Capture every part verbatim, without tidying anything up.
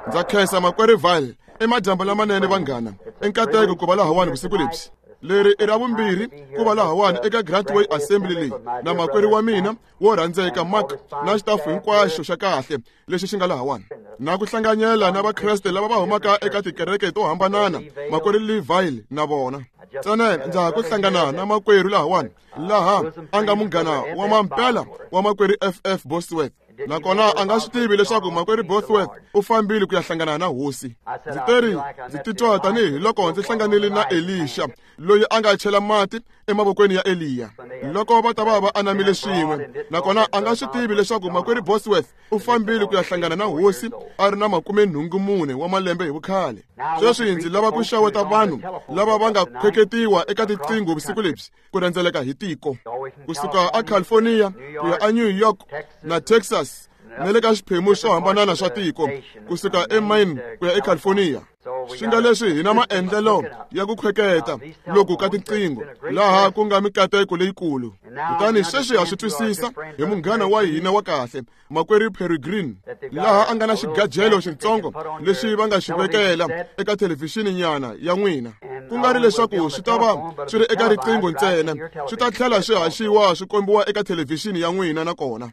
Ndza khensa makwerhu Val i madyambu lamanene vanghana i nkateko ku va lahawani vusiku lebyi. Leri i ra vumbirhi ku va lahawani eka Grantway Assembly leyi na makwerhu wa mina wo rhandzeka Mark na xitafu hinkwaxo xa kahle lexi xi nga lahawani na ku hlanganyela na vakreste lava va humaka eka tikereke to hambanana makwerhu Lee na vona. Ntsena ndza ha ku hlangana na makwerhu lahawani laha a nga munghana wa mampela wa makwerhu F F Bosworth nakona a nga swi tivi leswaku makwerhu Bosworth u fambile ku ya hlangana na hosi. Ndzi teri ndzi titwa tanihi loko ndzi hlanganile na Elisha loyi a nga chela mati emavokweni ya Eliya loko va ta va va anamile swin'we nakona a nga swi tivi leswaku makwerhu Bosworth u fambile ku ya hlangana na hosi a ri na makume nhungu mune wa malembe hi vukhale. Sweswi ndzi lava ku xaweta vanhu lava va nga khweketiwa eka tiqingho vusiku lebyi ku rhendzeleka hi tiko kusuka a California ku ya a New York na Texas na le ka xiphemu swo hambanana swa tiko kusuka eMaine ku ya eCalifornia. Swi nga leswi hi na maendlelo ya ku khweketa loku ka tiqingho laha ku nga mikateko leyikulu. Kutani sweswi ha swi twisisa hi munghana wa hina wa kahle makwerhu Peregrine laha a nga na xigajelo xitsongo lexi va nga xi vekela eka thelevhixini nyana ya n'wina ku nga ri leswaku swi ta va swi ri eka riqingho ntsena swi ta tlhela swi haxiwa swi kombiwa eka thelevhixini ya n'wina nakona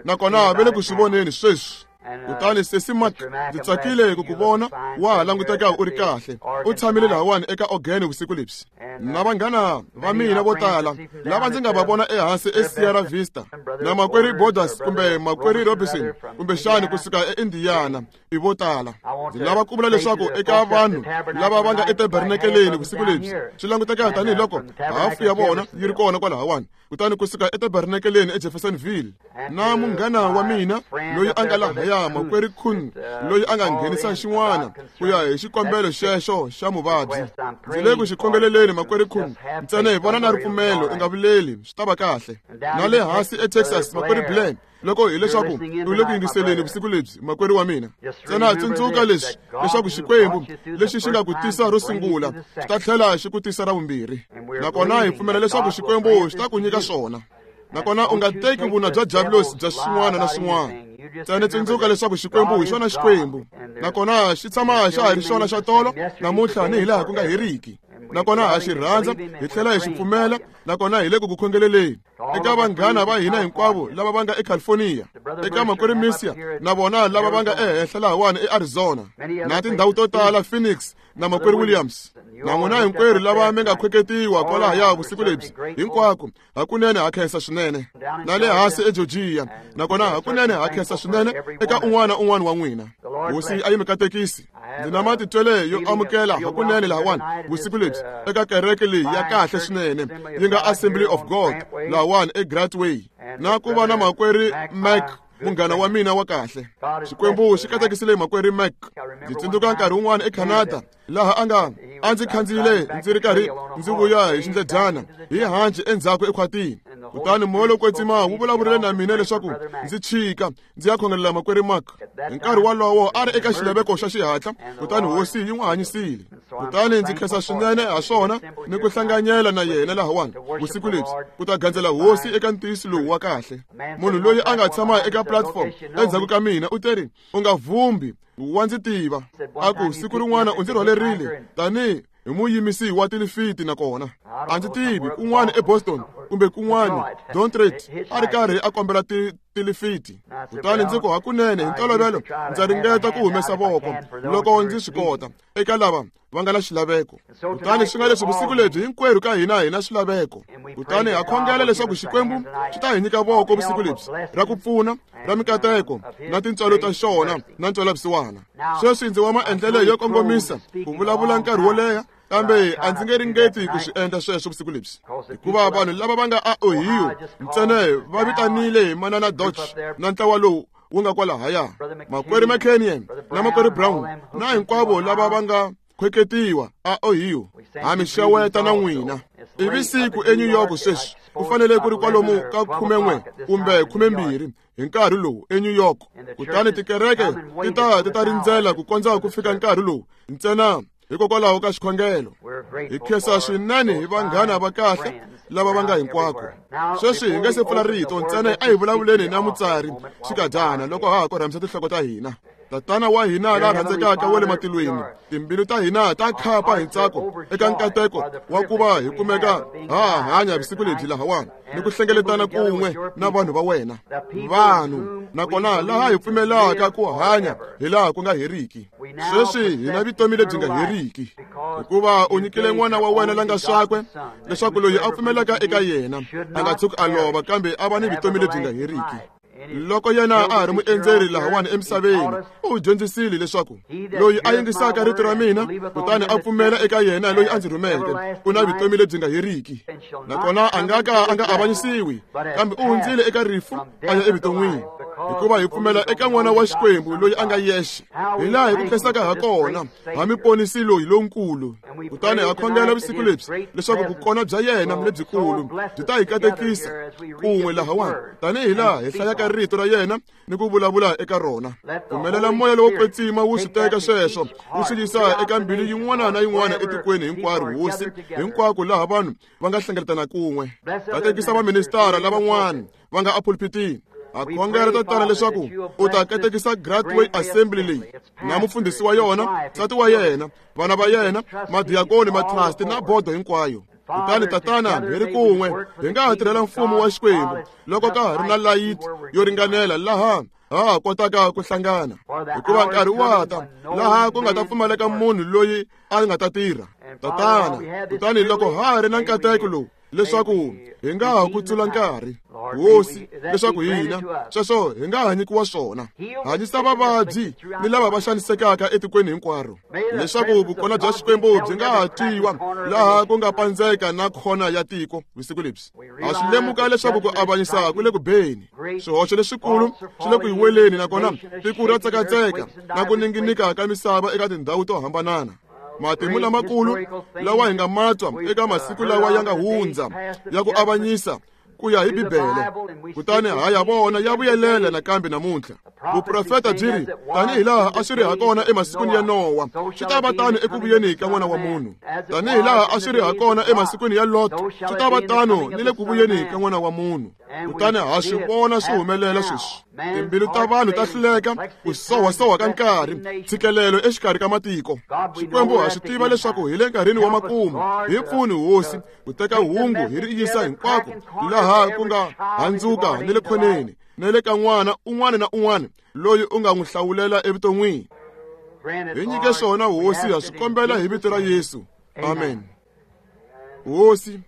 nakona va le ku swi voneni sweswi. Kutani sesi Mark ndzi tsakile ku ku vona wa ha languteka u ri kahle u tshamile lahawani eka organ vusiku lebyi na vanghana va mina vo tala lava ndzi nga va vona ehansi eSierra Vista na makwerhu Borders kumbe makwerhu Robinson kumbexani kusuka eIndiana i vo tala. Ndzi lava ku vula leswaku eka vanhu lava va nga etabernakeleni vusiku lebyi swi languteka tanihiloko hafu ya vona yi ri kona kwalahawani kutani kusuka etabernakeleni eJeffersonville na munghana wa mina loyi a nga lahaya makwerhu Kuhn loyi a nga nghenisa xin'wana ku ya hi xikombelo xexo xa muvabyi. Ndzi le ku xi khongeleleni makwerhu Kuhn ntsena hi vona na ripfumelo u nga vileli swi ta va kahle. Na le hansi eTexas makwerhu Blair loko hileswaku u le ku yingiseleni vusiku lebyi makwerhu wa mina ntsena tsundzuka leswi leswaku Xikwembu lexi xi nga ku tisa ro sungula xi ta tlhela xi ku tisa ra vumbirhi nakona hi pfumela leswaku Xikwembu xi ta ku nyika swona nakona u nga teki vuna bya diabulosi bya swin'wana na swin'wana. Ntsena tsundzuka leswaku Xikwembu hi xona Xikwembu nakona xi tshama xa ha ri xona xa tolo namuntlha ni hilaha ku nga heriki nakona ha xi rhandza hi tlhela hi xi pfumela nakona hi le ku ku khongeleleni eka vanghana va hina hinkwavo lava va nga eCalifornia eka makwerhu Misia na vona lava va nga ehenhla lahawani eArizona na tindhawu to tala Phoenix na makwerhu Williams na n'wina hinkwerhu lava mi nga khweketiwa kwalahaya vusiku lebyi hinkwako hakunene ha khensa swinene na le hansi eGeorgia nakona hakunene ha khensa swinene eka un'wana na un'wana wa n'wina. Hosi a yi mi katekisi. Ndzi na matitwele yo amukela hakunene lahawani vusiku lebyi eka kereke leyi ya kahle swinene yi nga Assembly of God lahawani eGrantway na ku va na makwerhu Mac munghana wa mina wa kahle. Xikwembu xi katekisile makwerhu Mac. Ndzi tsundzuka nkarhi wun'wana eCanada laha a nga a ndzi khandziyile ndzi ri karhi ndzi vuya hi xindledyana hi hanci endzhaku ekhwatini kutani moya lowo kwetsima wu vulavurile na mina leswaku ndzi chika ndzi ya khongelela makwerhu Mark. Hi nkarhi wolowo a ri eka xilaveko xa xihatla kutani hosi yi n'wi hanyisile. Kutani ndzi khensa swinene ha swona ni ku hlanganyela na yena lahawani vusiku lebyi ku ta gandzela hosi eka ntiyiso lowu wa kahle. Munhu loyi a nga tshama eka platform endzhaku ka mina u teri u nga vhumbi wa ndzi tiva a ku siku rin'wana u ndzi rhwalerile tanihi hi muyimisi wa tilifiti nakona a ndzi tivi kun'wana eBoston kumbe kun'wana Detroit a ri karhi a kombela tilifiti. Kutani ndzi ku hakunene hi ntolovelo ndza ringeta ku humesa voko loko ndzi swi kota eka lava va nga na xilaveko. Kutani swi nga leswi vusiku lebyi hinkwerhu ka hina hi na swilaveko kutani ha khongela leswaku Xikwembu xi ta hi nyika voko vusiku lebyi ra ku pfuna ra mikateko na tintswalo ta xona na ntswelavusiwana. Sweswi ndzi wa maendlelo yo kongomisa ku vulavula nkarhi wo leha kambe a ndzi nge ringeti ku swi endla sweswo vusiku lebyi hikuva vanhu lava va nga a Ohio ntsena va vitanile manana Dodge na ntlawa lowu wu nga kwalahaya makwerhu McKenyon na makwerhu Brown na hinkwavo lava va nga khweketiwa a Ohio ha mi xeweta na n'wina. I vusiku eNew York sweswi ku fanele ku ri kwalomu ka khumen'we kumbe khumembirhi hi nkarhi lowu eNew York kutani tikereke ti ta ti ta rindzela ku kondza ku fika nkarhi lowu ntsena hikokwalaho ka xikhongelo. Hi khensa swinene hi vanghana va kahle lava va nga hinkwako. Sweswi hi nga se pfula rito ntsena a hi vulavuleni na mutsari xikadyana loko ha ha korhamisa tinhloko ta hina. Tatana wa hina la rhandzekaka wa le matilweni, timbilu ta hina ta khapa hi ntsako eka nkateko wa ku va hi kumeka ha hanya vusiku lebyi lahawani ni ku hlengeletana kun'we na vanhu va wena, vanhu nakona laha hi pfumelaka ku hanya hi laha ku nga heriki. Sweswi hi na vutomi lebyi nga heriki, hikuva u nyikile n'wana wa wena la nga swakwe, leswaku loyi a pfumelaka eka yena a nga tshuki a lova, kambe a va ni vutomi lebyi nga heriki. Loko yena a ha ri muendzeri lahawani emisaveni, u dyondzisile leswaku loyi a yingisaka rito ra mina kutani a pfumela eka yena loyi a ndzi rhumeke u na vutomi lebyi nga heriki, nakona a nga ka a nga avanyisiwi, kambe u hundzile eka rifu a ya evuton'wini, hikuva hi pfumela eka n'wana wa Xikwembu loyi a nga yexe. Hi laha hi ku khensaka ha kona, ha mi ponisi loyi lonkulu. Kutani ha khongela vusiku lebyi leswaku vukona bya yena lebyikulu byi ta hi katekisa kun'we lahawani, tanihi laha hi hlayaka rito ra yena ni ku vulavula eka rona. Pfumelela moya lowo kwetsima wu swi teka sweswo wu swi yisa eka mbilu yin'wana na yin'wana etikweni hinkwaro, Hosi, hinkwako laha vanhu va nga hlengeletana kun'we. Katekisa vaministara lavan'wana va nga epulpitini. Ha khongela Tatana leswaku u ta katekisa Grantway Assembly leyi na mufundhisi wa yona, nsati wa yena, vana va yena, madiyakoni, matrasti na bodo hinkwayo. Kutani Tatana, hi ri kun'we hi nga ha tirhela mfumo wa Xikwembu loko ka ha ri na layiti yo ringanela laha ha ha kotaka ku hlangana, hikuva nkarhi wa ta laha ku nga ta pfumaleka munhu loyi a nga ta tirha. Tatana, kutani loko ha ha ri na nkateko lowu leswaku hi nga ha kutsula nkarhi, Hosi, leswaku hina sweswo hi nga ha nyikiwa swona. Hanyisa vavabyi ni lava va xanisekaka etikweni hinkwaro, leswaku vukona bya Xikwembu byi nga ha twiwa laha ku nga pandzeka na khona ya tiko vusiku lebyi. Ha swi lemuka leswaku ku avanyisa ku le ku beni, swihoxo leswikulu swi le ku yiweleni, nakona tiko ra tsekatseka na ku ninginika ka misava eka tindhawu to hambanana. Matimu lamakulu lawa hi nga matwa eka masiku lawa ya nga hundza ya ku avanyisa ku ya hi Bibele, kutani ha ya vona ya vuyelela nakambe namuntlha. Vuprofeta byi ri tanihi laha a swi ri hakona emasikwini ya Nowa, swi ta va tano eku vuyeni ka N'wana wa Munhu. Tanihi laha a swi ri hakona emasikwini ya Lot, swi ta va tano ni le ku vuyeni ka N'wana wa Munhu. Kutani ha swi vona swi humelela sweswi. Timbilu ta vanhu ta hluleka ku sohasoha ka nkarhi, ntshikelelo exikarhi ka matiko. Xikwembu ha swi tiva leswaku hi le nkarhini wa makumu. Hi pfuni, Hosi, ku teka hungu hi ri yisa hinkwako laha ku nga handzuka ni le khoneni, ni le ka n'wana un'wana na un'wana loyi u nga n'wi hlawulela evuton'wini. Hi nyike swona, Hosi, ha swi kombela hi vito ra Yesu. Amen. Hosi,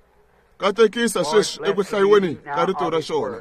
katekisa sweswi eku hlayiweni ka rito ra xona.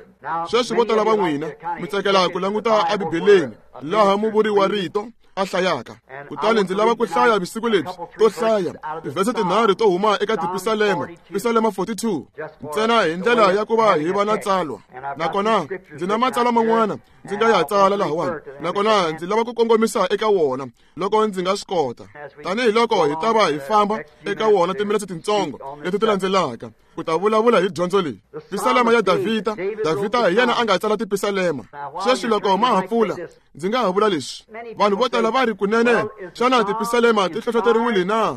Sweswi vo tala va n'wina mi tsakela ku languta eBibeleni laha muvuri wa rito a hlayaka. Kutani ndzi lava ku hlaya vusiku lebyi to hlaya tivhese tinharhu to huma eka tipisalema, Pisalema forty-two, ntsena hi ndlela ya ku va hi va na tsalwa. Nakona ndzi na matsalwa man'wana ndzi nga ya tsala lahawani, nakona ndzi lava ku kongomisa eka wona loko ndzi nga swi kota, tanihi loko hi ta va hi famba eka wona timinetse tintsongo leti ti landzelaka ku ta vulavula hi dyondzo leyi. Pisalema ya Davhida. Davhida hi yena a nga tsala tipisalema. Sweswi loko ma ha pfula, ndzi nga ha vula leswi. Vanhu vo tala va ri kunene, xana tipisalema ti hlohloteriwile na?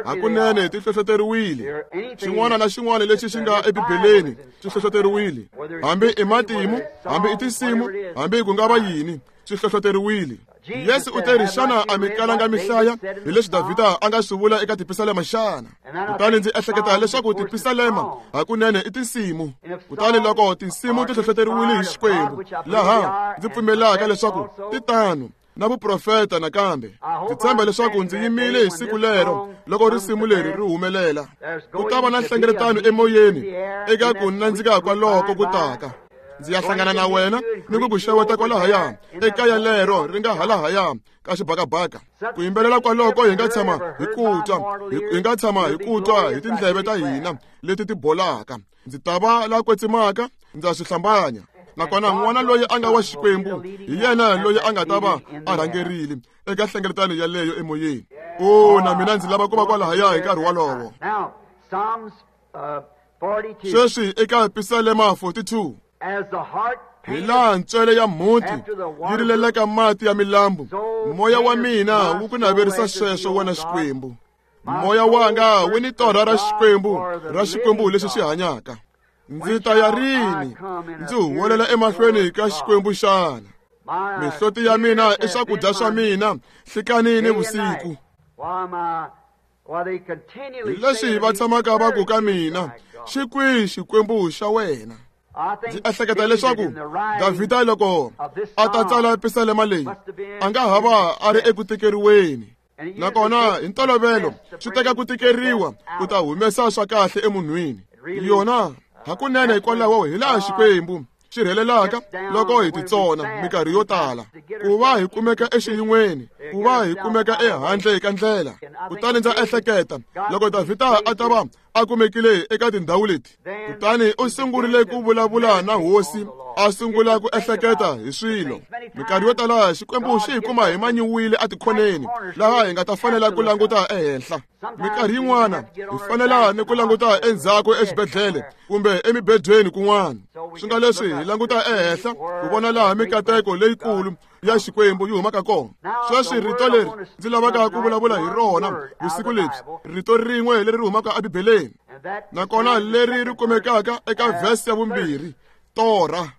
Hakunene ti hlohloteriwile. Xin'wana na xin'wana lexi xi nga eBibeleni xi hlohloteriwile, hambi i matimu, hambi i tinsimu, hambi ku nga va yini, swi hlohloteriwile. Yesu u te ri, xana a mi kalanga mi hlaya hi leswi Davhida a nga swi vula eka tipisalema xana? Kutani ndzi ehleketa leswaku tipisalema hakunene i tinsimu. Kutani loko tinsimu ti hlohloteriwile hi Xikwembu, laha ndzi pfumelaka leswaku ti tano na vuprofeta nakambe, ndzi tshemba leswaku ndzi yimile hi siku lero loko risimu leri ri humelela. Ku ta va na nhlengeletano emoyeni eka ku nandzika kwaloko ku taka. Ndzi ya hlangana na wena ni ku ku xeweta kwalahaya ekaya lero ri nga halahaya ka xibakabaka. Ku yimbelela kwaloko hi nga tshama hi ku twa, hi nga tshama hi ku twa hi tindleve ta hina leti ti bolaka. Ndzi ta va la kwetsimaka, ndza swi hlambanya. Nakona n'wana loyi a nga wa Xikwembu hi yena loyi a nga ta va a rhangerile eka nhlengeletano yaleyo emoyeni. O, na mina ndzi lava ku va kwalahaya hi nkarhi wolowo. Sweswi eka Pisalema forty-two, hi laha ntswele ya mhunti yi rilelaka mati ya milambu, moya wa mina wu ku naverisa sweswo, wena Xikwembu. Moya wanga wu ni torha ra Xikwembu, ra Xikwembu lexi xi hanyaka. Ndzi ta ya rini ndzi huwelela emahlweni ka Xikwembu xana? Mihloti ya mina i swakudya swa mina nhlikani ni vusiku. Hi leswi va tshamaka va ku ka mina, xi kwihi Xikwembu xa wena? Ndzi ehleketa leswaku Davhida loko a ta tsala pisalema leyi a nga ha va a ri eku tikeriweni. Nakona hi ntolovelo swi teka ku tikeriwa ku ta humesa swa kahle emunhwini. Yona hakunene hikwalaho hi laha Xikwembu xi rhelelaka loko hi titsona minkarhi yo tala ku va hi kumeka exiyin'weni, ku va hi kumeka ehandle ka ndlela. Kutani ndza ehleketa loko Davhida a ta va a kumekile eka tindhawu leti, kutani u sungurile ku vulavula na hosi, a sungula ku ehleketa hi swilo. Minkarhi yo tala Xikwembu xi hi kuma hi manyiwile etikhoneni laha hi nga ta fanela ku languta ehenhla. Minkarhi yin'wana hi fanela ni ku languta endzhaku exibedhlele kumbe emibedweni kun'wana. Swi nga leswi hi languta ehenhla ku vona laha mikateko leyikulu ya Xikwembu yi humaka kona. Sweswi rito leri ndzi lavaka ku vulavula hi rona vusiku lebyi, rito rin'we leri humaka eBibeleni, nakona leri ri kumekaka eka vhesi ya vumbirhi, torha.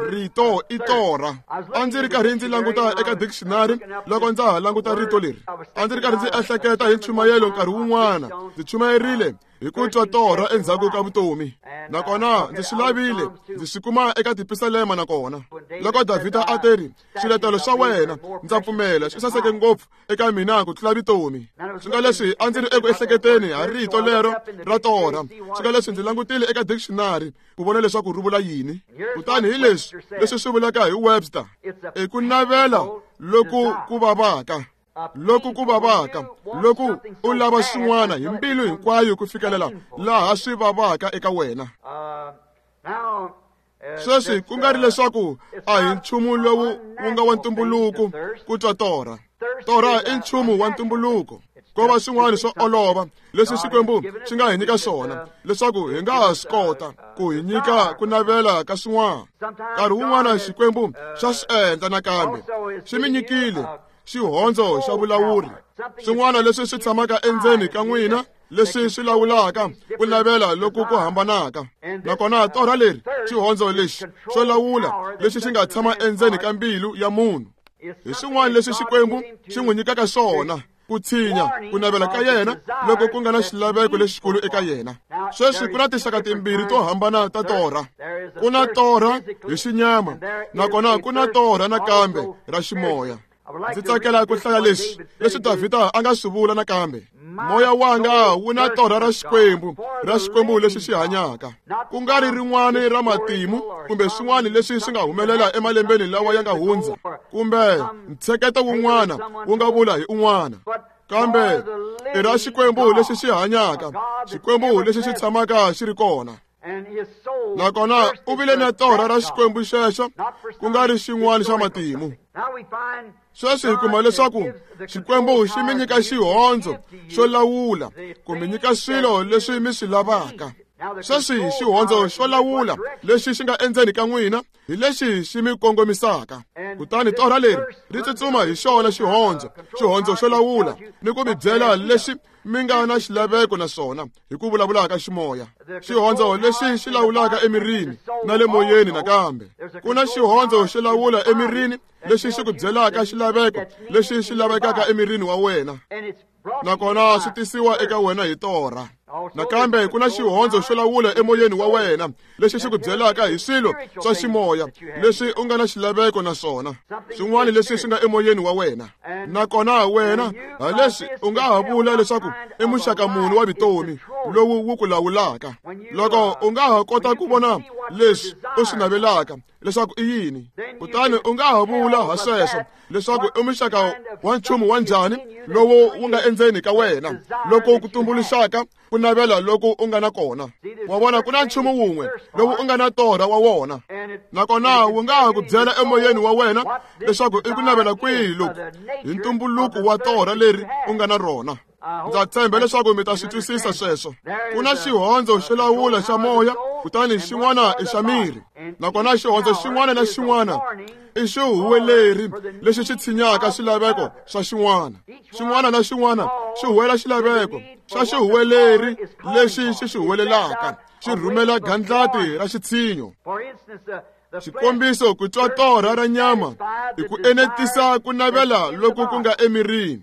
Rito i torha. A ndzi ri karhi ndzi languta eka dictionary loko ndza ha languta rito leri. A ndzi ri karhi ndzi ehleketa hi nchumayelo nkarhi wun'wana. Ndzi chumayerile hi ku twa torha endzhaku ka vutomi. Nakona ndzi swi lavile, ndzi swi kuma eka tipisalema nakona. Loko Davhida a teri, swiletelo swa wena ndza pfumela swi saseke ngopfu eka mina ku tlula vutomi. Swi nga leswi a ndzi ri eku ehleketeni ha rito lero ra torha. Swi nga leswi ndzi langutile eka dictionary ku vona leswaku ri vula yini. Kutani hi leswi leswi swi vulaka hi Webster, i ku navela loku ku vavaka. Loko ku vavaka, loko u lava swin'wana hi mbilu hinkwayo ku fikelela laha swi vavaka eka wena. Sweswi ku nga ri leswaku a hi nchumu lowu wu nga wa ntumbuluko ku twa torha. Torha i nchumu wa ntumbuluko. Ko va swin'wana swo olova leswi Xikwembu xi nga hi nyika swona leswaku hi nga ha swi kota ku hi nyika ku navela ka swin'wana. Nkarhi wun'wana Xikwembu xa swi endla nakambe xi mi nyikile xihondzo xa vulawuri, swin'wana leswi swi tshamaka endzeni ka n'wina leswi swi lawulaka ku navela loku ku hambanaka. Nakona torha leri, xihondzo lexi xo lawula lexi xi nga tshama endzeni ka mbilu ya munhu, hi swin'wana leswi Xikwembu xi n'wi nyikaka swona ku tshinya ku navela ka yena loko ku nga na xilaveko lexikulu eka yena. Sweswi ku na tinxaka timbirhi to hambana ta torha. Ku na torha hi xinyama, nakona ku na torha nakambe ra ximoya. Ndzi tsakela ku hlaya leswi leswi Davhida a nga swi vula nakambe. Moya wanga wu na torha ra Xikwembu, ra Xikwembu lexi xi hanyaka, ku nga ri rin'wana ra matimu kumbe swin'wana leswi swi nga humelela emalembeni lawa ya nga hundza, kumbe ntsheketo wun'wana wu nga vula hi un'wana, kambe i ra Xikwembu lexi xi hanyaka, Xikwembu lexi xi tshamaka xi ri kona. Nakona u vile na torha ra Xikwembu xexo, ku nga ri xin'wana xa matimu. Sweswi hi kuma leswaku Xikwembu xi mi nyika xihondzo xo lawula ku mi nyika swilo leswi mi swi lavaka. Sweswi xihondzo xo lawula lexi xi nga endzeni ka n'wina hi lexi xi mi kongomisaka. Kutani torha leri ri tsutsuma hi xona xihondzo, xihondzo xo lawula ni ku mi byela lexi mi nga na xilaveko na swona hi ku vulavula ka ximoya. Xihondzo lexi xi lawulaka emirini na le moyeni nakambe. Ku na xihondzo xo lawula emirini lexi xi ku byelaka xilaveko lexi xi lavekaka emirini wa wena, nakona swi tisiwa eka wena hi torha. Nakambe ku na xihondzo xo lawula emoyeni wa wena lexi xi ku byelaka hi swilo swa ximoya leswi u nga na xilaveko na swona, swin'wana leswi swi nga emoyeni wa wena. Nakona wena ha leswi u nga ha vula leswaku i muxaka muni wa vutomi lowu wu ku lawulaka. Loko u nga ha kota ku vona leswi u swi navelaka leswaku i yini, kutani u nga ha vula ha sweswo leswaku i muxaka wa nchumu wa njhani lowu wu nga endzeni ka wena loko ku tumbuluxaka ku navela loko u nga na kona. Wa vona, ku na nchumu wun'we lowu u nga na torha wa wona, nakona wu nga ha ku byela emoyeni wa wena leswaku i ku navela kwihi loku hi ntumbuluko wa torha leri u nga na rona. Ndza tshemba leswaku mi ta swi twisisa sweswo. Ku na xihondzo xo lawula xa moya, kutani xin'wana i xa miri. Nakona xihondzo xin'wana na xin'wana i xihuweleri lexi xi tshinyaka swilaveko swa xin'wana. Xin'wana na xin'wana xi huwela xilaveko xa xihuweleri lexi xi xi huwelelaka, xi rhumela gandlati ra xitshinyo. Xikombiso ku twa torha ra nyama i ku enetisa ku navela loku ku nga emirini,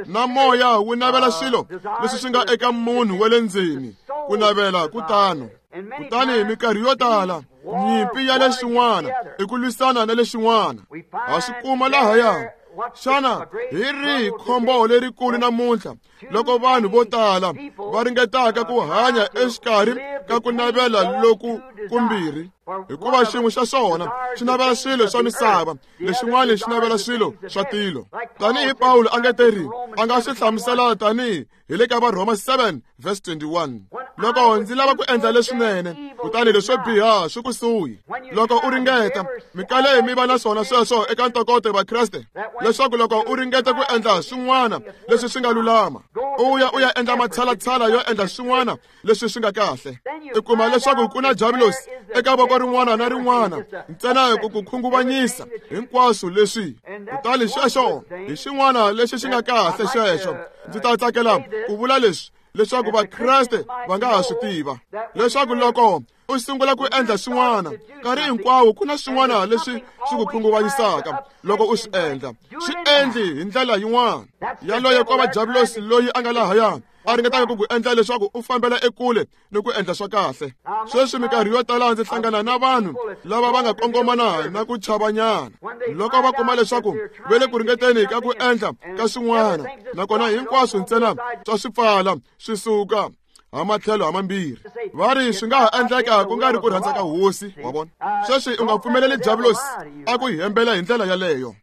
na moya wu navela swilo leswi swi nga eka munhu wa le ndzeni, ku navela ku tano. Kutani minkarhi yo tala nyimpi ya leswin'wana i ku lwisana na leswin'wana. Ha swi kuma lahaya. Xana hi rihi khombo lerikulu namuntlha loko vanhu vo tala va ringetaka ku hanya exikarhi ka ku navela loku kumbirhi? Hikuva xin'we xa swona xi navela swilo swa misava, lexin'wana xi navela swilo swa tilo. Tanihi Pawulo a nga teri a nga swi hlamusela tanihi hi le ka Varhoma seven verse twenty-one. Loko ndzi lava ku endla leswinene, kutani leswo biha swi kusuhi. Loko u ringeta, mikale mi va na swona sweswo eka ntokoto wa Kreste, leswaku loko u ringeta ku endla swin'wana leswi swi nga lulama, u ya u ya endla matshalatshala yo endla swin'wana leswi swi nga kahle, i kuma leswaku ku na diabolos eka voko rin'wana na rin'wana ntsena ku ku khunguvanyisa hinkwaswo leswi. Kutani xexo hi xin'wana lexi xi nga kahle xexo. Ndzi ta tsakela ku vula leswi leswaku Vakreste va nga ha swi tiva leswaku loko u sungula ku endla swin'wana, nkarhi hinkwawo ku na swin'wana leswi swi ku khunguvanyisaka loko u swi endla. Swi endli hi ndlela yin'wana. Yaloye ko va diabolos loyi a nga lahaya a ringetaka ku ku endla leswaku u fambela ekule ni ku endla swa kahle. Sweswi minkarhi yo tala ndzi hlangana na vanhu lava va nga kongomana na ku chavanyana loko va kuma leswaku va le ku ringeteni ka ku endla ka swin'wana, nakona hinkwaswo ntsena swa swi pfala swi suka ha matlhelo ha mambirhi. Va ri swi nga ha endleka ku nga ri ku rhandza ka hosi, wa vona. Sweswi u nga pfumeleli diabolos a ku hembela hi ndlela yaleyo.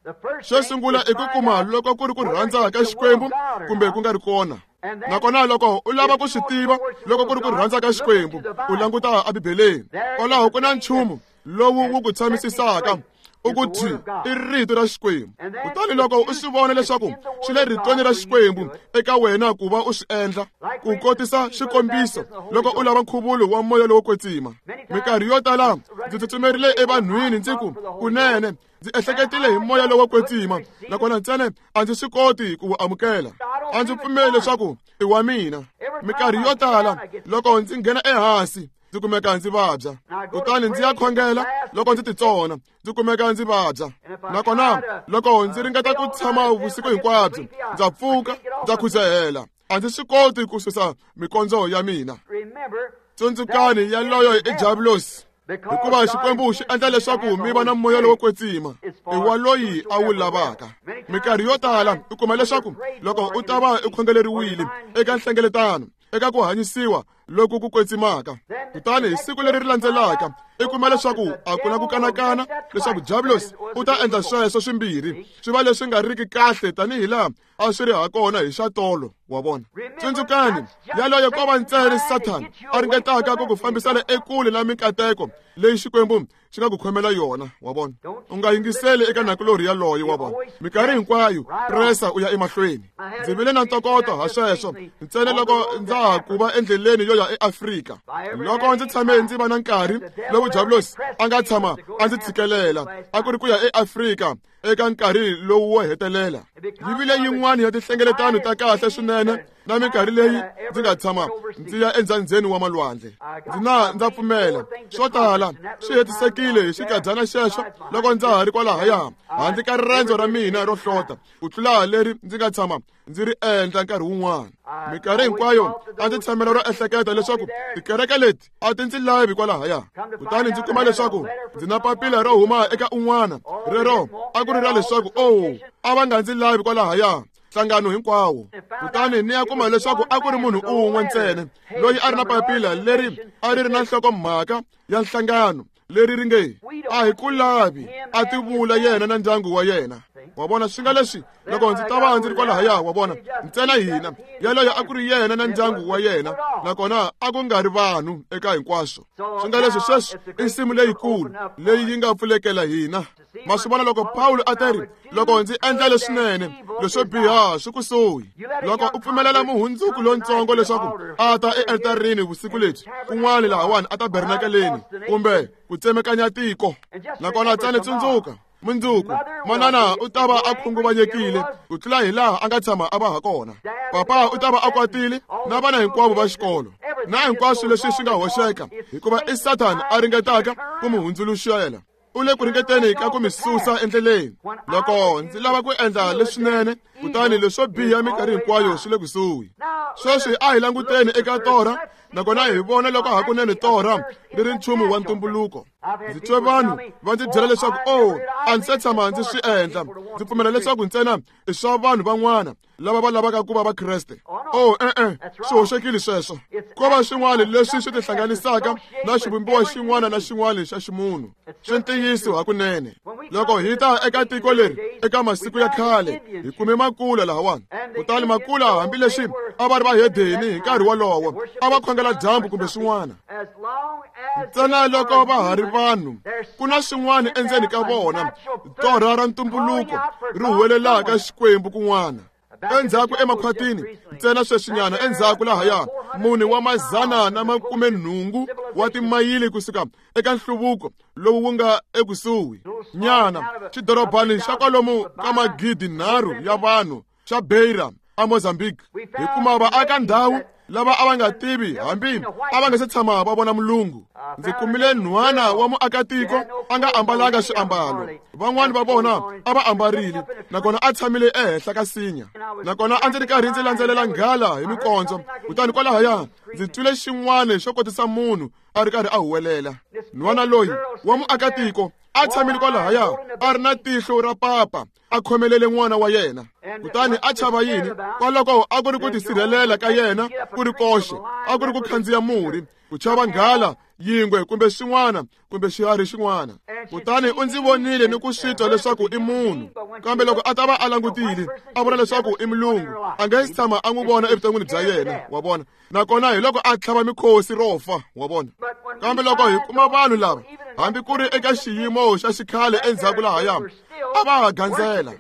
Xo sungula i ku kuma loko ku ri ku rhandza ka Xikwembu kumbe ku nga ri kona. Nakona loko u lava ku swi tiva loko ku ri ku rhandza ka Xikwembu, u languta eBibeleni. Kwalaho ku na nchumu lowu wu ku tshamisisaka u ku thi i rito ra Xikwembu. Kutani loko u swi vona leswaku swi le ritweni ra Xikwembu eka wena ku va u swi endla, ku kotisa xikombiso loko u lava nkhuvulo wa moya lowo kwetsima. Minkarhi yo tala ndzi tsutsumerile evanhwini ndzi ku kunene ndzi ehleketile hi moya lowo kwetsima, nakona ntsena a ndzi swi koti ku wu amukela. A ndzi pfumeli leswaku i wa mina. Minkarhi yo tala loko ndzi nghena ehansi ndzi kumeka ndzi vabya, kutani ndzi ya khongela loko ndzi titsona ndzi kumeka ndzi vabya. Nakona loko ndzi ringeta ku tshama vusiku hinkwabyo, ndza pfuka ndza khudzahela, a ndzi swi koti ku susa mikondzo ya mina. Tsundzukani, yaloyo i diabolos, hikuva Xikwembu xi endla leswaku mi va na moya lowo kwetsima i wa loyi a wu lavaka. Minkarhi yo tala u kuma leswaku loko u ta va u khongeleriwile eka nhlengeletano, eka ku hanyisiwa loku ku kwetsimaka, kutani hi siku leri ri landzelaka i kuma leswaku a ku na ku kanakana leswaku diabolos u ta endla sweswo swimbirhi swi va leswi nga riki kahle tanihi laha a swi ri ha kona hi xa tolo, wa vona. Tsundzukani, yaloye ko va ntsena Sathana a ringetaka ku ku fambisela ekule na minkateko leyi Xikwembu xi nga ku khomela yona, wa vona. U nga yingiseli eka nakulorhi yaloye, wa vona. Minkarhi hinkwayo presa u ya emahlweni. Ndzi vile na ntokoto ha sweswo ntsena loko ndza ha ku va endleleni yo ya eAfrika. Loko ndzi tshame ndzi va na nkarhi lowu diabolos a nga tshama a ndzi tshikelela, a ku ri ku ya eAfrika eka nkarhi lowu wo hetelela. Yi vile yin'wana ya tinhlengeletano ta kahle swinene na minkarhi leyi ndzi nga tshama ndzi ya endzhandzeni wa malwandle. Ndzi na ndza pfumela swo tala swi hetisekile hi xikadyana xexo loko ndza ha ri kwalahaya handle ka rirendzo ra mina ro hlota ku tlula leri ndzi nga tshama ndzi ri endla nkarhi wun'wana. Minkarhi hinkwayo a ndzi tshamela ro ehleketa leswaku tikereke leti a ti ndzi lavi kwalahaya, kutani ndzi kuma leswaku ndzi na papila ro huma eka un'wana rero a ku ri ra leswaku o a va nga ndzi lavi kwalahaya nhlangano hinkwawo. Kutani ni ya kuma leswaku a ku ri munhu un'we ntsena loyi a ri na papila leri a ri ri na nhlokomhaka ya nhlangano leri ri nge a hi ku lavi, a ti vula yena na ndyangu wa yena. Wa vona, swi nga leswi loko ndzi ta va ndzi ri kwalahaya, wa vona, ntsena hina yaloye a ku ri yena na ndyangu wa yena, nakona a ku nga ri vanhu eka hinkwaswo. Swi nga leswi sweswi i nsimu leyikulu leyi yi nga pfulekela hina. Ma swi vona loko Pawulo a ta ri loko ndzi endla leswinene, leswo biha swi kusuhi. Loko u pfumelela muhundzuku lontsongo leswaku a ta ealtarini vusiku lebyi kun'wana lahawani a ta bernakeleni kumbe ku tsemekanya tiko, nakona tsani tsundzuka mundzuku manana u ta va a khunguvanyekile ku tlula hi laha a nga tshama a va ha kona. Papa u ta va a kwatile na vana hinkwavo va xikolo na hinkwaswo leswi swi nga hoxeka, hikuva i Sathana a ringetaka ku mu hundzuluxela. U le ku ringeteni ka ku mi susa endleleni. Loko ndzi lava ku endla leswinene, kutani leswo biha minkarhi hinkwayo swi le kusuhi. Sweswi a hi languteni eka torha, nakona hi vona loko hakunene torha ri ri nchumu wa ntumbuluko. Ndzi twe vanhu va ndzi byela leswaku o a ndzi se tshama ndzi swi endla. Ndzi pfumela leswaku ntsena i swa vanhu van'wana lava va lavaka ku va vakreste. O e-e, swi hoxekile sweswo. Ko va swin'wana leswi swi tihlanganisaka na xivumbiwa xin'wana na xin'wana xa ximunhu. Swi ntiyiso hakunene. Loko hi ta eka tiko leri eka masiku ya khale, hi kume makula lahawani. Kutani makula hambileswi a va ri vahedeni hi nkarhi wolowo, a va khongela dyambu kumbe swin'wana. Ntsena loko va ha ri vanhu, ku na swin'wana endzeni ka vona, torha ra ntumbuluko ri huwelelaka Xikwembu kun'wana. Endzhaku emakhwatini, ntsena sweswinyana endzhaku lahaya, mune wa mazana na makume nhungu wa timayili kusuka eka nhluvuko lowu wu nga ekusuhi nyana, xidorobani xa kwalomu ka magidi nharhu ya vanhu xa Beira a Mozambique, hi kuma vaaka ndhawu lava a va nga tivi hambi a va nga se tshama va vona mulungu. Ndzi kumile nhwana wa muakatiko a nga ambalanga swiambalo. Van'wani va vona a va ambarile, nakona a tshamile ehenhla ka sinya. Nakona a ndzi ri karhi ndzi landzelela nghala hi mikondzo, kutani kwalahaya ndzi twile xin'wana xo kotisa munhu a ri karhi a huwelela. Nhwana loyi wa muakatiko a tshamile kwalahaya a ri na tihlo ra papa, a khomelele n'wana wa yena. Kutani a chava yini? Kwaloko a ku ri ku tisirhelela ka yena ku ri koxe, a ku ri ku khandziya murhi, ku chava nghala, yingwe kumbe xin'wana kumbe xiharhi xin'wana. Kutani u ndzi vonile ni ku swi twa leswaku i munhu, kambe loko a ta va a langutile a vona leswaku i mulungu, a nge si tshama a n'wi vona evuton'wini bya yena, wa vona. Nakona hi loko a tlhava mikhosi ro fa, wa vona. Kambe loko hi kuma vanhu lava, hambi ku ri eka xiyimo xa xikhale endzhaku lahaya, a va ha gandzela.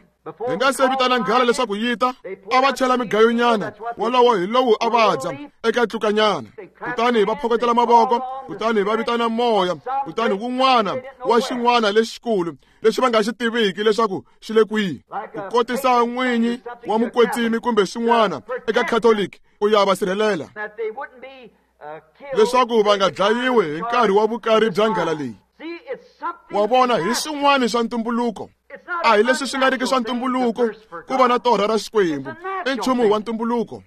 Hi nga se vitana nghala leswaku yi ta, a va chela migayonyana, wolowo hi lowu a va dya eka tlukanyana. Kutani va phokotela mavoko, kutani va vitana moya, kutani wun'wana wa xin'wana lexikulu lexi va nga xi tiviki leswaku xi le kwihi, ku kotisa n'winyi wa mukwetsimi kumbe xin'wana eka Catholic ku ya va sirhelela leswaku va nga dlayiwi hi nkarhi wa vukari bya nghala leyi. Wa vona, hi swin'wana swa ntumbuluko. A hi leswi swi nga riki swa ntumbuluko ku va na torha ra Xikwembu, i nchumu wa ntumbuluko.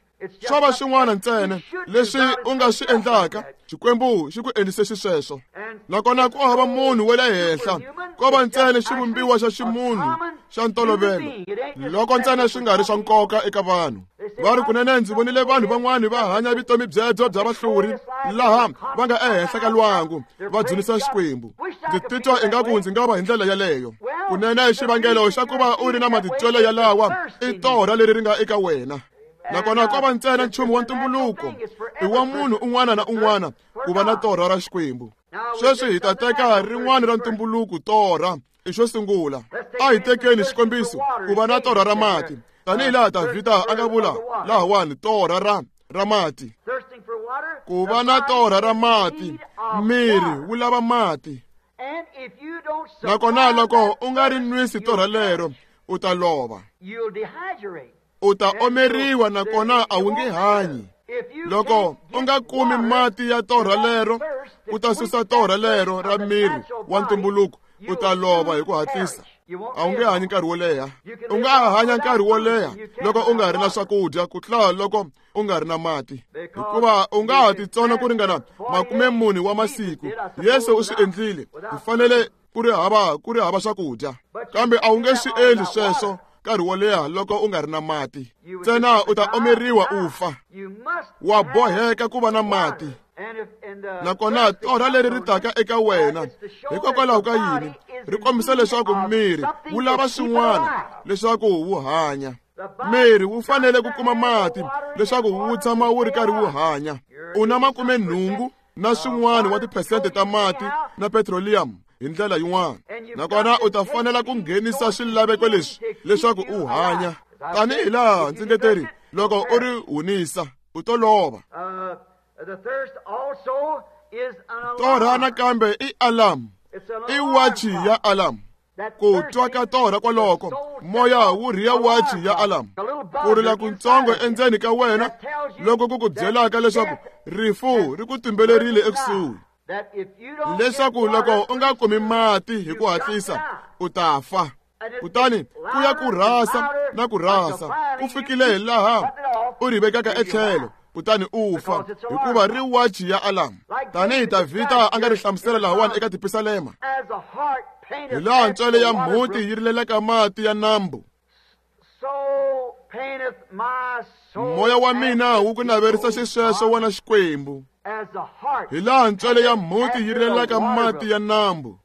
Swo va swin'wana ntsena leswi u nga swi endlaka, Xikwembu xi ku endlise xisweswo. Nakona ku hava munhu wa le henhla, ko va ntsena xivumbiwa xa ximunhu xa ntolovelo, loko ntsena swi nga ri swa nkoka eka vanhu. Va ri kunene ndzi vonile vanhu van'wani va hanya vutomi byebyo bya vahluri laha va nga ehenhla ka lwangu va dzunisa Xikwembu. Ndzi titwa ingaku ndzi nga va hi ndlela yaleyo. Kunene xivangelo xa ku va u ri na matitwelo yalawa i torha leri ri nga eka wena. Nakona ko va ntsena nchumu wa ntumbuluko, i wa munhu un'wana na un'wana ku va na torha ra Xikwembu. Sweswi hi ta teka rin'wana ra ntumbuluko, torha i xo sungula. A hi tekeni xikombiso ku va na torha ra mati, tanihi laha Davhida a nga vula lahawani, torha ra ra mati. Ku va na torha ra mati, miri wu lava mati. Nakona loko u nga ri nwisi torha lero, u ta lova, u ta omeriwa, nakona a wu nge hanyi. Loko u nga kumi mati ya torha lero, u ta susa torha lero ra miri wa ntumbuluko, u ta lova hi ku hatlisa. A wu nge hanyi nkarhi wo leha. U nga ha hanya nkarhi wo leha loko u nga ri na swakudya ku tlula loko u nga ri na mati, hikuva u nga ha titsona ku ringana makume mune wa masiku. Yesu u swi endlile. Hi fanele ku ri hava ku ri hava swakudya, kambe a wu nge swi endli sweswo nkarhi wo leha loko u nga ri na mati. Ntsena u ta omeriwa u fa. Wa boheka ku va na mati. Nakona torha leri ri taka eka wena hikokwalaho ka yini? Ri kombisa leswaku miri wu lava swin'wana leswaku wu hanya. Miri wu fanele ku kuma mati leswaku wu tshama wu ri karhi wu hanya. U na makume nhungu na swin'wana wa tiphesente ta mati na petroleum hi ndlela yin'wana, nakona u ta fanela ku nghenisa swilaveko leswi leswaku u hanya. Tanihi laha ndzi nge teri, loko u ri hunisa u to lova. Torha nakambe i alarm, i wachi ya alarm. Ku twa ka torha kwaloko, moya wu rhiya wachi ya alarm. Ku rila kuntsongo endzeni ka wena loko ku ku byelaka leswaku rifu ri ku tumbelerile ekusuhi. Leswaku loko u nga kumi mati hi ku hatlisa u ta fa. Kutani ku ya ku rhasa na ku rhasa ku fikile hi laha u ri vekaka etlhelo kutani u fa hikuva ri wachi ya alarm. Tanihi Davhida a nga ri hlamusela lahawani eka tipisalema, hi laha ntswele ya mhuti yi rilelaka mati ya nambu, moya wa mina wu ku naverisa xisweswo wena Xikwembu. Hi laha ntswele ya mhuti yi rilelaka mati ya nambu.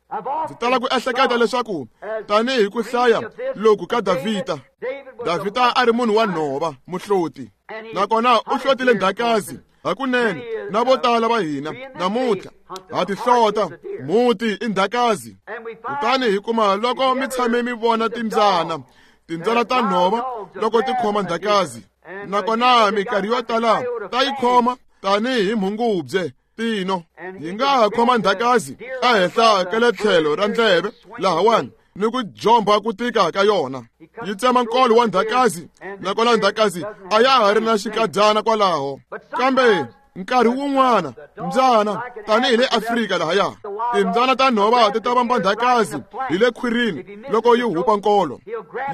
Ndzi tala ku ehleketa leswaku tanihi ku hlaya loku ka Davhida, Davhida a ri munhu wa nhova, muhloti, nakona u hlotile ndhakazi hakunene. Na vo tala va hina namuntlha ha ti hlota mhuti i ndhakazi. Kutani hi kuma loko mi tshame mi vona timbyana, timbyana ta nhova loko ti khoma ndhakazi, nakona minkarhi yo tala ta yi khoma tanihi mhungubye tino. Yi nga ha khoma ndhakazi ehenhla ka le tlhelo ra ndleve lahawani ni ku jomba ku tika ka yona, yi tsema nkolo wa ndhakazi, nakona ndhakazi a ya ha ri na xikadyana kwalaho. Kambe nkarhi wun'wana mbyana, tanihi le Afrika lahaya, timbyana ta nhova ti ta vamba ndhakazi hi le khwirini loko yi hupa nkolo,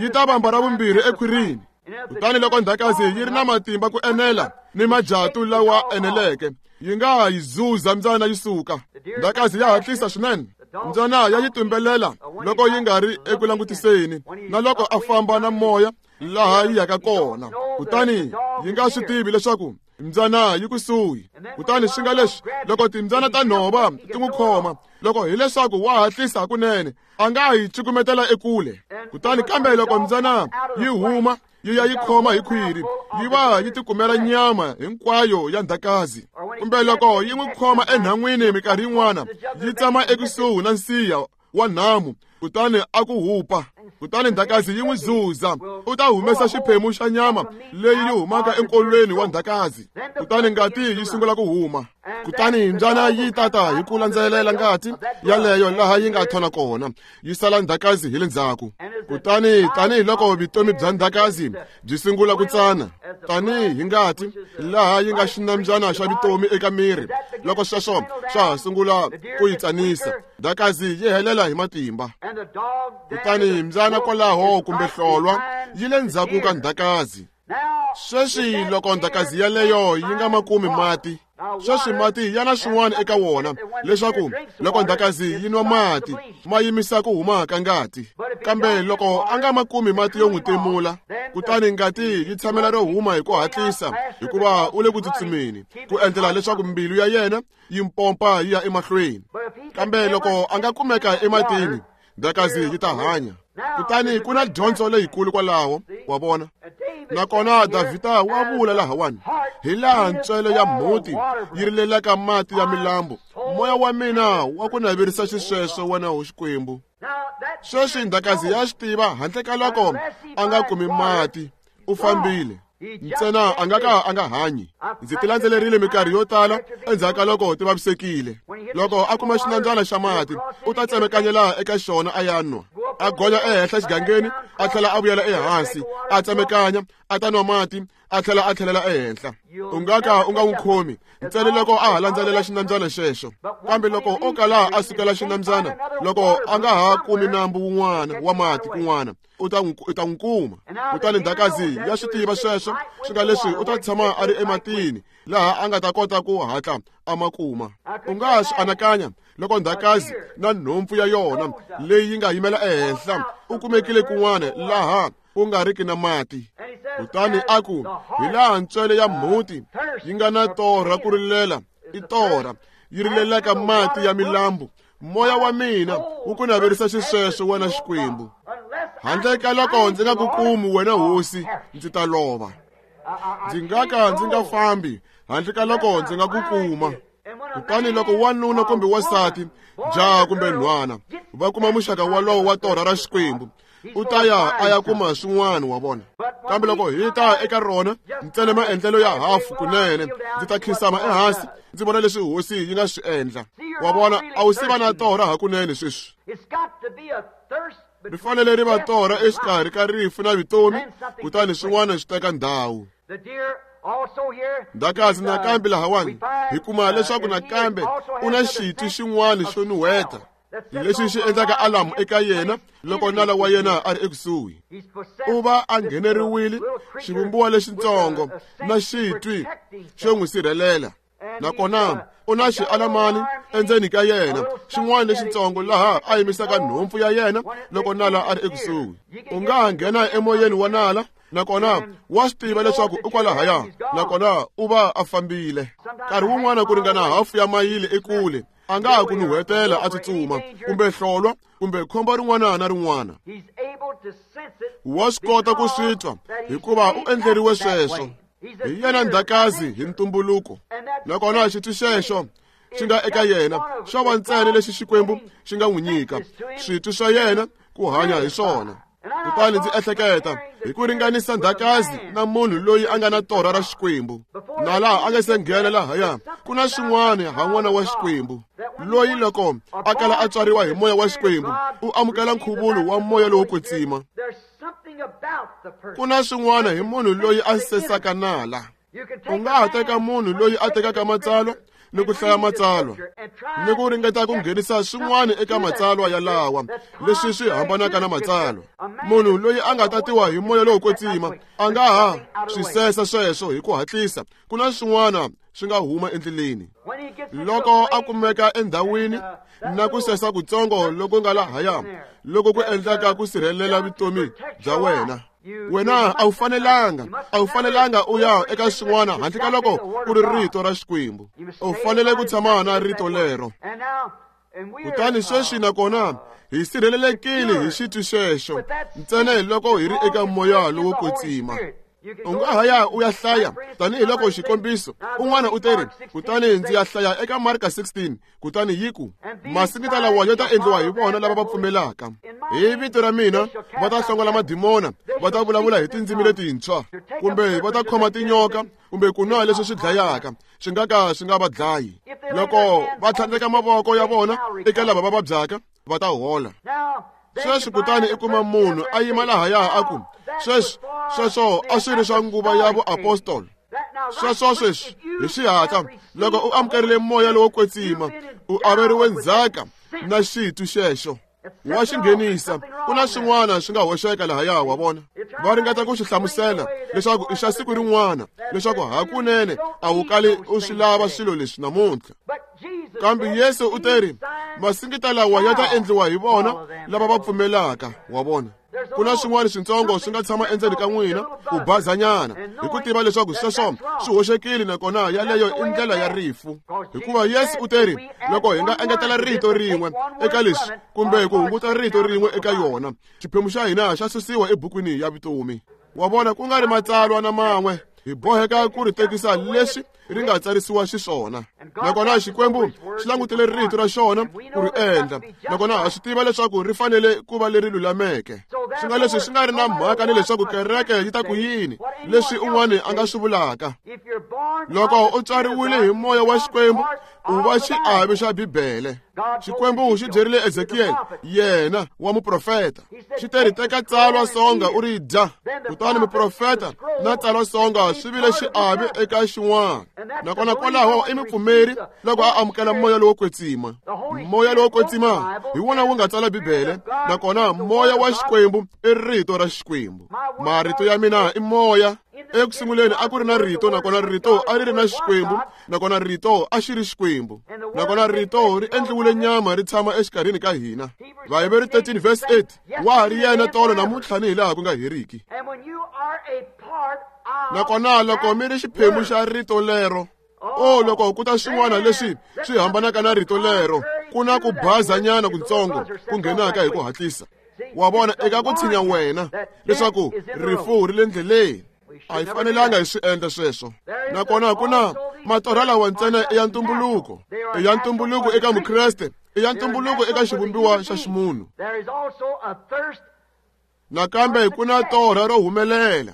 yi ta vamba ra vumbirhi ekhwirini. Kutani loko ndhakazi yi ri na matimba ku enela ni majatu lawa eneleke, yi nga yi zuza mbyana yi suka. Ndhakazi ya hatlisa swinene, mbyana ya yi tumbelela loko yi nga ri eku langutiseni na loko a famba na moya laha yi yaka kona, kutani yi nga swi tivi leswaku mbyana yi kusuhi. Kutani swi nga leswi loko timbyana ta nhova ti n'wi khoma, loko hileswaku wa hatlisa hakunene, a nga yi cukumetela ekule. Kutani kambe loko mbyana yi huma yi ya yi khoma hi khwiri, yi va yi tikumela nyama hinkwayo ya ndhakazi. Kumbe loko yi n'wi khoma enhan'wini minkarhi yin'wana, yi tsama ekusuhi na nsiya wa nhamu, kutani a ku hupa, kutani ndhakazi yi n'wi zuza, u ta humesa xiphemu xa nyama leyi yi humaka enkolweni wa ndhakazi, kutani ngati yi sungula ku huma. Kutani mbyana yi tata hi ku landzelela ngati yaleyo laha yi nga thona kona, yi sala ndhakazi hi le ndzhaku. Kutani tanihiloko vutomi bya ndhakazi byi sungula ku tsana tanihi ngati laha yi nga xinambyana xa vutomi eka miri, loko sweswo swa ha sungula ku yi tsanisa, ndhakazi yi helela hi matimba. Kutani mbyana kwalaho kumbe hlolwa yi le ndzhaku ka ndhakazi. Sweswi loko ndhakazi yaleyo yi nga ma kumi mati, sweswi mati ya na swin'wana eka wona, leswaku loko ndhakazi yi nwa mati ma yimisa ku huma ka ngati. Kambe loko a nga ma kumi mati yo n'wi timula, kutani ngati yi tshamela ro huma hi ku hatlisa, hikuva u le ku tsutsumeni ku endlela leswaku mbilu ya yena yi mpompa yi ya emahlweni. Kambe loko a nga kumeka ematini, ndhakazi yi ta hanya. Kutani ku na dyondzo leyikulu kwalaho, wa vona. Nakona Davhida wa vula lahawani, hi laha ntswele ya mhuti yi rilelaka mati ya milambu, moya wa mina wa ku naverisa xisweswo wena ho Xikwembu. Sweswi ndhakazi ya swi tiva handle ka loko a nga kumi mati, u fambile ntsena a nga ka a nga hanyi. Ndzi ti landzelerile minkarhi yo tala endzhaku ka loko ti vavisekile. Loko a kuma xinambyana xa mati, u ta tsemekanyela eka xona a ya nwa, a gonya ehenhla xigangeni, a tlhela a vuyela ehansi, a tsemekanya, a ta nwa mati, a tlhela a tlhelela ehenhla. U nga ka u nga n'wi khomi ntsena loko a ha landzelela xinambyana xexo. Kambe loko o kala a sukela xinambyana, loko a nga ha kumi nambu wun'wana wa mati kun'wana, u ta u ta n'wi kuma. Kutani ndhakazi ya swi tiva sweswo, swi nga leswi u ta tshama a ri ematini laha a nga ta kota ku hatla a ma kuma. U nga swi anakanya loko ndhakazi na nhompfu ya yona leyi yi nga yimela ehenhla u kumekile kun'wana laha ku nga riki na mati. Kutani a ku, hi laha ntswele ya mhuti yi nga na torha ku rilela, i torha yi rilelaka mati ya milambu, moya wa mina wu ku naverisa xisweswo wena Xikwembu. Handle ka loko ndzi nga ku kumi wena hosi, ndzi ta lova. Ndzi nga ka ndzi nga fambi handle ka loko ndzi nga ku kuma. Kutani loko wanuna kumbe wansati, jaha kumbe nhwana, va kuma muxaka wolowo wa torha ra Xikwembu, u ta ya a ya kuma swin'wana wa vona. Kambe loko hi ta eka rona ntsena maendlelo ya hafu kunene, ndzi ta khinsama ehansi ndzi vona leswi hosi yi nga swi endla. Wa vona, a wu siva na torha hakunene sweswi. Ri fanele ri va torha exikarhi ka rifu na vutomi, kutani swin'wana swi teka ndhawu. Ndakazi nakambe lahawani hi kuma leswaku nakambe u na xitwi xin'wana xo nuhweta lexi xi endlaka alamu eka yena loko nala wa yena a ri ekusuhi. U va a ngheneriwile xivumbiwa lexitsongo na xitwi xo n'wi sirhelela, nakona u na xialamani endzeni ka yena xin'wana lexitsongo laha a yimisaka nhompfu ya yena loko nala a ri ekusuhi. U nga ha nghena emoyeni wa nala, nakona wa swi tiva leswaku u kwalahaya, nakona u va a fambile. Nkarhi wun'wana ku ringana hafu ya mayili ekule a nga ha ku nuhwetela a tsutsuma, kumbe hlolwa, kumbe khombo rin'wana na rin'wana. Wa swi kota ku swi twa hikuva u endleriwe sweswo. Hi yena ndhakazi hi ntumbuluko, nakona xitwi xexo xi nga eka yena xo va ntsena lexi Xikwembu xi nga n'wi nyika switwi swa yena ku hanya hi swona. Kutani ndzi ehleketa hi ku ringanisa ndhakazi na munhu loyi a nga na torha ra Xikwembu, na laha a nga se nghena lahaya ku na xin'wana ha n'wana wa Xikwembu loyi loko a kala a tswariwa hi moya wa Xikwembu u amukela nkhuvulo wa moya lowo kwetsima. Ku na swin'wana hi munhu loyi a sesaka nala. U nga ha teka munhu loyi a tekaka matsalwa ni ku hlaya matsalwa ni ku ringeta ku nghenisa swin'wana eka matsalwa yalawa leswi swi hambanaka na matsalwa. Munhu loyi a nga tatiwa hi moya lowo kwetsima a nga ha swi sesa sweswo hi ku hatlisa. Ku na swin'wana swi nga huma endleleni loko a kumeka endhawini na ku sesa kutsongo loko nga lahaya loko ku endlaka ku sirhelela vutomi bya wena. Wena a wu fanelanga a wu fanelanga u ya eka swin'wana handle ka loko ku ri rito ra Xikwembu. U fanele ku tshama na rito lero. Kutani sweswi nakona hi sirhelelekile hi xitwi xexo ntsena loko hi ri eka moya lowo kwetsima. U nga ha ya u ya hlaya tanihiloko xikombiso un'wana u teri, kutani ndzi ya hlaya eka Marka sixteen, kutani yi ku masingita lawa ya ta endliwa hi vona lava va pfumelaka hi vito ra mina, va ta hlongola madimona, va ta vulavula hi tindzimi letintshwa, kumbe va ta khoma tinyoka, kumbe ku nwa leswi swi dlayaka swi nga ka swi nga va dlayi. Loko va tlhandleka mavoko ya vona eka lava va vabyaka va ta hola. Sweswi kutani i kuma munhu a yima lahaya a ku sweswi sweswo a swi ri swa nguva ya vuapostolo. Sweswo sweswi hi xihatla loko u amukerile moya lowo kwetsima u averiwe ndzhaka na xitwi xexo wa xi nghenisa. Ku na swin'wana swi nga hoxeka lahaya, wa vona. Va ringeta ku xi hlamusela leswaku i xa siku rin'wana, leswaku hakunene a wu kali u swi lava swilo leswi namuntlha. Kambe Yesu u teri masingita lawa ya ta endliwa hi vona lava va pfumelaka, wa vona. Ku na swin'wana switsongo swi nga tshama endzeni ka n'wina ku bazanyana hi ku tiva leswaku sweswo swi hoxekile, nakona yaleyo i ndlela ya rifu. Hikuva Yesu u teri loko hi nga engetela rito rin'we eka leswi kumbe ku hunguta rito rin'we eka yona, xiphemu xa hina xa susiwa ebukwini ya vutomi. Wa vona, ku nga ri matsalwa na man'we hi boheka ku ri tekisa leswi ri nga tsarisiwa xiswona. Nakona Xikwembu xi langutele rito ra xona ku ri endla, nakona ha swi tiva leswaku ri fanele ku va leri lulameke. Swi nga leswi swi nga ri na mhaka ni leswaku kereke yi ta ku yini, leswi un'wana a nga swi vulaka. Loko u tswariwile hi moya wa Xikwembu u va xiave xa Bibele. Xikwembu xi byerile Ezekiel, yena wa muprofeta, xi teri teka tsalwa songa u ri dya. Kutani muprofeta na tsalwa songa swi vile xiave eka xin'wana. Nakona kwalaho i mupfumeri loko a amukela moya lowo kwetsima. Moya lowo kwetsima hi wona wu nga tsala Bibele, nakona moya wa Xikwembu i rito ra Xikwembu. Marito ya mina i moya. Eku sunguleni a ku ri na rito, nakona rito a ri ri na Xikwembu, nakona rito a xi ri Xikwembu, nakona rito ri endliwile nyama ri tshama exikarhini ka hina. Vaheberi thirteen verse eight, wa ha ri yena tolo namuntlha ni hilaha ku nga heriki. Nakona loko mi ri xiphemu xa rito lero, o loko ku ta swin'wana leswi swi hambanaka na rito lero, ku na ku bazanyana kutsongo ku nghenaka hi ku hatlisa. Wa vona, eka ku tshinya wena leswaku rifu ri le ndleleni. A hi fanelanga hi swi endla sweswo. Nakona ku na matorha lawa ntsena i ya ntumbuluko, i ya ntumbuluko eka Mukreste, i ya ntumbuluko eka xivumbiwa xa ximunhu. Nakambe ku na torha ro humelela.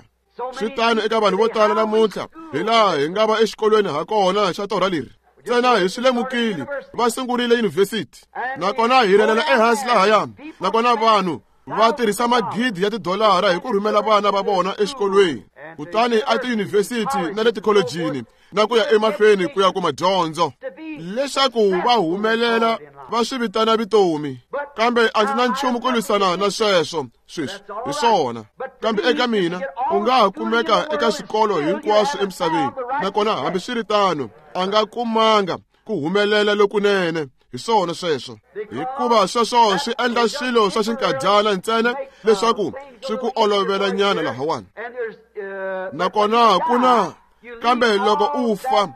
Swi tano eka vanhu vo tala namuntlha, hi laha hi nga va exikolweni ha kona xa torha leri. Ntsena hi swi lemukile, va sungurile yunivhesiti, nakona hi rhelela ehansi lahaya, nakona vanhu Va tirhisa magidi ya tidolara hi ku rhumela vana va vona exikolweni, kutani a tiyunivhesiti na le tikholejini na ku ya emahlweni ku ya kuma dyondzo leswaku va humelela va swi vitana vutomi. Kambe a ndzi na nchumu ku lwisana na sweswo sweswi, hi swona. Kambe eka mina u nga ha kumeka eka swikolo hinkwaswo emisaveni, nakona hambiswiritano a nga kumanga ku humelela lokunene. Hi swona sweswo, hikuva sweswo swi endla swilo swa xinkadyana ntsena leswaku swi ku olovela nyana lahawani. Nakona ku na, kambe loko u fa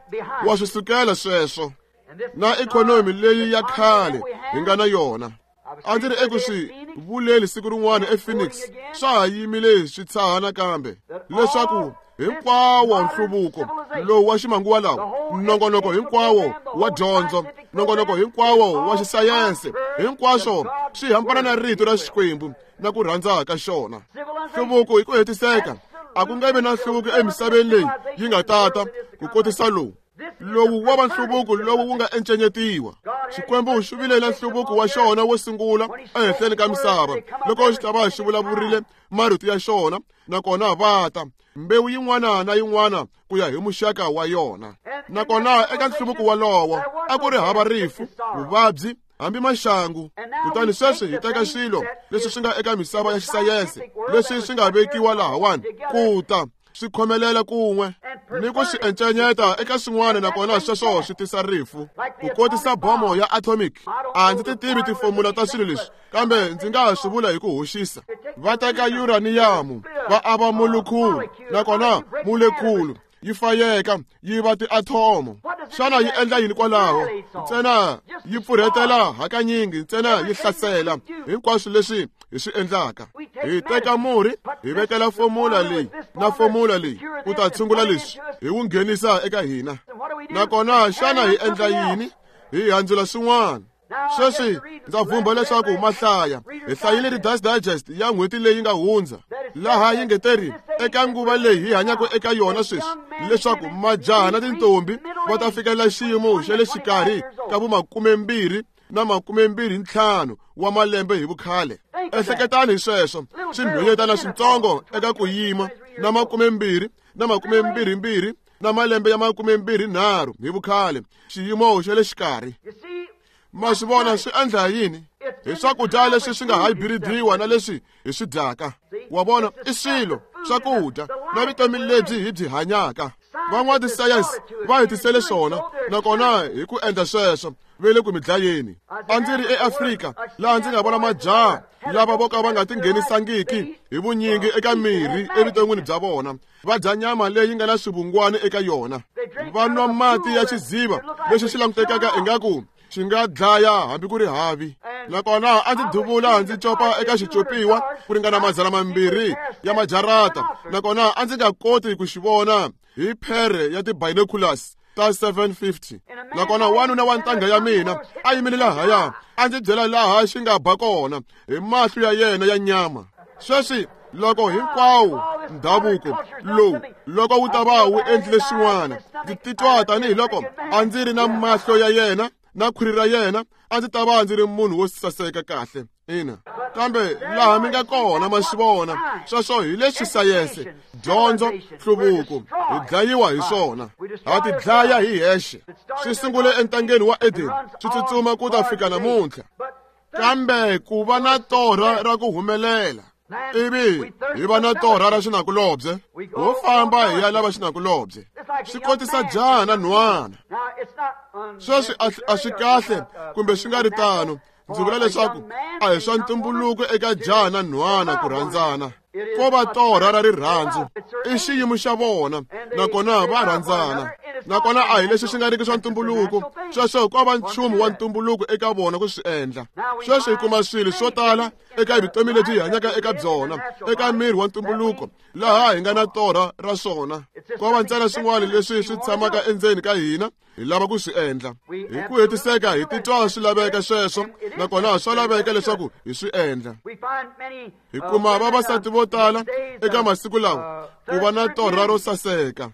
wa swi sukela sweswo. Na ikhonomi leyi ya khale hi nga na yona, a ndzi ri eku swi vuleni siku rin'wana ePhoenix, swa ha yimile swi tshaha nakambe leswaku hinkwawo nhluvuko lowu wa ximanguva lawa, nongonoko hinkwawo wa dyondzo, nongonoko hinkwawo wa xisayense, hinkwaswo swi hambana na rito ra Xikwembu na ku rhandza ka xona. Nhluvuko hi ku hetiseka, a ku nga vi na nhluvuko emisaveni leyi yi nga tata ku kotisa lowu. Lowu wa va nhluvuko lowu wu nga encenyetiwa. Xikwembu xi vile na nhluvuko wa xona wo sungula ehenhleni ka misava loko xi ta va xi vulavurile marito ya xona, nakona va ta mbewu yin'wana na yin'wana ku ya hi muxaka wa yona. Nakona eka nhluvuko walowo a ku ri hava rifu, vuvabyi, hambi maxangu. Kutani sweswi hi teka swilo leswi swi nga eka misava ya xisayense leswi swi nga vekiwa lahawani ku ta swi khomelela kun'we ni ku swi encenyeta eka swin'wana, nakona sweswo swi tisa rifu. Ku kotisa bomo ya atomic, a ndzi ti tivi tifomula ta swilo leswi, kambe ndzi nga swi vula hi ku hoxisa. Va teka uraniyamu va ava molekhulu, nakona molekhulu yi fayeka yi va tiathomo. Xana yi endla yini kwalaho? Ntsena yi pfurhetela hakanyingi, ntsena yi hlasela hinkwaswo leswi hi swi endlaka. Hi teka murhi, hi vekela fomula leyi na fomula leyi ku ta tshungula leswi, hi wu nghenisa eka hina. Nakona xana hi endla yini? Hi handzula swin'wana. Sweswi ndza vhumba leswaku mahlaya hi hlayile Reader's Digest ya n'hweti leyi nga hundza, laha yi ngeteri eka nguva leyi hi hanyaka eka yona sweswi leswaku majaha na tintombi va ta fikelela xiyimo xa le xikarhi ka vumakumembirhi na makumembirhi ntlhanu wa malembe hi vukhale. Ehleketani hi sweswo, swinhwanyetana switsongo eka ku yima na makumembirhi na makumembirhimbirhi na malembe ya makumembirhi nharhu hi vukhale, xiyimo xa le xikarhi. Ma swi vona swi endla yini? Hi swakudya leswi swi nga hybrid-iwa na leswi hi swi dyaka. Wa vona, i swilo swakudya na vutomi lebyi hi byi hanyaka. Van'watisayense va hi tisele swona, nakona hi ku endla sweswo ve le ku mi dlayeni. A ndzi ri eAfrika laha ndzi nga vona majaha lava vo ka va nga tinghenisangiki hi vunyingi eka mirhi evuton'wini bya vona, va dya nyama leyi nga na swivungwani eka yona, va nwa mati ya xiziva lexi xi langutekaka ingaku xi nga dlaya hambi ku ri havi. Nakona a ndzi duvula ndzi copa eka xicopiwa ku ringana madzana mambirhi ya majarata, nakona a ndzi nga koti ku xi vona hi phere ya ti-binoculars ta seven fifty. Nakona wanuna wa ntangha ya mina a yimile lahaya a ndzi byela laha xi nga ba kona hi mahlo ya yena ya nyama. Sweswi loko hinkwawo ndhavuko lowu loko wu ta va wu endlile swin'wana, ndzi titwa tanihiloko a ndzi ri na mahlo ya yena na khwiri ra yena, a ndzi ta va ndzi ri munhu wo saseka kahle. Ina, kambe laha mi nga kona ma swi vona sweswo hi leswi sayense, dyondzo, nhluvuko hi dlayiwa hi swona. Ha ti dlaya hi hexe. Swi sungule entangeni wa Eden, swi tsutsuma ku ta fika namuntlha. Kambe ku va na torha ra ku humelela, ivi hi va na torha ra xinakulobye, ho famba hi ya lava xinakulobye. Swi kotisa jaha na nhwana. Sweswi a swi kahle kumbe swi nga ri tano, ndzi vula leswaku a hi swa ntumbuluko eka jaha na nhwana ku rhandzana. Ko va torha ra rirhandzu, i xiyimo xa vona, nakona va rhandzana. Nakona a hi leswi swi nga riki swa ntumbuluko, sweswo ko va nchumu wa ntumbuluko eka vona ku swi endla. Sweswi hi kuma swilo swo tala eka vutomi lebyi hi hanyaka eka byona, eka miri wa ntumbuluko laha hi nga na torha ra swona. Ko va ntsena swin'wana leswi swi tshamaka endzeni ka hina, hi lava ku swi endla. Hi ku hetiseka hi titwa swi laveka sweswo, nakona swa laveka leswaku hi swi endla. Hi kuma vavasati vo tala eka masiku lawa ku va na torha ro saseka.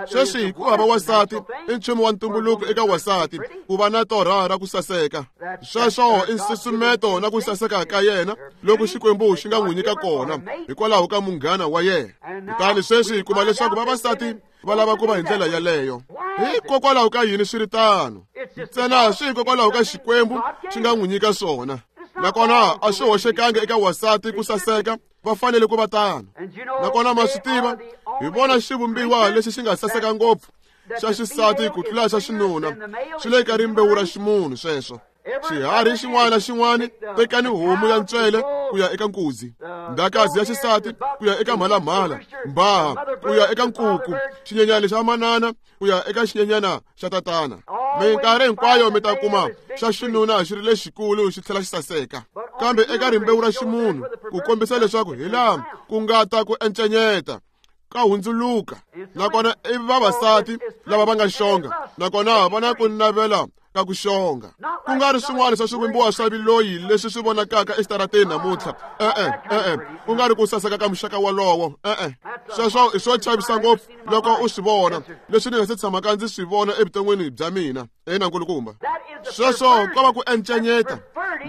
Sweswi ku hava wasati i nchumu wa ntumbuluko eka wasati ku va na torha ra ku saseka. Sweswo i nsusumeto na ku saseka ka yena loko Xikwembu xi nga n'wi nyika kona hikwalaho ka munghana wa yena. Kutani sweswi hi kuma leswaku vavasati va lava ku va hi ndlela yaleyo. Hikokwalaho ka yini swi ri tano? Ntsena swi hikokwalaho ka Xikwembu xi nga n'wi nyika swona. Nakona a swi hoxekangi eka wasati ku saseka, va fanele ku va tano. Nakona ma swi tiva, hi vona xivumbiwa lexi xi nga saseka ngopfu xa xisati ku tlula xa xinuna, swi le ka rimbewu ra ximunhu sweswo. Xiharhi xin'wana na xin'wana, tekani homu ya ntswele ku ya eka nkuzi, ndakazi ya xisati ku ya eka mhalamhala, mbaha ku ya eka nkuku, xinyenyana xa manana ku ya eka xinyenyana xa tatana. Minkarhi hinkwayo mi ta kuma xa xinuna xi ri lexikulu xi tlhela xi saseka. Kambe eka rimbewu ra ximunhu ku kombisa leswaku hi laha ku nga ta ku encenyeta ka hundzuluka. Nakona i vavasati lava va nga xonga, nakona va na ku navela ka ku xonga, ku nga ri swin'wana swa swivumbiwa swa viloyi leswi swi vonakaka exitarateni namuntlha. E-e, e-e, ku nga ri ku saseka ka muxaka wolowo. E-e, sweswo i swo chavisa ngopfu loko u swi vona, leswi ni nga se tshamaka ndzi swi vona evuton'wini bya mina. Ina nkulukumba, sweswo ko va ku encenyeta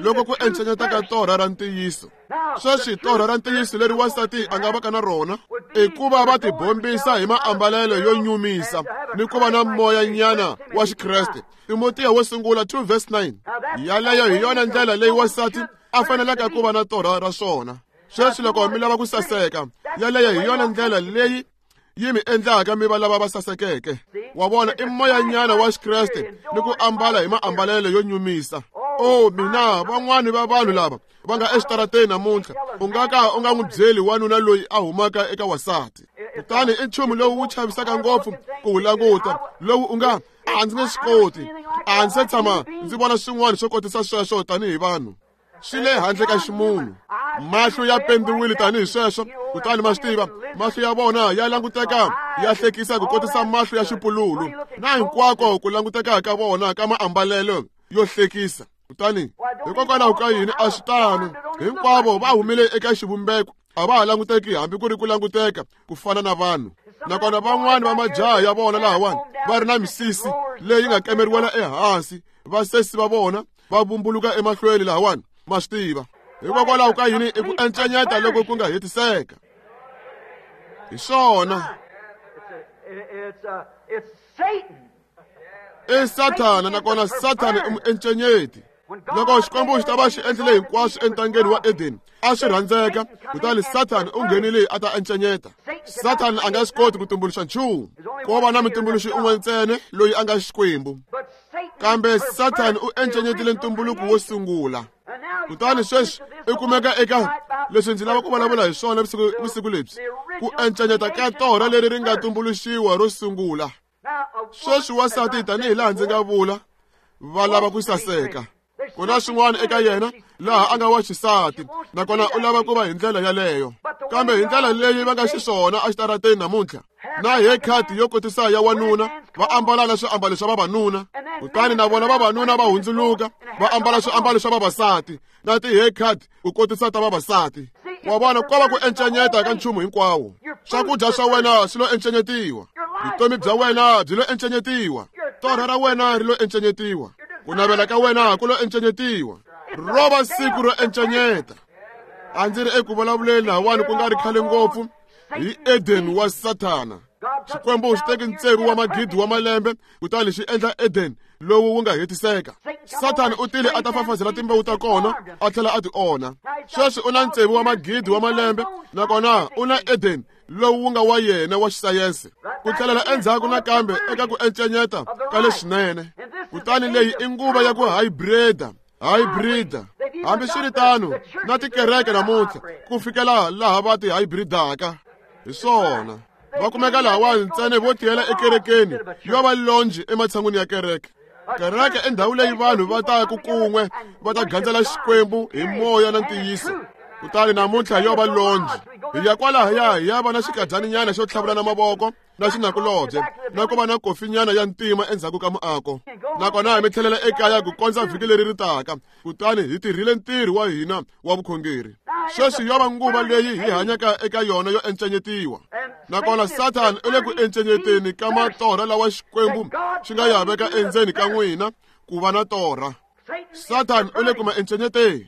loko ku encenyeta ka torha ra ntiyiso. Sweswi torha ra ntiyiso leri wansati a nga vaka na rona i ku va va tibombisa hi maambalelo yo nyumisa ni ku va na moyanyana wa Xikreste. Timotiya wo sungula two verse nine. Yaleyo hi yona ndlela leyi wansati a faneleke ku va na torha ra swona. Sweswi loko mi lava ku saseka, yaleyo hi yona ndlela leyi yi mi endlaka mi va lava va sasekeke. Wa vona, i moyanyana wa Xikreste ni ku ambala hi maambalelo yo nyumisa. Oh mina, van'wani va vanhu lava va nga exitarateni namuntlha, u nga ka u nga n'wi byeli wanuna loyi a humaka eka wasati. Kutani i nchumu lowu wu chavisaka ngopfu ku wu languta, lowu u nga a ndzi nge swi koti, a ndzi se tshama ndzi vona swin'wana swo kotisa sweswo tanihi vanhu. Swi le handle ka ximunhu. Mahlo ya pendiwile tanihi sweswo, kutani ma swi tiva, mahlo ya vona ya languteka ya hlekisa ku kotisa mahlo ya xipululu, na hinkwako ku languteka ka vona ka maambalelo yo hlekisa. Kutani hikokwalaho ka yini a swi tano? Hinkwavo va humile eka xivumbeko, a va ha languteki hambi ku ri ku languteka ku fana na vanhu. Nakona van'wani va majaha ya vona lahawani va ri na misisi leyi nga kemeriwela ehansi, vasesi va vona va vumbuluka emahlweni lahawani, ma swi tiva. Hikokwalaho ka yini i ku encenyeta loko ku nga hetiseka? Hi swona. I Sathana, nakona Sathana i muencenyeti. Loko Xikwembu xi ta va xi endlile hinkwaswo entangeni wa Edeni, a swi rhandzeka, kutani Sathana u nghenile a ta encenyeta. Sathana a nga swi koti ku tumbuluxa nchumu, ko va na mutumbuluxi un'we ntsena loyi a nga Xikwembu. Kambe Sathana u encenyetile ntumbuluko wo sungula. Kutani sweswi i kumeka eka leswi ndzi lava ku vulavula hi swona vusiku lebyi, ku encenyeta ka torha leri ri nga tumbuluxiwa ro sungula. Sweswi wasati tanihi laha ndzi nga vula, va lava ku saseka. Ku na swin'wana eka yena laha a nga wa xisati, nakona u lava ku va hi ndlela yaleyo. Kambe hi ndlela leyi va nga xiswona exitarateni namuntlha, na haircut yo kotisa ya wanuna, va ambala na swiambalo swa vavanuna, kutani na vona vavanuna va hundzuluka va ambala swiambalo swa vavasati na ti-haircut ku kotisa ta vavasati. Wa vona, ko va ku encenyeta ka nchumu hinkwawo. Swakudya swa wena swi lo encenyetiwa, vutomi bya wena byi lo encenyetiwa, torha ra wena ri lo encenyetiwa, ku navela ka wena ku lo encenyetiwa. Ro va siku ro encenyeta. A ndzi ri eku vulavuleni lahawani ku nga ri khale ngopfu hi Eden wa Sathana. Xikwembu xi teke ntsevu wa magidi wa malembe kutani xi endla Eden lowu wu nga hetiseka. Sathana u tile a ta fafazela timbewu ta kona a tlhela a ti onha. Sweswi u na ntsevu wa magidi wa malembe, nakona u na Eden lowu wu nga wa yena wa xisayense, ku tlhelela endzhaku nakambe eka ku encenyeta ka leswinene. Kutani leyi i nguva ya ku hybrida, hybrida. Hambiswiritano na tikereke namuntlha ku fikela laha va ti hybridaka hi swona, va kumeka lahawani ntsena vo tiyela ekerekeni yo va lonji ematshan'wini ya kereke. Kereke i ndhawu leyi vanhu va ta ku kun'we va ta gandzela Xikwembu hi moya na ntiyiso. Kutani namuntlha yo va lonji. Hi ya kwalahaya hi ya va na xikadyaninyana xo tlhavulana mavoko na xinakulobye na ku va na kofinyana ya ntima endzhaku ka muako. Nakona hi mi tlhelela ekaya ku kondza vhiki leri ri taka. Kutani hi tirhile ntirho wa hina wa vukhongeri. Sweswi yo va nguva leyi hi hanyaka eka yona yo encenyetiwa. Nakona Satan u le ku encenyeteni ka matorha lawa Xikwembu xi nga ya veka endzeni ka n'wina ku va na torha. Satan u le ku ma encenyeteni.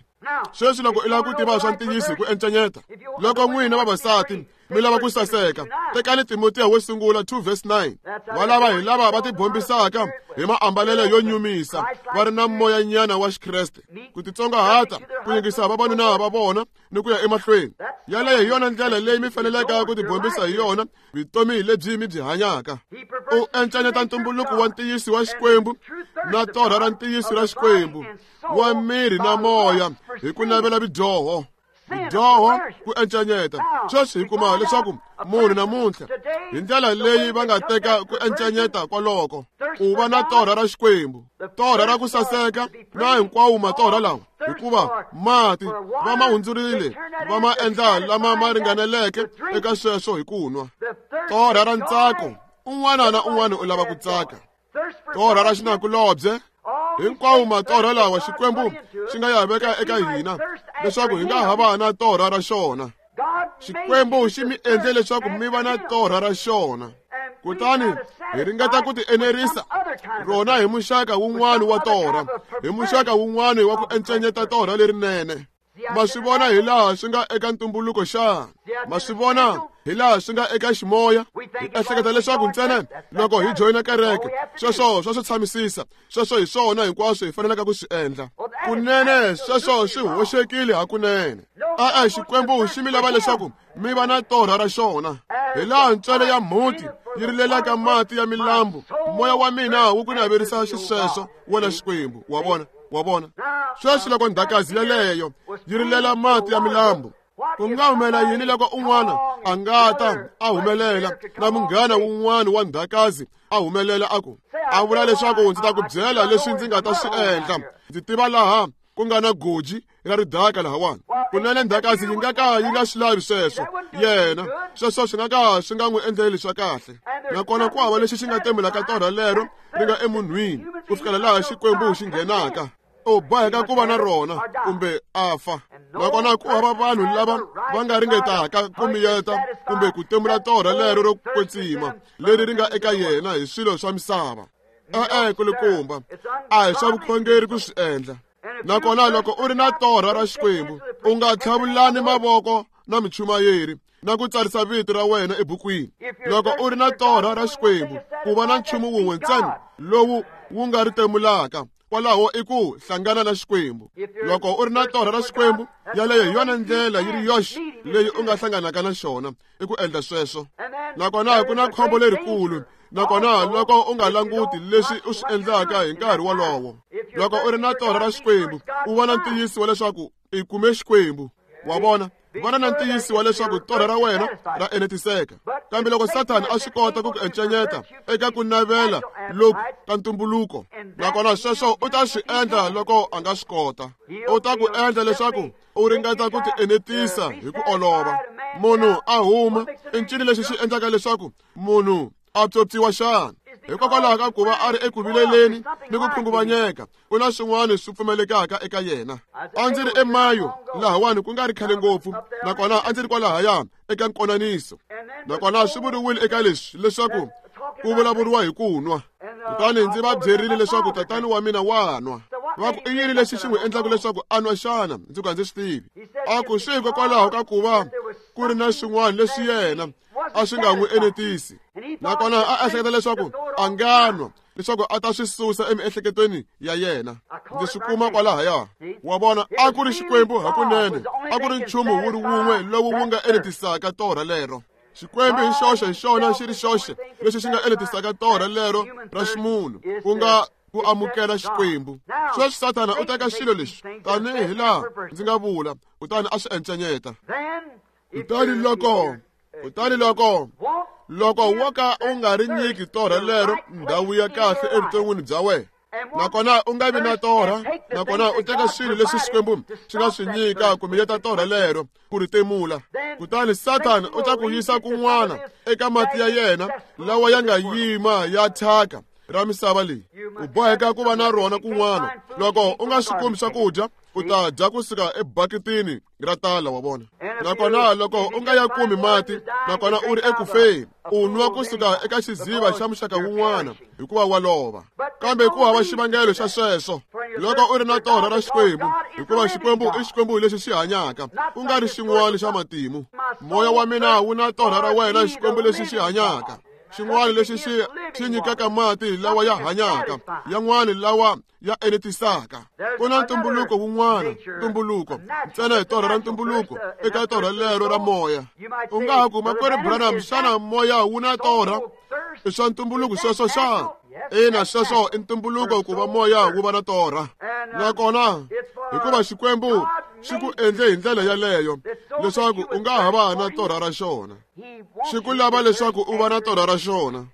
Sweswi loko i lava ku tiva swa ntiyiso hi ku encenyeta, loko n'wina vavasati mi lava ku saseka, tekani Timotiya wo sungula two verse nine. Va lava hi lava va tibombisaka hi maambalelo yo nyumisa, va ri na moyanyana wa Xikreste, ku titsongahata, ku yingisa vavanuna va vona ni ku ya emahlweni. Yaleyo hi yona ndlela leyi mi faneleke ku tibombisa hi yona vutomi lebyi mi byi hanyaka. U encenyeta ntumbuluko wa ntiyiso wa Xikwembu na torha ra ntiyiso ra Xikwembu wa miri na moya hi ku navela vudyoho. Vudyoho ku encenyeta. Sweswi hi kuma leswaku munhu namuntlha hi ndlela leyi va nga teka ku encenyeta kwaloko ku va na torha ra Xikwembu, torha ra ku saseka na hinkwawo matorha lawa, hikuva mati va ma hundzurile va ma endla lama ma ringaneleke eka sweswo hi ku nwa. Torha ra ntsako, un'wana na un'wana u lava ku tsaka. Torha ra xinakulobye, hinkwawo matorha lawa Xikwembu xi nga ya veka eka hina leswaku hi nga ha va na torha ra xona. Xikwembu xi mi endle leswaku mi va na torha ra xona. Kutani hi ringeta ku tienerisa rona hi muxaka wun'wana wa torha, hi muxaka wun'wana wa ku encenyeta torha lerinene. Ma swi vona hi laha swi nga eka ntumbuluko xana? Ma swi vona hi laha swi nga eka ximoya? Hi ehleketa leswaku ntsena loko hi joyina kereke, sweswo swa swi tshamisisa, sweswo hi swona hinkwaswo hi faneleke ku swi endla. Kunene sweswo swi hoxekile hakunene. E-e, Xikwembu xi mi lava leswaku mi va na torha ra xona. Hi laha ntswele ya mhuti yi rilelaka mati ya milambu, moya wa mina wu ku naverisa xisweswo wena Xikwembu. Wa vona? Wa vona? Sweswi loko ndhakazi yeleyo yi rilela mati ya milambu, ku nga humela yini loko un'wana a nga ta a humelela na munghana wun'wana wa ndhakazi a humelela a ku a vula leswaku ndzi ta ku byela leswi ndzi nga ta swi endla, ndzi tiva laha ku nga na goji ra ridaka lahawani. Kunene ndhakazi yi nga ka yi nga swi lavi sweswo yena, sweswo swi nga ka swi nga n'wi endleli swa kahle. Nakona ku hava lexi xi nga temelaka torha lero ri nga emunhwini ku fikela laha Xikwembu xi nghenaka. U boheka ku va na rona kumbe a fa. Nakona ku hava vanhu lava va nga ringetaka ku miyeta kumbe ku temula torha lero ro kwetsima leri ri nga eka yena hi swilo swa misava. E-e, kulukumba, a hi swa vukhongeri ku swi endla. Nakona loko u ri na torha ra Xikwembu, u nga tlhavulani mavoko na michumayeri na ku tsarisa vito ra wena ebukwini. Loko u ri na torha ra Xikwembu, ku va na nchumu wun'we ntsena lowu wu nga ri temulaka, kwalaho i ku hlangana na Xikwembu. Loko u ri na torha ra Xikwembu, yaleyo hi yona ndlela yi ri yoxe leyi u nga hlanganaka na xona, i ku endla sweswo. Nakona ku na khombo lerikulu. Nakona loko u nga languti leswi u swi endlaka hi nkarhi wolowo, loko u ri na torha ra Xikwembu, u va na ntiyiso wa leswaku i kume Xikwembu. Wa vona? Vana na ntiyiso wa leswaku torha ra wena ra enetiseka. Kambe loko Sathana a swi kota ku ku encenyeta eka ku navela loku ka ntumbuluko, nakona sweswo u ta swi endla loko a nga swi kota. U ta ku endla leswaku u ringeta ku tienetisa hi ku olova. Munhu a huma, i ncini lexi xi endlaka leswaku munhu a pyopyiwa xana? Hikokwalaho ka ku va a ri eku vileleni ni ku khunguvanyeka, ku na swin'wana swi pfumelekaka eka yena. A ndzi ri eMayo lahawani ku nga ri khale ngopfu, nakona a ndzi ri kwalahaya eka nkonaniso. Nakona swi vuriwile eka leswi leswaku ku vulavuriwa hi ku nwa. Kutani ndzi va byerile leswaku tatani wa mina wa nwa. Va ku i yini lexi xi n'wi endlaka leswaku a nwa xana? Ndzi ku a ndzi swi tivi. A ku swi hikokwalaho ka ku va ku ri na swin'wana leswi yena a swi nga n'wi enetisi. Nakona a ehleketa leswaku a nga nwa leswaku a ta swi susa emiehleketweni ya yena. Ndzi swi kuma kwalahaya. Wa vona, a ku ri Xikwembu hakunene, a ku ri nchumu wu ri wun'we lowu wu nga enetisaka torha lero. Xikwembu hi xoxe hi xona xi ri xoxe lexi xi nga enetisaka torha lero ra ximunhu, ku nga ku amukela Xikwembu. Sweswi Sathana u teka xilo lexi tanihi laha ndzi nga vula, kutani a swi encenyeta. Kutani loko kutani loko loko wo ka u nga ri nyiki torha lero ndhawu ya kahle evuton'wini bya wena, Nakona u nga vi na torha, nakona u teka swilo leswi Xikwembu xi nga swi nyika ku miyeta torha lero ku ri timula. Kutani Satan u ta ku yisa kun'wana eka mati ya yena lawa ya nga yima ya thyaka ra misava leyi. U boheka ku va na rona kun'wana. Loko u nga swi kumi swakudya, u ta dya kusuka ebaketini ra tala wa vona. Nakona loko u nga ya kumi mati, nakona u ri ekufeni, u nwa kusuka eka xiziva xa muxaka wun'wana hikuva wa lova. Kambe ku hava xivangelo xa sweswo loko u ri na torha ra Xikwembu, hikuva Xikwembu i Xikwembu lexi xi hanyaka, ku nga ri xin'wana xa matimu. Moya wa mina wu na torha ra wena, Xikwembu lexi xi hanyaka, xin'wana lexi xi xi nyikaka mati lawa ya hanyaka, yan'wana lawa ya enetisaka. Ku na ntumbuluko wun'wana, ntumbuluko ntsena hi torha ra ntumbuluko eka torha lero ra moya. U nga ha ku, Makwerhu Branham, xana moya wu na torha? I swa ntumbuluko sweswo xana? Ina, sweswo i ntumbuluko ku va moya wu va na torha. Nakona hikuva Xikwembu xi ku endle hi ndlela yaleyo leswaku u nga ha va na torha ra xona. Xi ku lava leswaku u va na torha ra xona.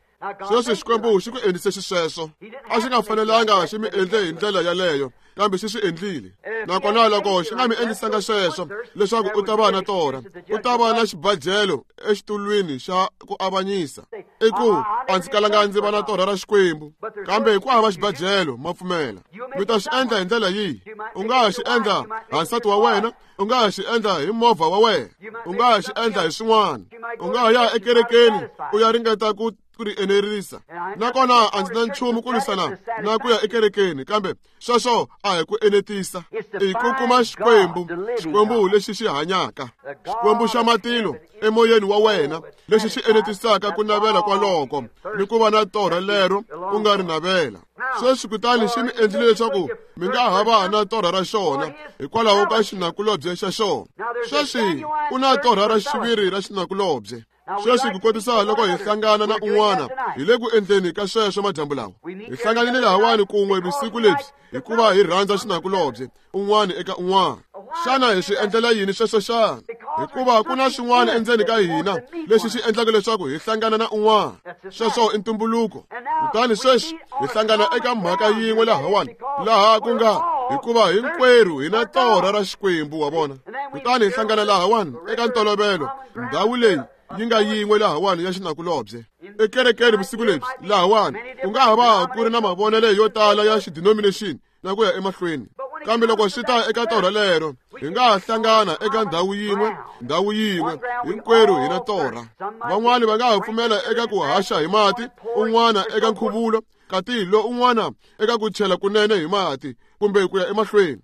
Sweswi Xikwembu xi ku endlise xisweswo. A xi nga fanelanga xi mi endle hi ndlela yaleyo, kambe xi swi endlile. Nakona loko xi nga mi endlisanga sweswo leswaku u ta va na torha, u ta va na xibajelo exitulwini xa ku avanyisa. I ku a ndzi kalanga ndzi va na torha ra Xikwembu, kambe ku hava xibajelo, ma pfumela. Mi ta swi endla hi ndlela yihi? U nga ha xi endla ha nsati wa wena, u nga ha xi endla hi movha wa wena, u nga ha xi endla hi swin'wana. U nga ha ya ekerekeni u ya ringeta ku ku ri enerisa. Nakona a ndzi na nchumu ku lwisana na ku ya ekerekeni, kambe sweswo a hi ku enetisa. I ku kuma Xikwembu, Xikwembu lexi xi hanyaka, Xikwembu xa matilo emoyeni wa wena, lexi xi enetisaka ku navela kwaloko ni ku va na torha lero u nga ri navela. Sweswi kutani xi mi endlile leswaku mi nga ha va na torha ra xona hikwalaho ka xinakulobye xa xona. Sweswi ku na torha ra xiviri ra xinakulobye. Sweswi ku kotisa loko hi hlangana na un'wana hi le ku endleni ka sweswo madyambu lawa. Hi hlanganile lahawani kun'we vusiku lebyi hikuva hi rhandza xinakulobye un'wana eka un'wana. Xana hi swi endlela yini sweswo xana? Hikuva ku na swin'wana endzeni ka hina lexi xi endlaka leswaku hi hlangana na un'wana. Sweswo i ntumbuluko. Kutani sweswi hi hlangana eka mhaka yin'we lahawani, laha ku nga hikuva hinkwerhu hi na torha ra Xikwembu, wa vona. Kutani hi hlangana lahawani eka ntolovelo, ndhawu leyi yi nga yin'we lahawani ya xinakulobye. Ekerekeni vusiku lebyi lahawani ku nga ha va ku ri na mavonelo yo tala ya xidenomination na ku ya emahlweni, kambe loko swi ta eka torha lero, hi nga ha hlangana eka ndhawu yin'we, ndhawu yin'we, hinkwerhu hi na torha. Van'wani va nga ha pfumela eka ku haxa hi mati, un'wana eka nkhuvulo, kati lo un'wana eka ku chela kunene hi mati kumbe ku ya emahlweni.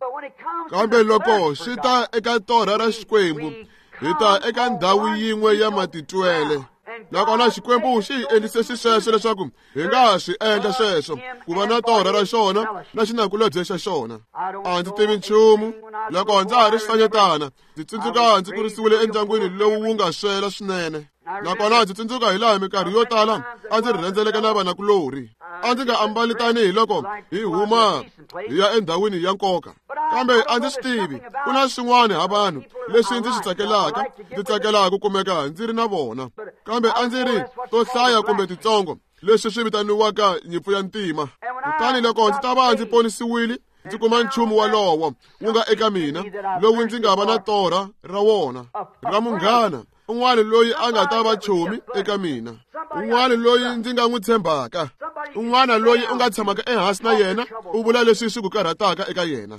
Kambe loko swi ta eka torha ra Xikwembu, hi ta eka ndhawu yin'we ya matitwele. Nakona Xikwembu xi hi endlise xisweswo leswaku hi nga ha swi endla sweswo, ku va na torha ra xona na xinakulobye xa xona. A ndzi tivi nchumu. Loko ndza ha ri xifanyetana, ndzi tsundzuka ndzi kurisiwile endyangwini lowu wu nga swela swinene. Nakona ndzi tsundzuka hi laha minkarhi yo tala a ndzi rhendzeleka na vanakulorhi. A ndzi nga ambali tanihi loko hi huma hi ya endhawini ya nkoka, kambe a ndzi swi tivi ku na swin'wana ha vanhu leswi ndzi swi tsakelaka, ndzi tsakelaka ku kumeka ndzi ri na vona. Kambe a ndzi ri to hlaya kumbe titsongo leswi swi vitaniwaka nyimpfu ya ntima. Kutani loko ndzi ta va ndzi ponisiwile, ndzi kuma nchumu walowo wu nga eka mina lowu ndzi nga va na torha ra wona ra munghana, un'wana loyi a nga ta va chomi eka mina, un'wana loyi ndzi nga n'wi tshembaka, un'wana loyi u nga tshamaka ehansi na yena u vula leswi swi ku karhataka eka yena.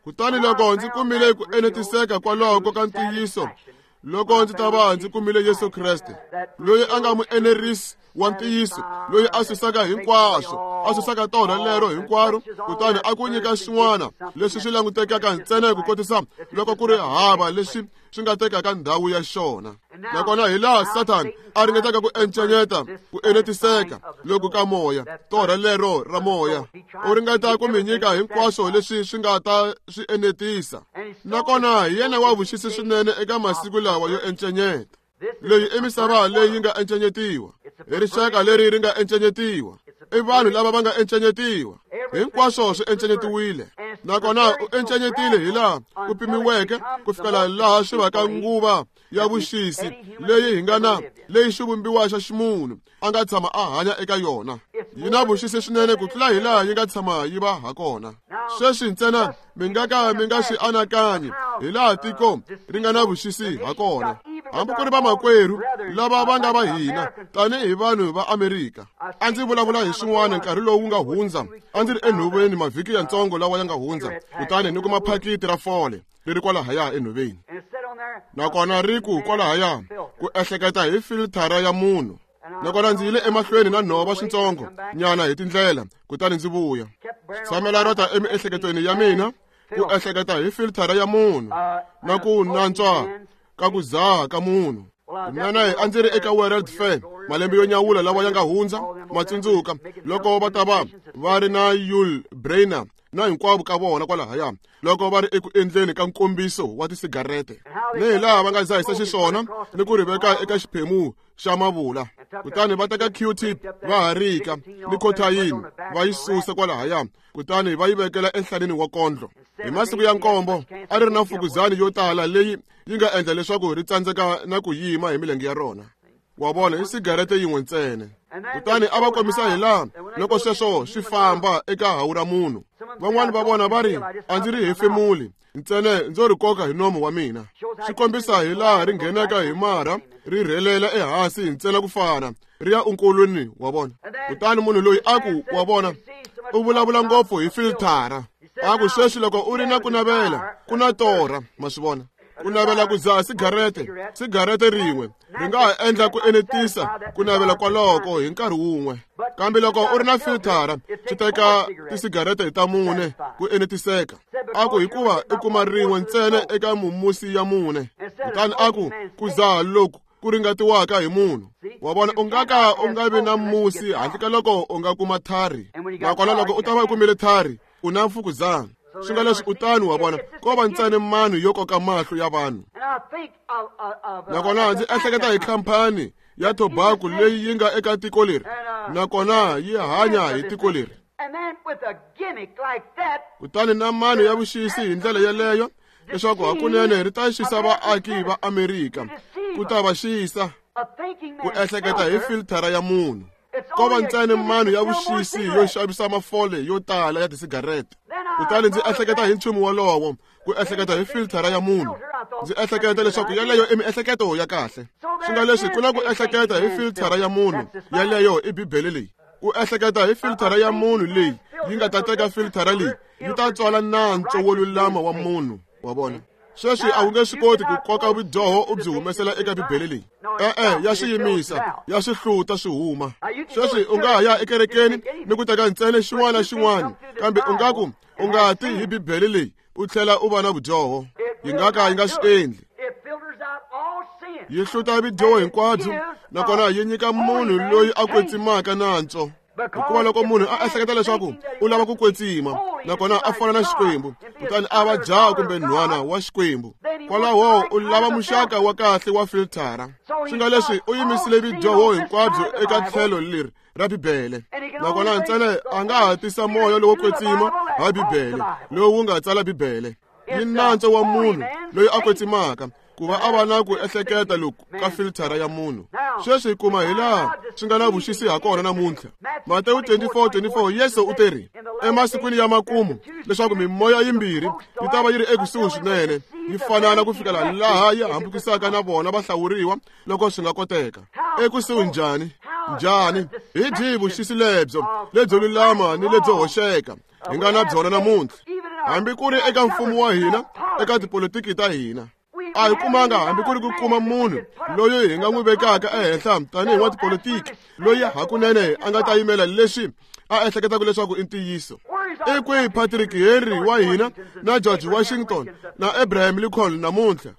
Kutani loko ndzi kumile ku enetiseka kwaloko ka ntiyiso, loko ndzi ta va ndzi kumile Yesu Kreste, loyi a nga muenerisi wa ntiyiso, loyi a susaka hinkwaswo, a susaka torha lero hinkwaro, kutani a ku nyika swin'wana leswi swi langutekaka ntsena ku kotisa loko ku ri hava leswi swi nga tekaka ndhawu ya xona. Nakona hi laha Satan a ringetaka ku encenyeta ku enetiseka loku ka moya, torha lero ra moya. U ringeta ku mi nyika hinkwaswo leswi swi nga ta swi enetisa. Nakona hi yena wa vuxisi swinene eka masiku lawa yo encenyeta. Leyi i misava leyi nga encenyetiwa, i rixaka leri ri nga encenyetiwa, i vanhu lava va nga encenyetiwa. Hinkwaswo swi encenyetiwile. Nakona u encenyetile hi laha ku pimiweke ku fikela laha swi vaka nguva ya vuxisi leyi hi nga na leyi xivumbiwa xa ximunhu a nga tshama a hanya eka yona. Yi na vuxisi swinene ku tlula hi laha yi nga tshama yi va ha kona. Sweswi ntsena mi nga ka mi nga swi anakanyi hi laha tiko ri nga na vuxisi ha kona. Hambi ku ri vamakwerhu lava va nga va hina tanihi vanhu va Amerika. A ndzi vulavula hi swin'wana nkarhi lowu nga hundza. A ndzi ri enhoveni mavhiki yantsongo lawa ya nga hundza, kutani ni kuma phakiti ra fole ri ri kwalahaya enhoveni. Nakona ri ku kwalahaya ku ehleketa hi filthara ya munhu. Nakona ndzi yile emahlweni na nhova swintsongo nyana hi tindlela, kutani ndzi vuya. Tshamela ro ta emiehleketweni ya mina ku ehleketa hi filthara ya munhu na ku nantswa ka ku dzaha ka munhu. Mina a ndzi ri eka World Fair malembe yo nyawula lawa ya nga hundza, matsundzuka loko va ta va va ri na Yul Brynner na hinkwavo ka vona kwalahaya loko va ri eku endleni ka nkombiso wa tisigarete, ni hi laha va nga dzahisa xiswona ni ku ri veka eka xiphemu xa mavula, kutani va teka Q-tip va harika ni khotayini va yi susa kwalahaya, kutani va yi vekela enhlaneni wa kondlo. Hi masiku ya nkombo a ri ri na mfukuzani yo tala leyi yi nga endla leswaku ri tsandzeka na ku yima hi milenge ya rona. Wa vona, i sigarete yin'we ntsena. Kutani a va kombisa hi laha loko sweswo swi famba eka hawu ra munhu. Van'wani va vona va ri a ndzi ri hefemuli ntsena ndzo ri koka hi nomo wa mina. Swi kombisa hi laha ri nghenaka hi marha ri rhelela ehansi ntsena ku fana ri ya unkulwini wa vona. Kutani munhu loyi a ku wa vona u vulavula ngopfu hi filthara. A ku sweswi loko u ri na ku navela ku na torha, ma swi vona. Ku navela ku dzaha sigarete, sigarete rin'we ri nga ha endla ku enetisa ku navela kwaloko hi nkarhi wun'we, kambe loko u ri na filthara swi teka tisigarete ta mune ku enetiseka. A ku hikuva i kuma rin'we ntsena eka mumusi ya mune. Kutani a ku ku dzaha loku ku ringatiwaka hi munhu. Wa vona, u nga ka u nga vi na musi handle ka loko u nga kuma thari, nakona loko u ta va u kumile thari u na mfukuzana. Swi nga leswi u tani, wa vona, ko va ntsena mano yo koka mahlo ya vanhu. Nakona ndzi ehleketa hi khampani ya tobacco leyi yi nga eka tiko leri, nakona yi hanya hi tiko leri. Kutani na mano ya vuxisi hi ndlela yeleyo leswaku hakunene ri ta xisa vaaki va Amerika, ku ta va xisa ku ehleketa hi filthara ya munhu. Ko va ntsena mano ya vuxisi yo xavisa mafole yo tala ya tisigarete. Kutani ndzi ehleketa hi nchumu wolowo, ku ehleketa hi filthara ya munhu. Ndzi ehleketa leswaku yeleyo i miehleketo ya kahle. Swi nga leswi ku na ku ehleketa hi filthara ya munhu, yeleyo i Bibele leyi. Ku ehleketa hi filthara ya munhu leyi yi nga ta teka filthara leyi yi ta tswala nantswo wo lulama wa munhu, wa vona. Sweswi a wu nge swi koti ku koka vudyoho u byi humesela eka Bibele leyi. E-e, ya swi yimisa, ya swi hluta swi huma. Sweswi u nga ha ya ekerekeni ni ku teka ntsena xin'wana na xin'wana, kambe u nga ku u nga ti hi Bibele leyi u tlhela u va na vudyoho. Yi nga ka yi nga swi endli. Yi hluta vudyoho hinkwabyo, nakona yi nyika munhu loyi a kwetsimaka nantswo. Hikuva loko munhu a ehleketa leswaku u lava ku kwetsima nakona a fana na Xikwembu, kutani a va jaha kumbe nhwana wa Xikwembu, kwalaho u lava muxaka wa kahle wa filthara. Swi nga leswi u yimisile vudyoho hinkwabyo eka tlhelo leri ra Bibele, nakona ntsena a nga ha tisa moya lowo kwetsima ha Bibele lowu wu nga tsala Bibele. Yi nantswo wa munhu loyi a kwetsimaka ku va a va na ku ehleketa loku ka filthara ya munhu. Sweswi hi kuma hi laha swi nga na vuxisi ha kona namuntlha. Matewu twenty-four twenty-four, Yesu u teri emasikwini ya makumu leswaku mimoya yimbirhi yi ta va yi ri ekusuhi swinene, yi fanana ku fikela laha yi hambukisaka na vona vahlawuriwa loko swi nga koteka. Ekusuhi njhani? Njhani? Hi byihi vuxisi lebyo lebyo lulama ni lebyo hoxeka hi nga na byona namuntlha, hambi ku ri eka mfumo wa hina, eka tipolitiki ta hina? A hi kumanga hambi ku ri ku kuma munhu loyi hi nga n'wi vekaka ehenhla tanihi wa tipolitiki loyi hakunene a nga ta yimela leswi a ehleketaka leswaku i ntiyiso. I kwihi Patrick Henry wa hina na George Washington na Abraham Lincoln namuntlha?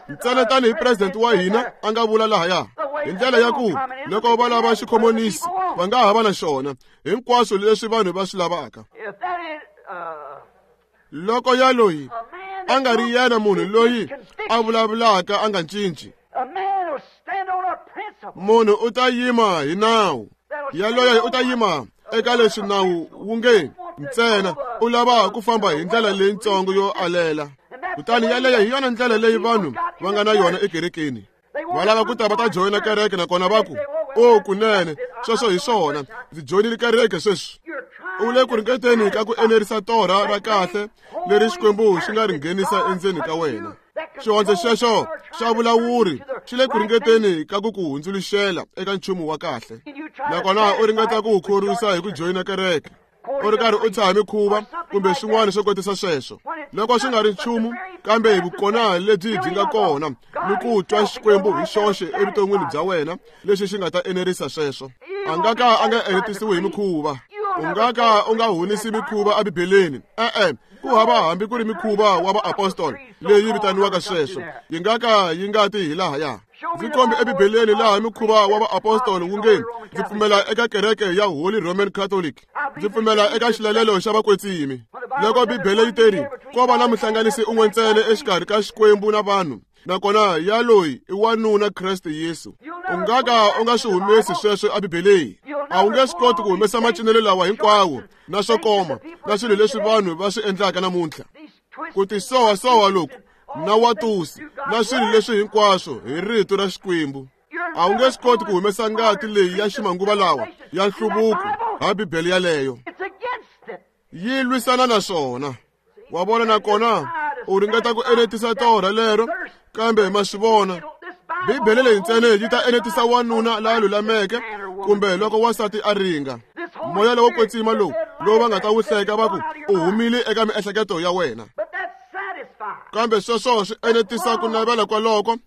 Ntsena tanihi president wa hina a nga vula lahaya hi ndlela ya ku loko va lava xikhomonisi va nga ha va na xona hinkwaswo leswi vanhu va swi lavaka. Loko ya loyi a nga ri yena munhu loyi a vulavulaka a nga cinci, munhu u ta yima hi nawu. Yaloye u ta yima eka leswi nawu wu nge ntsena u lava ku famba hi ndlela leyitsongo yo alela. Kutani yaleyo hi yona ndlela leyi vanhu va nga na yona ekerekeni. Va lava ku ta va ta joyina kereke, nakona va ku O kunene, sweswo hi swona, ndzi joyinile kereke sweswi. U le ku ringeteni ka ku enerisa torha ra kahle leri Xikwembu xi nga ri nghenisa endzeni ka wena. Xihondzo xexo xa vulawuri xi le ku ringeteni ka ku ku hundzuluxela eka nchumu wa kahle, nakona u ringeta ku wu khorwisa hi ku joyina kereke, u ri karhi u tshaha mikhuva kumbe swin'wana swo kotisa sweswo, loko swi nga ri nchumu kambe hi vukona lebyi byi nga kona ni ku twa Xikwembu hi xoxe evuton'wini bya wena lexi xi nga ta enerisa sweswo. A nga ka a nga enetisiwi hi mikhuva. U nga ka u nga honisi mikhuva eBibeleni. E-e, ku hava hambi ku ri mikhuva wa vaapostoli leyi vitaniwaka sweswo, yi nga ka yi nga ti hi lahaya. Ndzi kombi eBibeleni laha mikhuva wa vaapostoli wu nge ndzi pfumela eka kereke ya Holy Roman Catholic, ndzi pfumela eka xilalelo xa vakwetsimi. Loko Bibele yi teri ko va na muhlanganisi un'we ntsena exikarhi ka Xikwembu na vanhu, nakona ya loyi i wanuna Kreste Yesu. U nga ka u nga swi humesi sweswo eBibeleni. A wu nge swi koti ku humesa macinelo lawa hinkwawo na swo koma na swilo leswi vanhu va swi endlaka namuntlha, ku tisowasowa loku na watusi na swilo leswi hinkwaswo hi rito ra Xikwembu. A wu nge swi koti ku humesa ngati leyi ya ximanguva lawa ya nhluvuko ha Bibele yaleyo. Yi lwisana na swona. Wa vona, nakona u ringeta ku enetisa torha lero, kambe ma swi vona Bibele leyi ntsena yi ta enetisa wanuna la lulameke kumbe loko wansati a ringa. Moya lowo kwetsima lowu lowu va nga ta wu hleka va ku u humile eka miehleketo ya wena, kambe sweswo swi enetisa ku navela kwaloko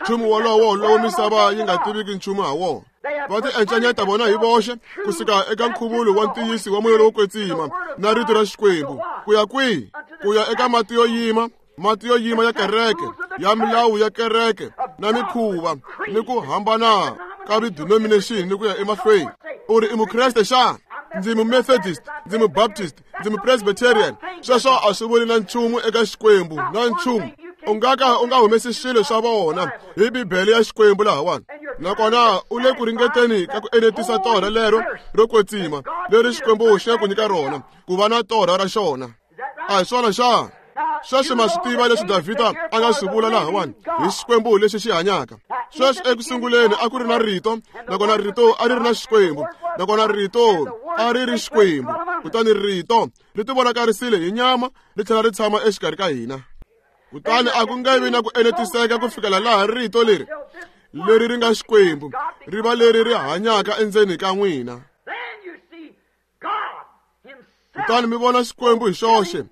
nchumu wolowo lowu misava yi nga tiviki nchumu ha wona. Va ti encanyeta vona hi voxe kusuka eka nkhuvulo wa ntiyiso wa moya lowo kwetsima na rito ra Xikwembu ku ya kwihi? Ku ya eka mati yo yima, mati yo yima ya kereke, ya milawu ya kereke na mikhuva ni ku hambana ka ti-denomination ni ku ya emahlweni. U ri i Mukreste xana? Ndzi Mumethodist, ndzi Mubaptist, ndzi Mupresbyterian. Sweswo a swi vuli na nchumu eka Xikwembu, na nchumu. U nga ka u nga humesi swilo swa vona hi Bibele ya Xikwembu lahawani, nakona u le ku ringeteni ka ku enetisa torha lero ro kwetsima leri Xikwembu xi nga ku nyika rona ku va na torha ra xona. A hi swona xana? Sweswi ma swi tiva leswi Davhida a nga swi vula lahawani hi Xikwembu lexi xi hanyaka. Sweswi eku sunguleni a ku ri na rito, nakona rito a ri ri na Xikwembu, nakona rito a ri ri Xikwembu. Kutani rito ri tivonakarisile hi nyama ri tlhela ri tshama exikarhi ka hina. Kutani a ku nge vi na ku enetiseka ku fikela laha rito leri leri ri nga Xikwembu ri va leri ri hanyaka endzeni ka n'wina. Kutani mi vona Xikwembu hi xoxe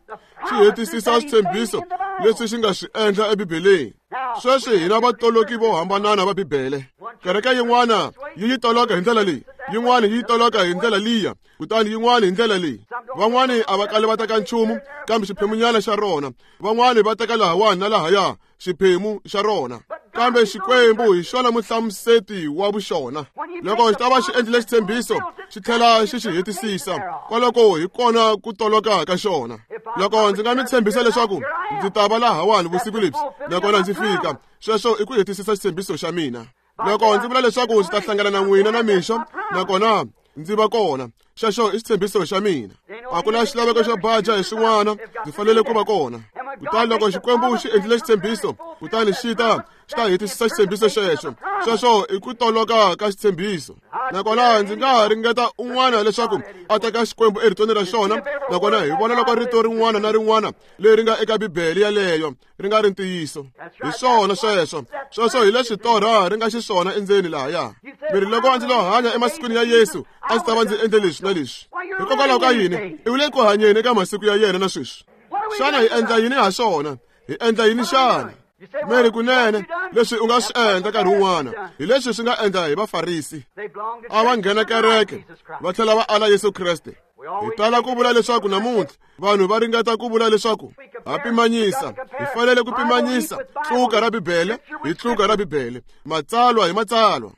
xi hetisisa switshembiso leswi xi nga swi endla eBibeleni. Sweswi hina vatoloki vo hambanana va Bibele. Kereke yin'wana yi yi toloka hi ndlela leyi, yin'wana yi toloka hi ndlela liya, kutani yin'wana hi ndlela leyi. Van'wani a va kali va teka nchumu kambe xiphemunyana xa rona, van'wani va teka lahawani na lahaya xiphemu xa rona. Kambe Xikwembu hi xona muhlamuseti wa vuxona. Loko xi ta va xi endlile xitshembiso xi tlhela xi xi hetisisa, kwaloko hi kona ku toloka ka xona. Loko ndzi nga mi tshembisa leswaku ndzi ta va lahawani vusiku lebyi nakona ndzi fika, sweswo i ku hetisisa xitshembiso xa mina. Loko ndzi vula leswaku ndzi ta hlangana na n'wina na mixo nakona ndzi va kona, xexo i xitshembiso xa mina. A ku na xilaveko xo baja hi swin'wana, ndzi fanele ku va kona. Kutani loko Xikwembu xi endlile xitshembiso, kutani xi ta xi ta hetisisa xitshembiso xexo. Sweswo i ku toloka ka xitshembiso. Nakona ndzi nga ha ringeta un'wana leswaku a teka Xikwembu eritweni ra xona, nakona hi vona loko rito rin'wana na rin'wana leri nga eka Bibele yaleyo ri nga ri ntiyiso. Hi swona sweswo. Sweswo hi leswi torha ri nga xiswona endzeni lahaya. Mi ri loko a ndzi lo hanya emasikwini ya Yesu, a ndzi ta va ndzi endle leswi na leswi. Hikokwalaho ka yini? I le ku hanyeni eka masiku ya yena na sweswi. Xana hi endla yini ha swona? Hi endla yini xana? Meri kunene leswi u nga swi endla nkarhi wun'wana hi leswi swi nga endla hi Vafarisi. A va nghena kereke va tlhela va ala Yesu Kreste. Hi tala ku vula leswaku namuntlha vanhu va ringeta ku vula leswaku ha pimanyisa, hi fanele ku pimanyisa tluka ra Bibele hi tluka ra Bibele, matsalwa hi matsalwa.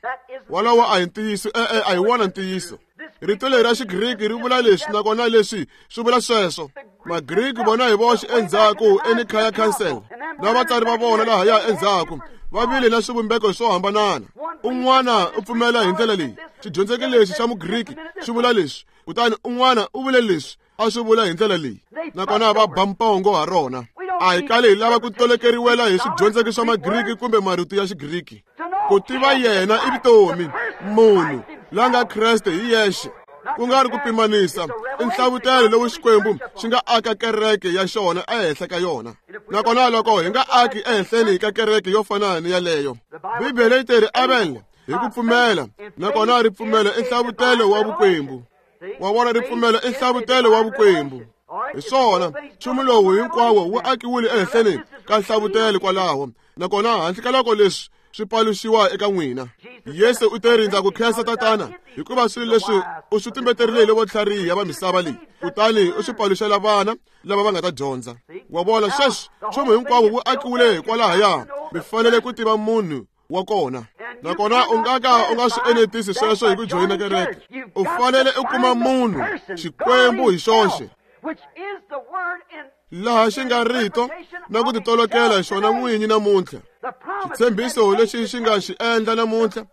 Walowo a hi ntiyiso, e-e a hi wona ntiyiso. Rito leri ra Xigriki ri vula leswi nakona leswi swi vula sweswo. Magriki vona hi voxe endzhaku eNicaea Council na vatsari va vona lahaya endzhaku va vile na swivumbeko swo hambanana. Un'wana u pfumela hi ndlela leyi, xidyondzeki lexi xa Mugriki xi vula leswi, kutani un'wana u vule leswi a swi vula hi ndlela leyi, nakona va ba mpongo ha rona. A hi kali hi lava ku tolekeriwela hi swidyondzeki swa Magriki kumbe marito ya Xigriki. Ku tiva yena i vutomi, munhu la nga Kreste hi yexe. Ku nga ri ku pimanisa, i nhlavutelo lowu Xikwembu xi nga aka kereke ya xona ehenhla ka yona. Nakona loko hi nga aki ehenhleni ka kereke yo fana ni yaleyo, Bibele yi teri Abel hi ku pfumela, nakona ripfumelo i nhlavutelo wa vukwembu. Wa vona, ripfumelo i nhlavutelo wa vukwembu. Hi swona, nchumu lowu hinkwawo wu akiwile ehenhleni ka nhlavutelo kwalaho, nakona handle ka loko leswi swi paluxiwa eka n'wina. Yesu u te rindza ku khensa Tatana, hikuva swilo leswi u swi tumbeterile vo tlhariha va misava leyi, kutani u swi paluxela vana lava va nga ta dyondza. Wa vona, sweswi nchumu hinkwawo wu akiwile hikwalahaya. Mi fanele ku tiva munhu wa kona, nakona u nga ka u nga swi enetisi sweswo hi ku joyina kereke. U fanele u kuma munhu, Xikwembu hi xoxe, laha xi nga rito na ku titolokela xona n'winyi namuntlha. Xitshembiso lexi xi nga xi endla namuntlha,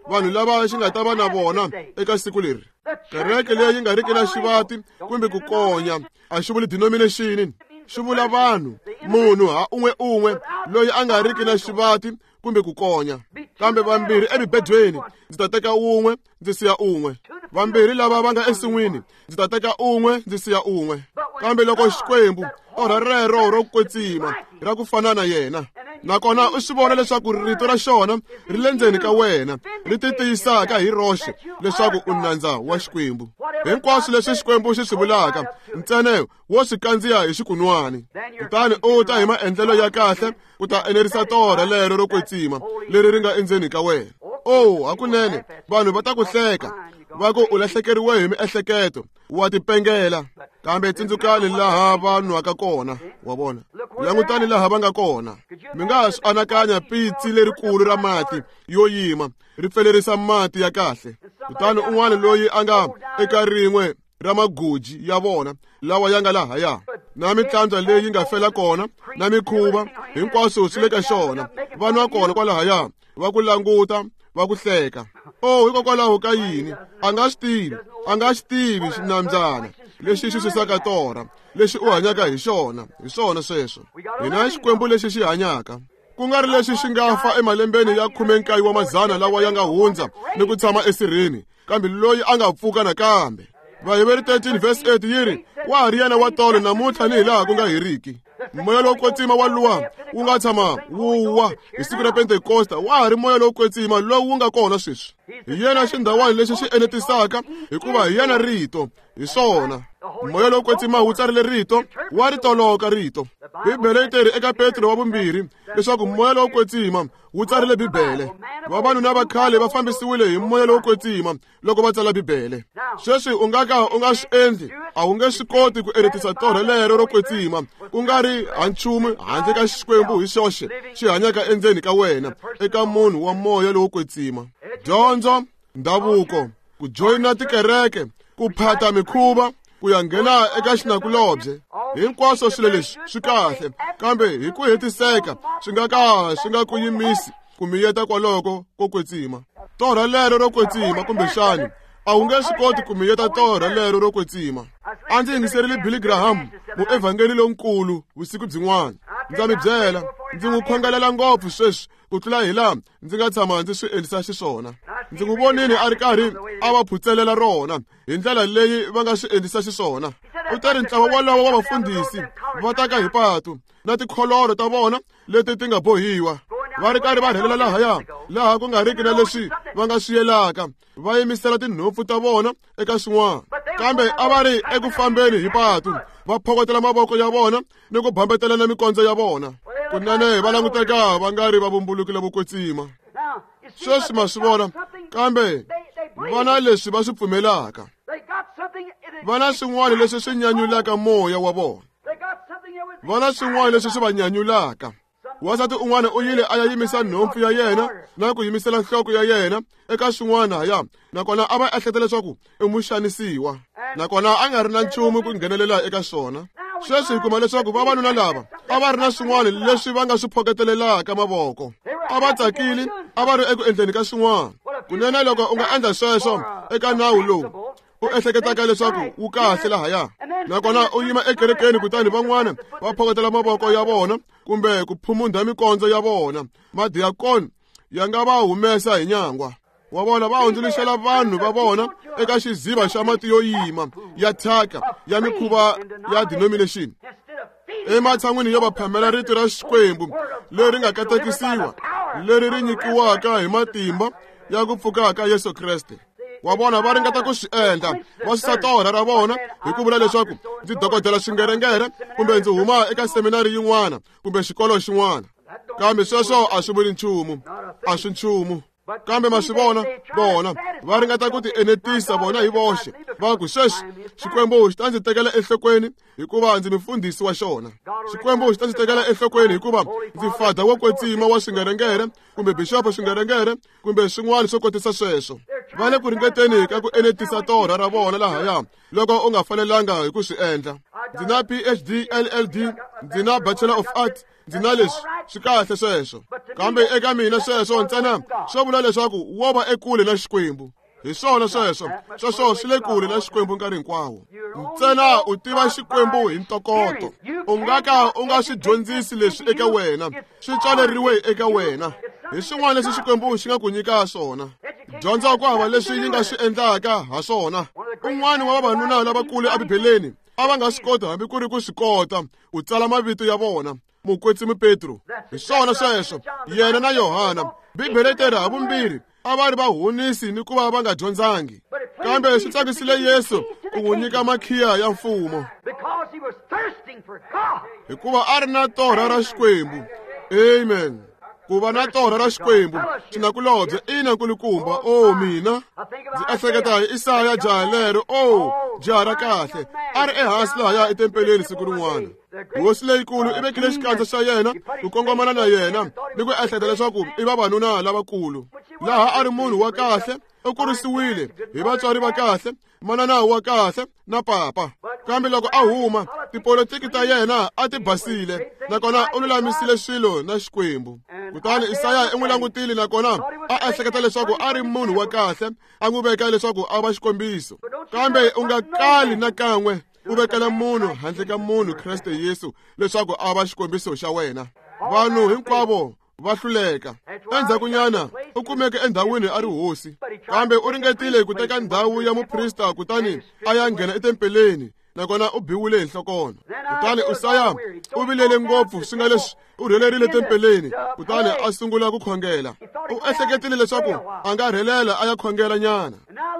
vanhu lava xi nga ta va na vona eka siku leri. Kereke leyi nga riki na xivati kumbe ku konya, a xi vuli denomination, xi vula vanhu, munhu ha un'we un'we loyi a nga riki na xivati kumbe ku konya. Kambe vambirhi emibedweni, ndzi ta teka un'we ndzi siya un'we. Vambirhi lava va nga ensin'wini, ndzi ta teka un'we ndzi siya un'we. Kambe loko Xikwembu torha rero ro kwetsima ra ku fana na yena, nakona u swi vona leswaku rito ra xona ri le ndzeni ka wena, ri ti tiyisaka hi roxe leswaku u nandza wa Xikwembu. Hinkwaswo leswi Xikwembu xi swi vulaka, ntsena wo swi kandziya hi xikunwani, kutani u ta hi maendlelo ya kahle ku ta enerisa torha lero ro kwetsima leri ri nga endzeni ka wena. Oh, hakunene vanhu va ta ku hleka, va ku u lahlekeriwe hi miehleketo, wa tipengela. Kambe tsundzukani laha va nwaka kona, wa vona, langutani laha va nga kona. Mi nga swi anakanya pitsi lerikulu ra mati yo yima ri pfelerisa mati ya kahle, kutani un'wana loyi a nga eka rin'we ra magoji ya vona lawa ya nga lahaya, na mitlandzwa leyi nga fela kona, na mikhuva, hinkwaswo swi le ka xona. Va nwa kona kwalahaya, va ku languta, va ku hleka. Oh, hikokwalaho ka yini? A nga swi tivi, a nga xi tivi xinambyana lexi xi susaka torha, lexi u hanyaka hi xona. Hi swona sweswo. Hina Xikwembu lexi xi hanyaka, ku nga ri lexi xi nga fa emalembeni ya khume nkaye wa mazana lawa ya nga hundza ni ku tshama esirheni, kambe loyi a nga pfuka nakambe. Vaheveri thirteen verse eight yi ri, wa ha ri yena wa tolo namuntlha ni hi laha ku nga heriki. Moya lowo kwetsima wa luwa wu nga tshama wu wa hi siku ra Pentekosta, wa ha ri moya lowo kwetsima lowu wu nga kona sweswi. Hi yena xindhawani lexi xi enetisaka, hikuva hi yena rito. Hi swona, moya lowo kwetsima wu tsarile rito, wa ri toloka rito. Bibele yi teri eka Petro wa vumbirhi leswaku moya lowo kwetsima wu tsarile Bibele. Vavanuna va khale va fambisiwile hi moya lowo kwetsima loko va tsala Bibele. Sweswi u nga ka u nga swi endli, a wu nge swi koti ku enetisa torha lero ro kwetsima, ku nga ri ha nchumu handle ka Xikwembu hi xoxe xi hanyaka endzeni ka wena, eka munhu wa moya lowo kwetsima. Dyondzo, ndhavuko, ku joyina tikereke, ku phata mikhuva, ku ya nghena eka xinakulobye, hinkwaswo swilo leswi swi kahle, kambe hi ku hetiseka swi nga ka swi nga ku yimisi ku miyeta kwaloko ko kwetsima. Torha lero ro kwetsima, kumbexani a wu nge swi koti ku miyeta torha lero ro kwetsima. A ndzi yingiserile Billy Graham, muevhangeli lonkulu, vusiku byin'wana. Ndza mi byela, ndzi n'wi khongelela ngopfu sweswi ku tlula hi laha ndzi nga tshama ndzi swi endlisa xiswona. Ndzi n'wi vonile a ri karhi a va phutselela rona hi ndlela leyi va nga swi endlisa xiswona. U teri ntlawa wolowo wa vafundhisi va taka hi patu na tikholoro ta vona leti ti nga bohiwa, va ri karhi va rhelela lahaya, laha ku nga riki na leswi va nga swi yelaka, va yimisela tinhompfu ta vona eka swin'wana. Kambe a va ri eku fambeni hi patu, va phokotela mavoko ya vona ni ku bambetelana mikondzo ya vona. Kunene va languteka va nga ri va vumbulukile vokwetsima. Sweswi ma swi vona, kambe va na leswi va swi pfumelaka, va na swin'wana leswi swi nyanyulaka moya wa vona, va na swin'wana leswi swi va nyanyulaka. Wansati un'wana u yile a ya yimisa nhompfu ya yena na ku yimisela nhloko ya yena eka swin'wana ya, nakona a va ehleketa leswaku i muxanisiwa, nakona a nga ri na nchumu ku nghenelela eka swona. Sweswi hi kuma leswaku vavanuna lava a va ri na swin'wana leswi va nga swi phoketelelaka mavoko, a va tsakile, a va ri eku endleni ka swin'wana. Kunene loko u nga endla sweswo eka nawu lowu u ehleketaka leswaku wu kahle lahaya, nakona u yima ekerekeni kutani van'wana va phokotela mavoko ya vona kumbe ku phumunda mikondzo ya vona, madiakoni ya nga va humesa hi nyangwa. Wa vona va hundzuluxela vanhu va vona eka xiziva xa mati yo yima ya thyaka ya mikhuva ya denomination. Ematshan'wini yo va phamela rito ra Xikwembu leri nga katekisiwa, leri ri nyikiwaka hi matimba ya ku pfuka ka Yesu Kreste. Wa vona va ringeta ku swi endla, va susa torha ra vona hi ku vula leswaku ndzi dokodela swingerengere kumbe ndzi huma eka seminari yin'wana kumbe xikolo xin'wana. Kambe sweswo a swi vuli nchumu, a swi nchumu. Kambe ma swi vona, vona va ringeta ku ti enetisa vona hi voxe, va ku sweswi Xikwembu xi ta ndzi tekela enhlokweni hikuva ndzi mufundhisi wa xona. Xikwembu xi ta ndzi tekela enhlokweni hikuva ndzi fada wo kwetsima wa swingerengere kumbe bixopo swingerengere kumbe swin'wana swo kotisa sweswo. Va le ku ringeteni ka ku enetisa torha ra vona lahaya loko u nga fanelanga hi ku swi endla. Ndzi na P H D L L D, ndzi na Bachelor of Arts, ndzi na leswi swi kahle sweswo. Kambe eka mina sweswo ntsena swo vula leswaku wo va ekule na Xikwembu. Hi swona sweswo, sweswo swi le kule na Xikwembu nkarhi hinkwawo. Ntsena u tiva Xikwembu hi ntokoto. U nga ka u nga swi dyondzisi leswi eka wena, swi tswaleriwe eka wena. Hi swin'wana leswi Xikwembu xi nga ku nyika swona. Dyondza ku hava leswi yi nga swi endlaka ha swona. Un'wana wa vavanuna lavakulu eBibeleni a va nga swi koti hambi ku ri ku swi kota ku tsala mavito ya vona. Mukwetsimi Petro, hi swona sweswo, yena na Yohana. Bibele yi ha vumbirhi a va ri vahunisi ni ku va va nga dyondzangi. Kambe swi tsakisile Yesu ku n'wi nyika makhiya ya mfumo, hikuva a ri na torha ra Xikwembu. Amen. Ku va na torha ra Xikwembu xinakulobye ina nkulukumba. O mina ndzi ehleketa hi Isaya jaha lero, o jaha ra kahle, a ri ehansi lahaya etempeleni siku rin'wana. Hosi leyikulu i vekile xikandza xa yena ku kongomana na yena ni ku ehleketa leswaku i vavanuna lavakulu. Laha a ri munhu wa kahle, u kurisiwile hi vatswari va kahle, manana wa kahle na papa. Kambe loko a huma, tipolitiki ta yena a ti basile, nakona u lulamisile swilo na Xikwembu. Kutani Isaya i n'wi langutile nakona a ehleketa leswaku a ri munhu wa kahle, a n'wi veka leswaku a va xikombiso. Kambe u nga kali na kan'we u vekela munhu handle ka munhu Kreste Yesu leswaku a va xikombiso xa wena. Vanhu hinkwavo va hluleka. Endzhakunyana u kumeke endhawini a ri hosi, kambe u ringetile ku teka ndhawu ya muprista kutani a ya nghena etempeleni, nakona u biwile hi nhlokona. Kutani Usaya u vilele ngopfu swi nga leswi u rhelerile tempeleni, kutani a sungula ku khongela. U ehleketile leswaku a nga rhelela a ya khongela nyana.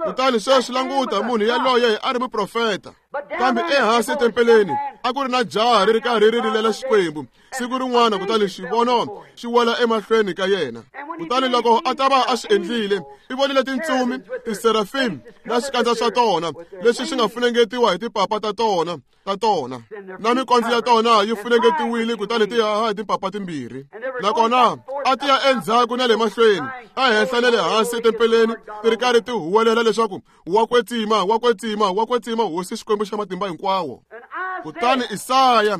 Kutani sweswi languta, munhu yaloye a ri muprofeta. Kambe ehansi etempeleni a ku ri na jaha ri ri karhi ri rilela Xikwembu siku rin'wana, kutani xivono xi wela emahlweni ka yena. Kutani loko a ta va a swi endlile, i vonile tintsumi, tiserafim na swikandza swa tona leswi swi nga funengetiwa hi tipapa ta tona ta tona na mikondzo ya tona yi funengetiwile, kutani ti haha hi timpapa timbirhi. Nakona a ti ya endzhaku na le mahlweni, ehenhla na le hansi etempeleni, ti ri karhi ti huwelela leswaku wa kwetsima, wa kwetsima, wa kwetsima Hosi Xikwembu xa matimba hinkwawo. Kutani Isaya,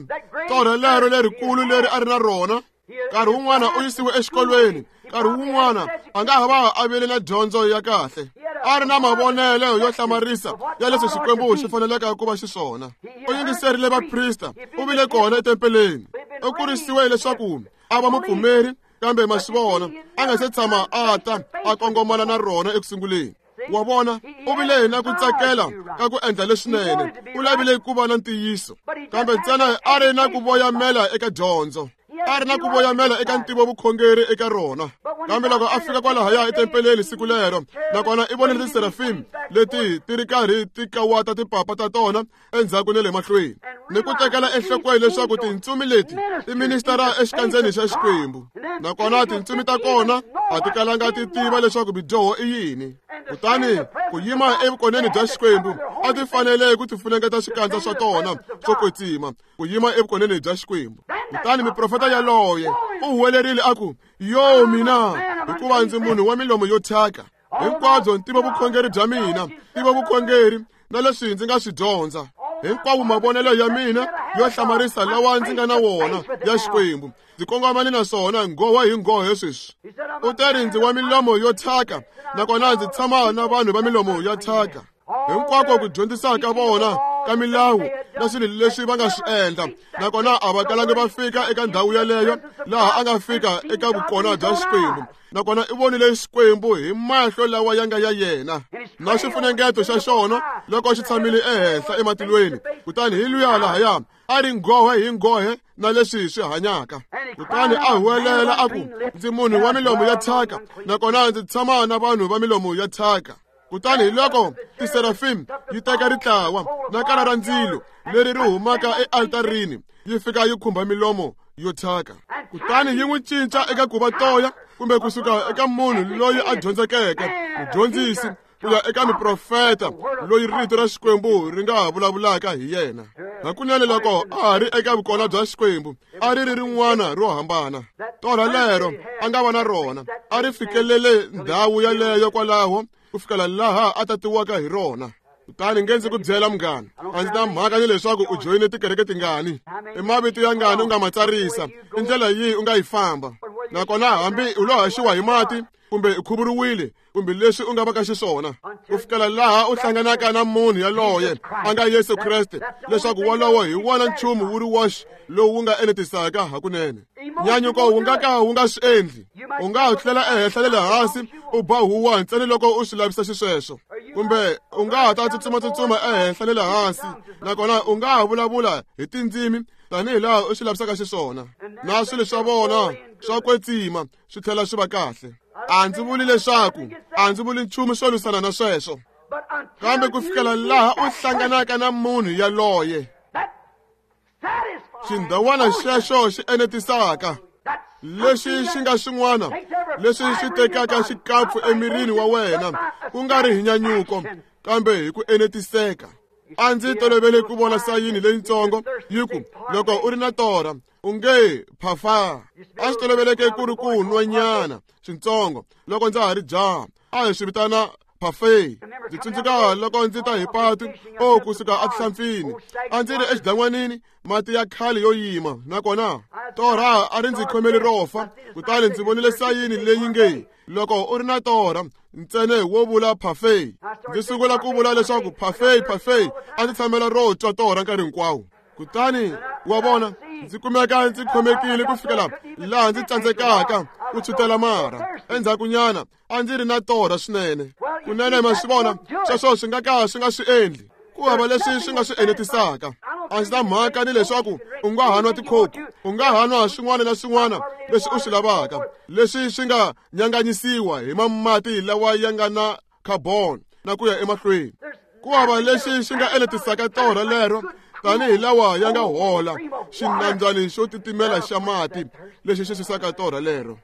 torha lero lerikulu leri a ri na rona, nkarhi wun'wana u yisiwe exikolweni, nkarhi wun'wana a nga ha va a vile na dyondzo ya kahle, a ri na mavonelo yo hlamarisa ya leswi Xikwembu xi faneleke ku va xiswona. U yingiserile vaprista, u vile kona etempeleni, u kurisiwe leswaku a va mupfumeri, kambe ma swi vona a nga se tshama a ta a kongomana na rona ekusunguleni. Wa vona, u vile na ku tsakela ka ku endla leswinene, u lavile ku va na ntiyiso, kambe ntsena a ri na ku voyamela eka dyondzo, a ri na ku voyamela eka ntivo vukhongeri eka rona. Kambe loko a fika kwalahaya etempeleni siku lero, nakona i vonile tiserafim leti ti ri karhi ti kawata tipapa ta tona endzhaku na le mahlweni, ni ku tekela enhlokweni leswaku tintsumi leti ti ministara exikandzeni xa Xikwembu, nakona tintsumi ta kona a ti kalanga ti tiva leswaku bidyoho i yini. Kutani ku yima evukoneni bya Xikwembu a ti fanele ku ti funengeta swikandza swa tona swo kwetsima ku yima evukoneni bya Xikwembu. Kutani miprofeta yaloye u huwelerile a ku, yo mina, hikuva ndzi munhu wa milomo yo thyaka. Hinkwabyo ntivo vukhongeri bya mina, ntivo vukhongeri na leswi ndzi nga swi dyondza, hinkwavo mavonelo ya mina yo hlamarisa lawa ndzi nga na wona ya Xikwembu, ndzi kongomane na swona nghowa hi nghohe sweswi. U teri ndzi wa milomo yo thyaka, nakona ndzi tshama na vanhu va milomo ya thyaka. Hinkwako ku dyondzisa ka vona ka milawu na swilo leswi va nga swi endla nakona a va kalangi va fika eka ndhawu yeleyo laha a nga fika eka vukona bya Xikwembu nakona i vonile Xikwembu hi mahlo lawa ya nga ya yena na xifunengeto xa xona loko xi tshamile ehenhla ematilweni kutani hi luya lahaya a ri nghohe hi nghohe na leswi swi hanyaka kutani a huwelela a ku ndzi munhu wa milomo ya thyaka nakona ndzi tshama na vanhu va milomo ya thyaka kutani hi loko tiserafim yi teka ritlawa na kala ra ndzilo leri ri humaka ealtarini yi fika yi khumba milomo yo thyaka kutani yi n'wi cinca eka ku va toya kumbe kusuka eka munhu loyi a dyondzekeke mudyondzisi ku ya eka miprofeta loyi rito ra Xikwembu ri nga vulavulaka hi yena hakunene loko a ha ri eka vukona bya Xikwembu a ri ri rin'wana ro hambana torha lero a nga va na rona a ri fikelele ndhawu yaleyo kwalaho ku fikela laha a tatiwaka hi rona kutani nge ndzi ku byela munghana a ndzi na mhaka ni leswaku u joyine tikereke tingani i mavito ya ngani u nga ma tsarisa i ndlela yihi u nga yi famba nakona hambi u lo haxiwa hi mati kumbe u khuvuriwile kumbe leswi u nga va ka xiswona ku fikela laha u hlanganaka na munhu yaloye a nga Yesu Kreste leswaku wolowo hi wona nchumu wu ri woxe lowu wu nga enetisaka hakunene nyanyuko wu nga ka wu nga swi endli u nga ha tlela ehenhla le le hansi u ba huwa ntsena loko u swi lavisa xisweswo kumbe u nga ha ta tsutsumatsutsuma ehenhla le le hansi nakona u nga ha vulavula hi tindzimi tanihi laha u swi lavisaka xiswona na swilo swa vona swa kwetsima swi tlhela swi va kahle a ndzi vuli leswaku a ndzi vuli nchumu swo lwisana na sweswo kambe ku fikela laha u hlanganaka na munhu yaloye xindhawana xexo xi enetisaka lexi xi nga xin'wana leswi xi tekaka xikapfu emirini wa wena ku nga ri hi nyanyuko kambe hi ku enetiseka a ndzi tolovele ku vona sayini leyitsongo yi ku loko u ri na torha u nge phafa a swi toloveleke ku ri ku nwanyana swintsongo loko ndza ha ri jaha a hi swi vitana parfait ndzi tsundzuka loko ndzi ta hi patu o kusuka etihlampfini a ndzi ri exidan'wanini mati ya khale yo yima nakona torha a ri ndzi khomeli ro fa kutani ndzi vonile sayini leyi nge loko u ri na torha ntsena wo vula parfait ndzi sungula ku vula leswaku parfait parfait a ndzi tshamela ro twa torha nkarhi hinkwawo kutani wa vona ndzi kumeka ndzi khomekile ku fikela laha ndzi tsandzekaka ku tshutela marha endzhakunyana a ndzi ri na torha swinene kunene ma swi vona sweswo swi nga ka swi nga swi endli ku hava leswi swi nga swi enetisaka a ndzi na mhaka ni leswaku u nga ha nwa tikhokhu u nga ha nwa swin'wana na swin'wana leswi u swi lavaka leswi swi nga nyanganyisiwa hi mamati lawa ya nga na carbon na ku ya emahlweni ku hava lexi xi nga enetisaka torha lero tanihi lawa ya nga hola xinambyani xo titimela xa mati lexi xi susaka torha lero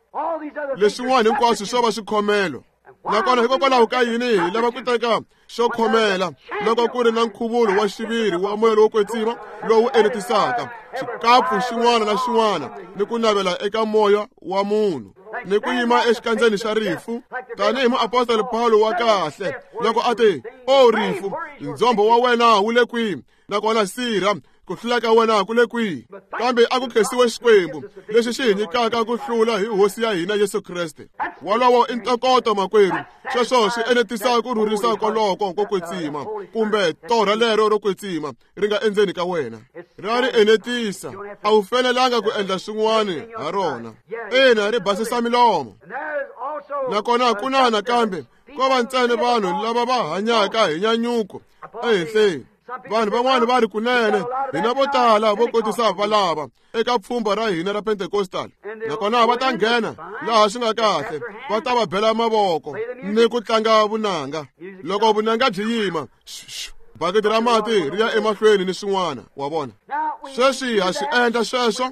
leswin'wana hinkwaswo swo va swikhomelo nakona hikokwalaho ka yini hi lava ku teka xo khomela loko ku ri na nkhuvulo wa xiviri wa moya lowo kwetsima lowu enetisaka xikapfu xin'wana na xin'wana ni ku navela eka moya wa munhu ni ku yima exikandzeni xa rifu tanihi muapostoli Paulo wa kahle loko a te o rifu ndzhombo wa wena wu le kwihi nakona sirha ku hlula ka wena ku le kwihi kambe a ku khensiwe Xikwembu lexi xi hi nyikaka ku hlula hi hosi ya hina Yesu Kreste wolowo i ntokoto makwerhu sweswo swi enetisa ku rhurisa koloko ko kwetsima kumbe torha lero ro kwetsima ri nga endzeni ka wena ra ri enetisa a wu fanelanga ku endla swin'wana ha rona ina ri basisa milomo nakona ku na nakambe ko va ntsena vanhu lava va hanyaka hi nyanyuko ehenhleni vanhu van'wana va ri kunene hina vo tala vo kotisa valava eka pfhumba ra hina ra Pentecostal nakona va ta nghena laha swi nga kahle va ta va bela mavoko ni ku tlanga vunanga loko vunanga byi yima bakiti ra mati ri ya emahlweni ni swin'wana wa vona sweswi ha swi endla sweswo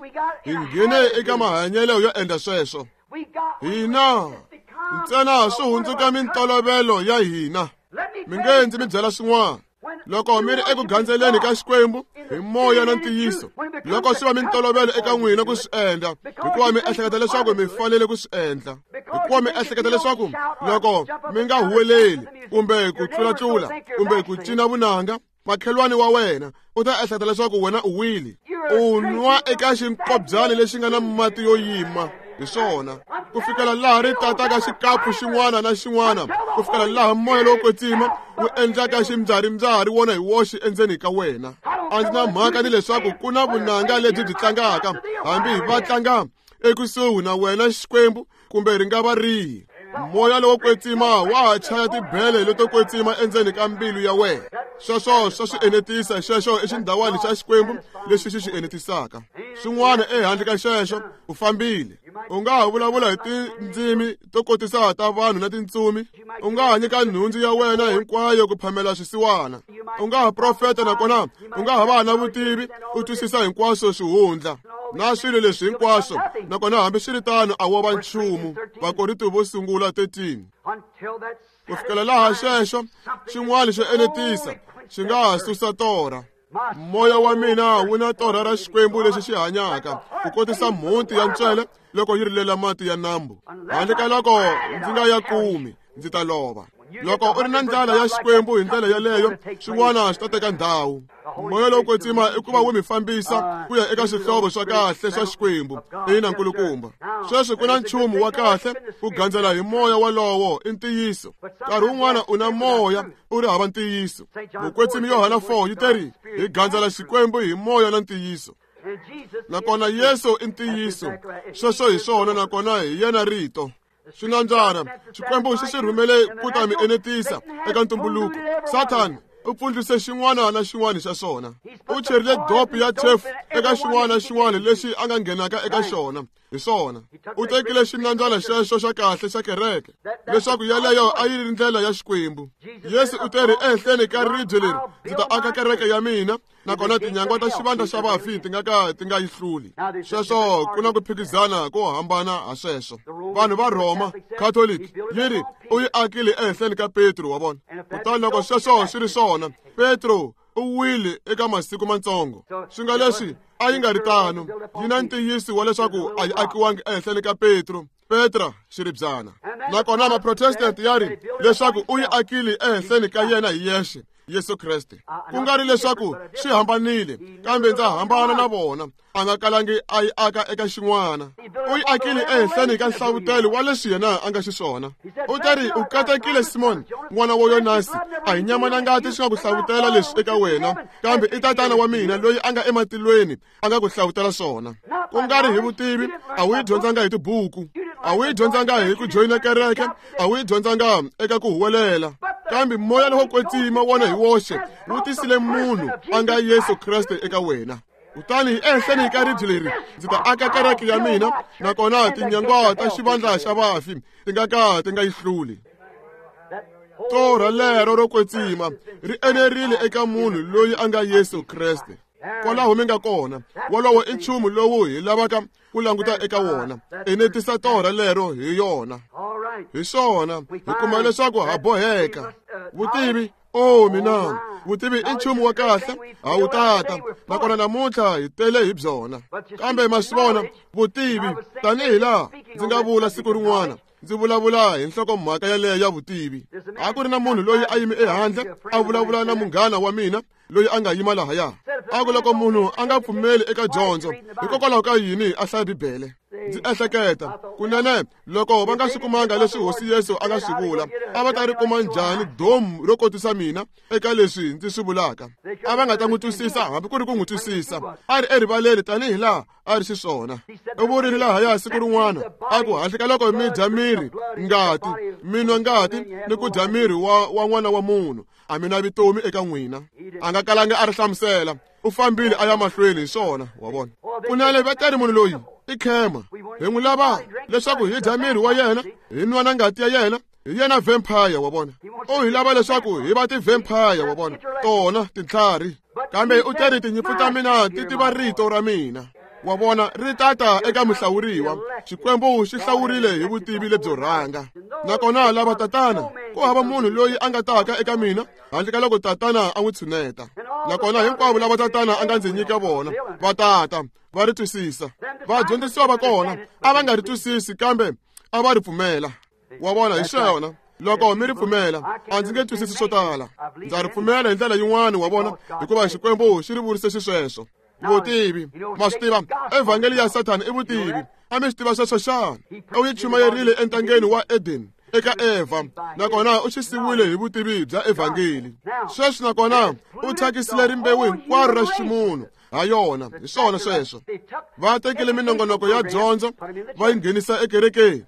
hi nghene eka mahanyelo yo endla sweswo hina ntsena swi hundzuka mintolovelo ya hina mi nge ndzi mi byela swin'wana loko mi ri eku gandzeleni ka Xikwembu hi moya na ntiyiso loko swi va mintolovelo eka n'wina ku swi endla hikuva mi ehleketa leswaku mi fanele ku swi endla hikuva mi ehleketa leswaku loko mi nga huweleli kumbe ku tlulatlula kumbe ku cina vunanga makhelwani wa wena u ta ehleketa leswaku wena u wile u nwa eka xinkobyani lexi nga na mati yo yima hi swona ku fikela laha ri tataka xikapu xin'wana na xin'wana ku fikela laha moya lowo kwetsima wu endlaka ximbyarimbyaри wona hi woxe endzeni ka wena A ndzi na mhaka ni leswaku ku na vunanga lebyi byi tlangaka, hambi va tlanga ekusuhi na wena Xikwembu kumbe ri nga va rihi. Moya lowo kwetsima wa ha chaya tibele leto kwetsima endzeni ka mbilu ya wena. Sweswo swa swi enetisa, xexo i xindhawani xa Xikwembu lexi xi xi enetisaka. Swin'wana ehandle ka xexo u fambile. U nga ha vulavula hi tindzimi to kotisa ta vanhu na tintsumi. U nga ha nyika nhundzu ya wena hinkwayo ku phamela swisiwana. U nga ha profeta nakona u nga ha va na vutivi, u twisisa hinkwaswo swihundla na swilo leswi hinkwaswo, nakona hambiswiritano a wo va nchumu. Vakorinto vo sungula thirteen. Ku fikela laha xexo xin'wana xo enetisa xi nga ha susa torha. Moya wa mina wu na torha ra Xikwembu lexi xi hanyaka ku kotisa mhunti ya ntswele loko yi rilela mati ya nambu. Handle ka loko ndzi nga ya kumi, ndzi ta lova. Loko u ri na ndlala ya Xikwembu hi ndlela yeleyo, swin'wana swi ta teka ndhawu. Moya lowo kwetsima i ku va wu mi fambisa ku ya eka swihlovo swa kahle swa Xikwembu. Ina, nkulukumba. Sweswi ku na nchumu wa kahle ku gandzela hi moya walowo i ntiyiso. Nkarhi wun'wana u na moya u ri hava ntiyiso. Mukwetsimi Yohana four yi teri hi gandzela Xikwembu hi moya na ntiyiso. Nakona Yesu i ntiyiso. Sweswo hi swona, nakona hi yena rito. Swinandzana Xikwembu xi swi rhumele ku ta mi enetisa eka ntumbuluko. Sathana u pfundlise xin'wana na xin'wana xa swona. U cherile dope ya chefu eka xin'wana na xin'wana lexi a nga nghenaka eka xona. Hi swona. U tekile xinandzana xexo xa kahle xa kereke leswaku yaleyo a yi ri ndlela ya Xikwembu. Yesu u teri ehenhleni ka ribye leri ndzi ta aka kereke ya mina, nakona tinyangwa ta xivandla xa vafi ti nga ka ti nga yi hluli. Sweswo ku na ku phikizana ko hambana ha sweswo. Vanhu va Rhoma Catholic yi ri u yi akile ehenhleni ka Petro, wa vona. Kutani loko sweswo swi ri swona, Petro u wile eka masiku matsongo. Swi nga leswi a yi nga ri tano. Yi na ntiyiso wa leswaku a yi akiwangi ehenhleni ka Petro, Petra xiribyana. Nakona maprotestant ya ri leswaku u yi akile ehenhleni ka yena hi yexe, Yesu Kreste. Ku nga ri leswaku swi hambanile, kambe ndza hambana na vona. A nga kalangi a yi aka eka xin'wana. U yi akile ehenhleni ka nhlavutelo wa leswi yena a nga xiswona. U teri u katekile Simoni, n'wana wa Yonasi, a hi nyama na ngati swi nga ku hlavutela leswi eka wena, kambe i tatana wa mina loyi a nga ematilweni a nga ku hlavutela swona. Ku nga ri hi vutivi, a wu yi dyondzanga hi tibuku, a wu yi dyondzanga hi ku joyina kereke, a wu yi dyondzanga eka ku huwelela, kambe moya lowo kwetsima wona hi woxe wu tisile munhu a nga Yesu Kreste eka wena. Kutani ehenhleni ka ribye leri ndzi ta aka kereke ya mina, nakona tinyangwa ta xivandla xa vafi ti nga ka ti nga yi hluli. Torha lero ro kwetsima ri enerile eka munhu loyi a nga Yesu Kreste. Kwalaho mi nga kona, wolowo i nchumu lowu hi lavaka ku languta eka wona. Enetisa torha lero hi yona. Hi swona hi kuma leswaku ha boheka. Vutivi, oh mina, vutivi i nchumu wa kahle, ha wu tata, nakona namuntlha hi tele hi byona. Kambe ma swi vona, vutivi, tanihi laha ndzi nga vula siku rin'wana, ndzi vulavula hi nhlokomhaka yaleyo ya vutivi. A ku ri na munhu loyi a yime ehandle a vulavula na munghana wa mina loyi a nga yima lahaya. A ku loko munhu a nga pfumeli eka dyondzo, hikokwalaho ka yini a hlaya Bibele? Ndzi ehleketa kunene loko va nga swi kumanga leswi Hosi Yesu a nga swi vula, a va ta ri kuma njhani domu ro kotisa mina eka leswi ndzi swi vulaka? A va nga ta n'wi twisisa hambi ku ri ku n'wi twisisa. A ri erivaleni tanihi laha a ri xiswona. U vurile lahaya siku rin'wana a ku handle ka loko mi dya miri ngati, mi nwa ngati ni ku dya miri wa wa n'wana wa munhu, a mi na vutomi eka n'wina. A nga kalanga a ri hlamusela. U fambile a ya mahlweni hi swona, wa vona. Kunene va teri munhu loyi i khema. Hi n'wi lava leswaku hi dya miri wa yena, hi nwa na ngati ya yena. Hi yena vampire, wa vona. U hi lava leswaku hi va ti-vampire, wa vona, tona tintlhari. Kambe u teri tinyimpfu ta mina ti tiva rito ra mina. Wa vona, ri tata eka muhlawuriwa. Xikwembu xi hlawurile hi vutivi lebyo rhanga. Nakona lava tatana, ku hava munhu loyi a nga taka eka mina handle ka loko tatana a n'wi tshuneta. Nakona hinkwavo lava tatana a nga ndzi nyika vona va tata va ri twisisa. Vadyondzisiwa va kona a va nga ri twisisi, kambe a va ri pfumela. Wa vona, hi swona. Loko mi ri pfumela, a ndzi nge twisisi swo tala. Ndza ri pfumela hi ndlela yin'wana, wa vona, hikuva Xikwembu xi ri vurise xisweswo. Vutivi, ma swi tiva, evhangeli ya Sathana i vutivi. A mi swi tiva sweswo xana? U yi chumayerile entangeni wa Eden. eka Eva, nakona u xisiwile hi vutivi bya evhangeli. Sweswi nakona u thyakisile rimbewu hinkwaro ra ximunhu ha yona. Hi swona sweswo. Va tekile minongonoko ya dyondzo va yi nghenisa ekerekeni.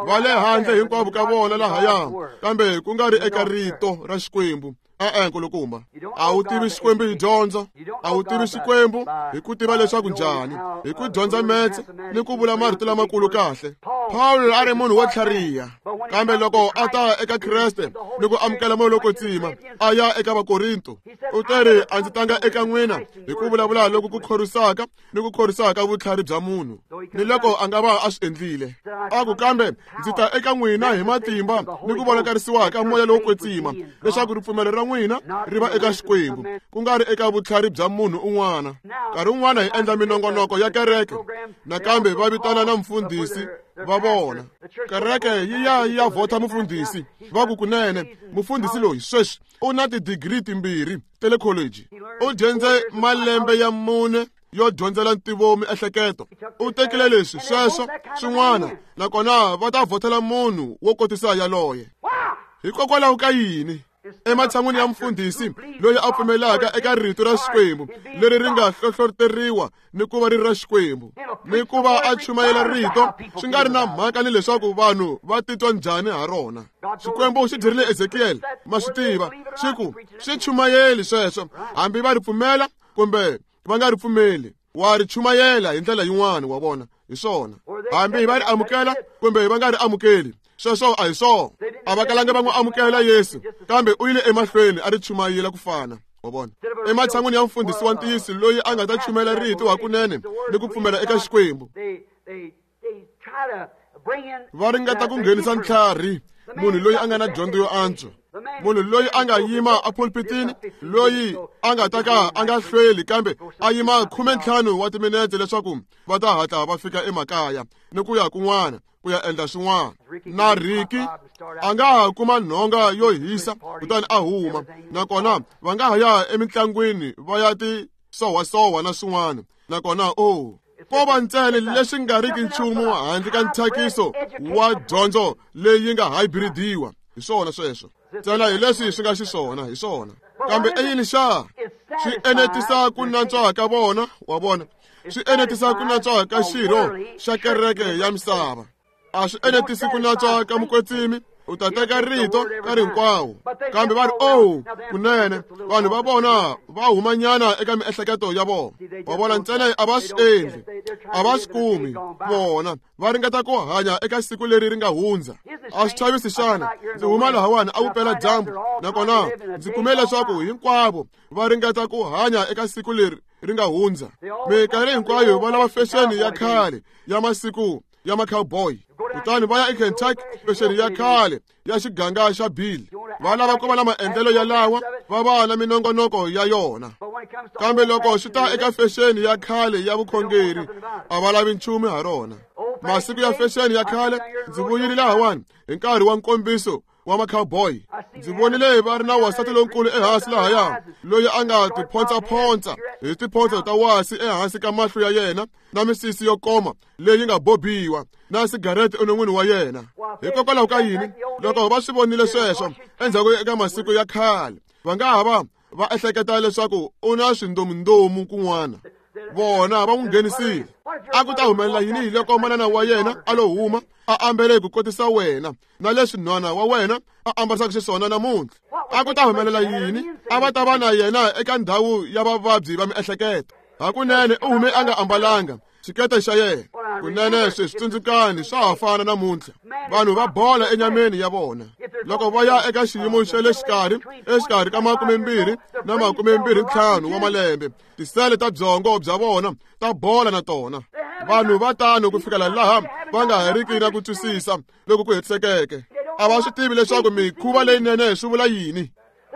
Va le handle hinkwavo ka vona lahaya, kambe ku nga ri eka rito ra Xikwembu. E-e, nkulukumba, a wu tivi Xikwembu hi dyondzo, a wu tivi Xikwembu hi ku tiva leswaku njhani, hi ku dyondza metse ni ku vula marito lamakulu kahle. Pawulo a ri munhu wo tlhariha, kambe loko a ta eka Kreste ni ku amukela moya lowo kwetsima, a ya eka Vakorinto, u teri a ndzi tanga eka n'wina hi ku vulavula loku ku khorwisaka ni ku khorwisaka vutlhari bya munhu, ni loko a nga va a swi endlile. A ku kambe ndzi ta eka n'wina hi matimba ni ku vonakarisiwa ka moya lowo kwetsima, leswaku ripfumelo ra n'wina ri va eka Xikwembu, ku nga ri eka vutlhari bya munhu un'wana. Nkarhi wun'wana hi endla minongonoko ya kereke, nakambe va vitana na mufundhisi va vona. Kereke yi ya yi ya vhota mufundhisi, va ku kunene mufundhisi loyi sweswi u na tidigiri timbirhi ta le college, u dyondze malembe ya mune yo dyondzela ntivo miehleketo, u tekile leswi sweswo swin'wana, nakona va ta vhotela munhu wo kotisa yaloye. Hikokwalaho ka yini? Ematshan'wini ya mufundhisi loyi a pfumelaka eka rito ra Xikwembu leri ri nga hlohloteriwa ni ku va ri ra Xikwembu, ni ku va a chumayela rito swi nga ri na mhaka ni leswaku vanhu va titwa njhani ha rona. Xikwembu xi byerile Ezekiel, ma swi tiva, xi ku swi chumayeli sweswo, hambi va ri pfumela kumbe va nga ri pfumeli, wa ri chumayela hi ndlela yin'wana. Wa vona, hi swona, hambi va ri amukela kumbe va nga ri amukeli, sweswo a hi swona. A va kalanga va n'wi amukela Yesu, kambe u yile emahlweni a ri chumayela ku fana. Wa vona, ematshan'wini ya mufundhisi wa ntiyiso loyi a nga ta chumayela rito hakunene ni ku pfumela eka Xikwembu, va ringeta ku nghenisa ntlhari, munhu loyi a nga na dyondzo yo antswa, munhu loyi a nga yima epulpitini, loyi a nga ta ka a nga hlweli kambe a yima khume ntlhanu wa timinetse leswaku va ta hatla va fika emakaya ni ku ya kun'wana ku ya endla swin'wana. Na Ricky a nga ha kuma nhonga yo hisa kutani a huma, nakona va nga ha ya emitlangwini va ya ti sowasowa na swin'wana, nakona o ko va ntsena leswi nga riki nchumu handle ka nthyakiso wa dyondzo leyi nga hybridiwa. Hi swona sweswo ntsena, hi leswi swi nga xiswona, hi swona. Kambe i yini xa? Swi enetisa ku nantswa ka vona, wa vona, swi enetisa ku nantswa ka xirho xa kereke ya misava. A swi enetisi ku nantswa ka mukwetsimi, u ta teka rito nkarhi hinkwawo. Kambe va ri oh, kunene vanhu va vona va humanyana eka miehleketo ya vona. Wa vona, ntsena a va swi endli, a va swi kumi. Vona va ringeta ku hanya eka siku leri ri nga hundza. A swi chavisi xana? Ndzi huma lahawani a vupela dyambu, nakona ndzi kume leswaku hinkwavo va ringeta ku hanya eka siku leri ri nga hundza. Minkarhi hinkwayo va lava fexeni ya khale ya masiku ya ma-cowboy, kutani va ya eKentucky, fexeni ya khale ya xiganga xa Bill. Va lava ku va na maendlelo yalawa, va va na minongonoko ya yona. Kambe loko swi ta eka fexeni ya khale ya vukhongeri, a va lavi nchumu ha rona. Masiku ya fexeni ya khale, ndzi vuyile lahawani hi nkarhi wa nkombiso wa ma-cowboy. Ndzi vonile va ri na wansati lonkulu ehansi lahaya loyi a nga tiphonsaphonsa hi tiphonsa ta wasi ehansi ka mahlo ya yena, na misisi yo koma leyi nga bobiwa, na sigarete enon'wini wa yena. Hikokwalaho ka yini? Loko va swi vonile sweswo endzhaku eka masiku ya khale, va nga ha va va ehleketa leswaku u na swindomundomu kun'wana. Vona va n'wi nghenisile. A ku ta humelela yini hi loko manana wa yena a lo huma a ambele ku kotisa wena na leswi nhwana wa wena a ambarisaka xiswona namuntlha? A ku ta humelela yini? A va ta va na yena eka ndhawu ya vavabyi va miehleketo. Hakunene u hume a nga ambalanga xikete xa yena. Kunene sweswi tsundzukani swa ha fana namuntlha. Vanhu va bola enyameni ya vona loko va ya eka xiyimo xa le xikarhi, exikarhi ka makumembirhi na makumembirhi ntlhanu wa malembe, tisele ta byongo bya vona ta bola na tona. Vanhu va tano ku fikela laha va nga ha riki na ku twisisa loko ku hetisekeke. A va swi tivi leswaku mikhuva leyinene swi vula yini.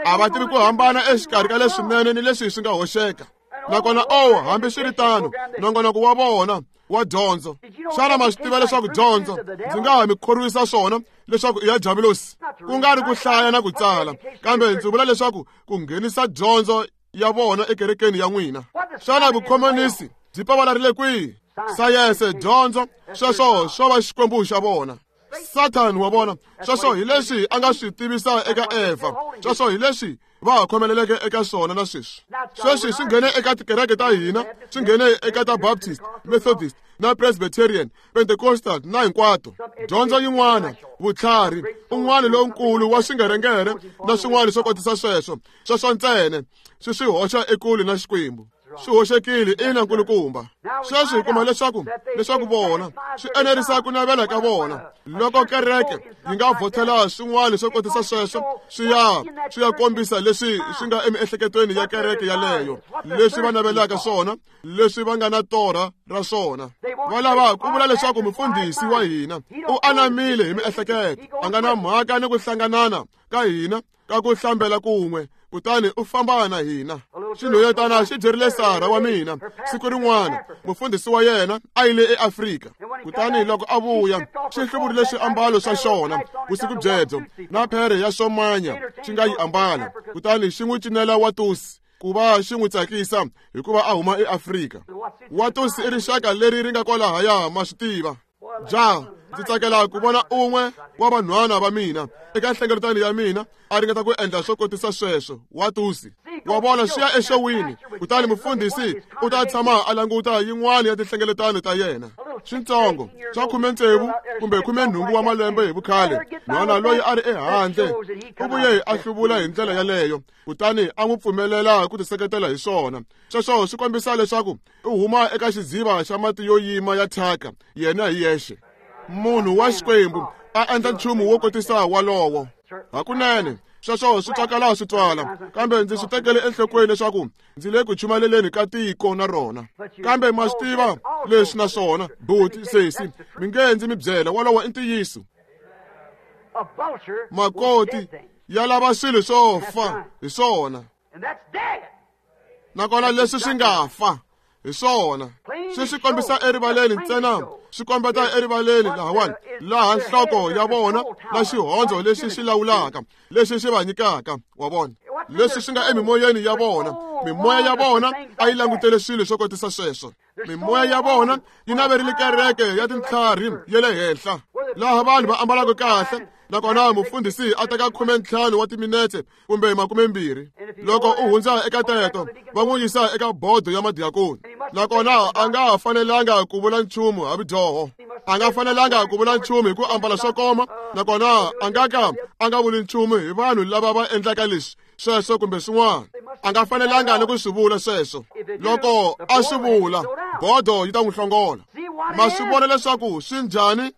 A va tivi ku hambana exikarhi ka leswinene ni leswi swi nga hoxeka. Nakona oh, hambi swi ri tano, nongonoko wa vona wa dyondzo. Xana ma swi tiva leswaku dyondzo ndzi nga ha mi khorwisa swona leswaku i ya diabulosi? Ku nga ri ku hlaya na ku tsala, kambe ndzi vula leswaku ku nghenisa dyondzo ya vona ekerekeni ya n'wina. Xana vukhomunisi byi pavalarile kwihi? Sayense, dyondzo, sweswo swo va xikwembu xa vona. Satan wa vona sweswo hi leswi a nga swi tivisa eka Eva, sweswo hi leswi va ha khomeleleke eka swona na sweswi. Sweswi swi nghene eka tikereke ta hina, swi nghene eka ta Baptist, Methodist na Presbyterian, Pentecostal na hinkwato. Dyondzo yin'wana, vutlhari, un'wana lonkulu wa swingerengere na swin'wana swo kotisa sweswo, sweswo ntsena swi swi hoxa ekule na Xikwembu. Swi hoxekile ina nkulukumba. Sweswi hi kuma leswaku leswaku vona swi enerisa ku navela ka vona. Loko kereke yi nga vhotela swin'wana swo kotisa sweswo, swi ya swi ya kombisa leswi swi nga emiehleketweni ya kereke yaleyo, leswi va navelaka swona, leswi va nga na torha ra swona. Va lava ku vula leswaku mufundhisi wa hina u anamile hi miehleketo, a nga na mhaka ni ku hlanganana ka hina ka ku hlambela kun'we, kutani u famba na hina. Xinhwanyetana xi byerile Sara wa mina siku rin'wana, mufundhisi wa yena a yile eAfrika. Kutani loko a vuya, xi hluvurile swiambalo swa xona vusiku byebyo na phere ya xomanya xi nga yi ambala, kutani xi n'wi cinela watusi ku va xi n'wi tsakisa hikuva a huma eAfrika. Watusi i rixaka leri ri nga kwalahaya, ma swi tiva. Ja, ndzi tsakela ku vona un'we wa vanhwana va mina eka nhlengeletano ya mina a ringeta ku endla swo kotisa sweswo. Watusi wa vona swi ya exowini, kutani mufundhisi u ta tshama a languta yin'wana ya tinhlengeletano ta yena. Swintsongo swa khume tsevu kumbe khume nhungu wa malembe hi vukhale, nhwana loyi a ri ehandle u vuye a hluvula hi ndlela yaleyo, kutani a n'wi pfumelela ku tiseketela hi swona. Sweswo swi kombisa leswaku u huma eka xidziva xa mati yo yima ya thyaka yena hi yexe. Munhu wa Xikwembu a endla nchumu wo kotisa walowo. Hakunene sweswo swi twakala swi twala, kambe ndzi swi tekele enhlokweni leswaku ndzi le ku chumaleleni ka tiko na rona. Kambe ma swi tiva leswi naswona, buti sesi, mi nge ndzi mi byela, walowo i ntiyiso. Makoti ya lava swilo swo fa hi swona, nakona leswi swi nga fa hi swona swi swi kombisa erivaleni ntsena, swi kombeta erivaleni lahawani laha nhloko ya vona na xihondzo lexi xi lawulaka, lexi xi va nyikaka wa vona, leswi swi nga emimoyeni ya vona. Mimoya ya vona a yi langutele swilo swo kotisa sweswo. Mimoya ya vona yi naverile kereke ya tintlhari ya le henhla, laha vanhu va ambalaka kahle, nakona mufundhisi a teka khume ntlhanu wa timinetse kumbe makume mbirhi. Loko u hundza eka teto, va n'wi yisa eka bodo ya madiakoni, nakona a nga ha fanelanga ku vula nchumu ha vudyoho, a nga fanelanga ku vula nchumu hi ku ambala swo koma, nakona a nga ka a nga vuli nchumu hi vanhu lava va endlaka leswi sweswo kumbe swin'wana. A nga fanelanga ni ku swi vula sweswo. Loko a swi vula, bodo yi ta n'wi hlongola. Ma swi vona leswaku swi njhani?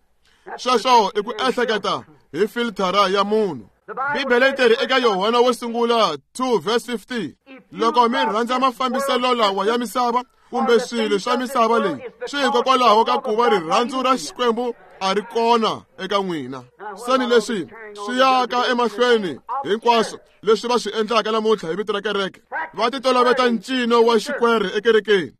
Sweswo i ku ehleketa hi filthara ya munhu. Bibele yi teri eka Yohana wo sungula two verse fifty, loko mi rhandza mafambiselo lawa ya misava kumbe swilo swa misava leyi, swi hikokwalaho ka ku va rirhandzu ra Xikwembu a ri kona eka n'wina. Seni leswi swi yaka emahlweni hinkwaswo leswi va swi endlaka namuntlha hi vito ra kereke, va titoloveta ncino wa xikwere ekerekeni,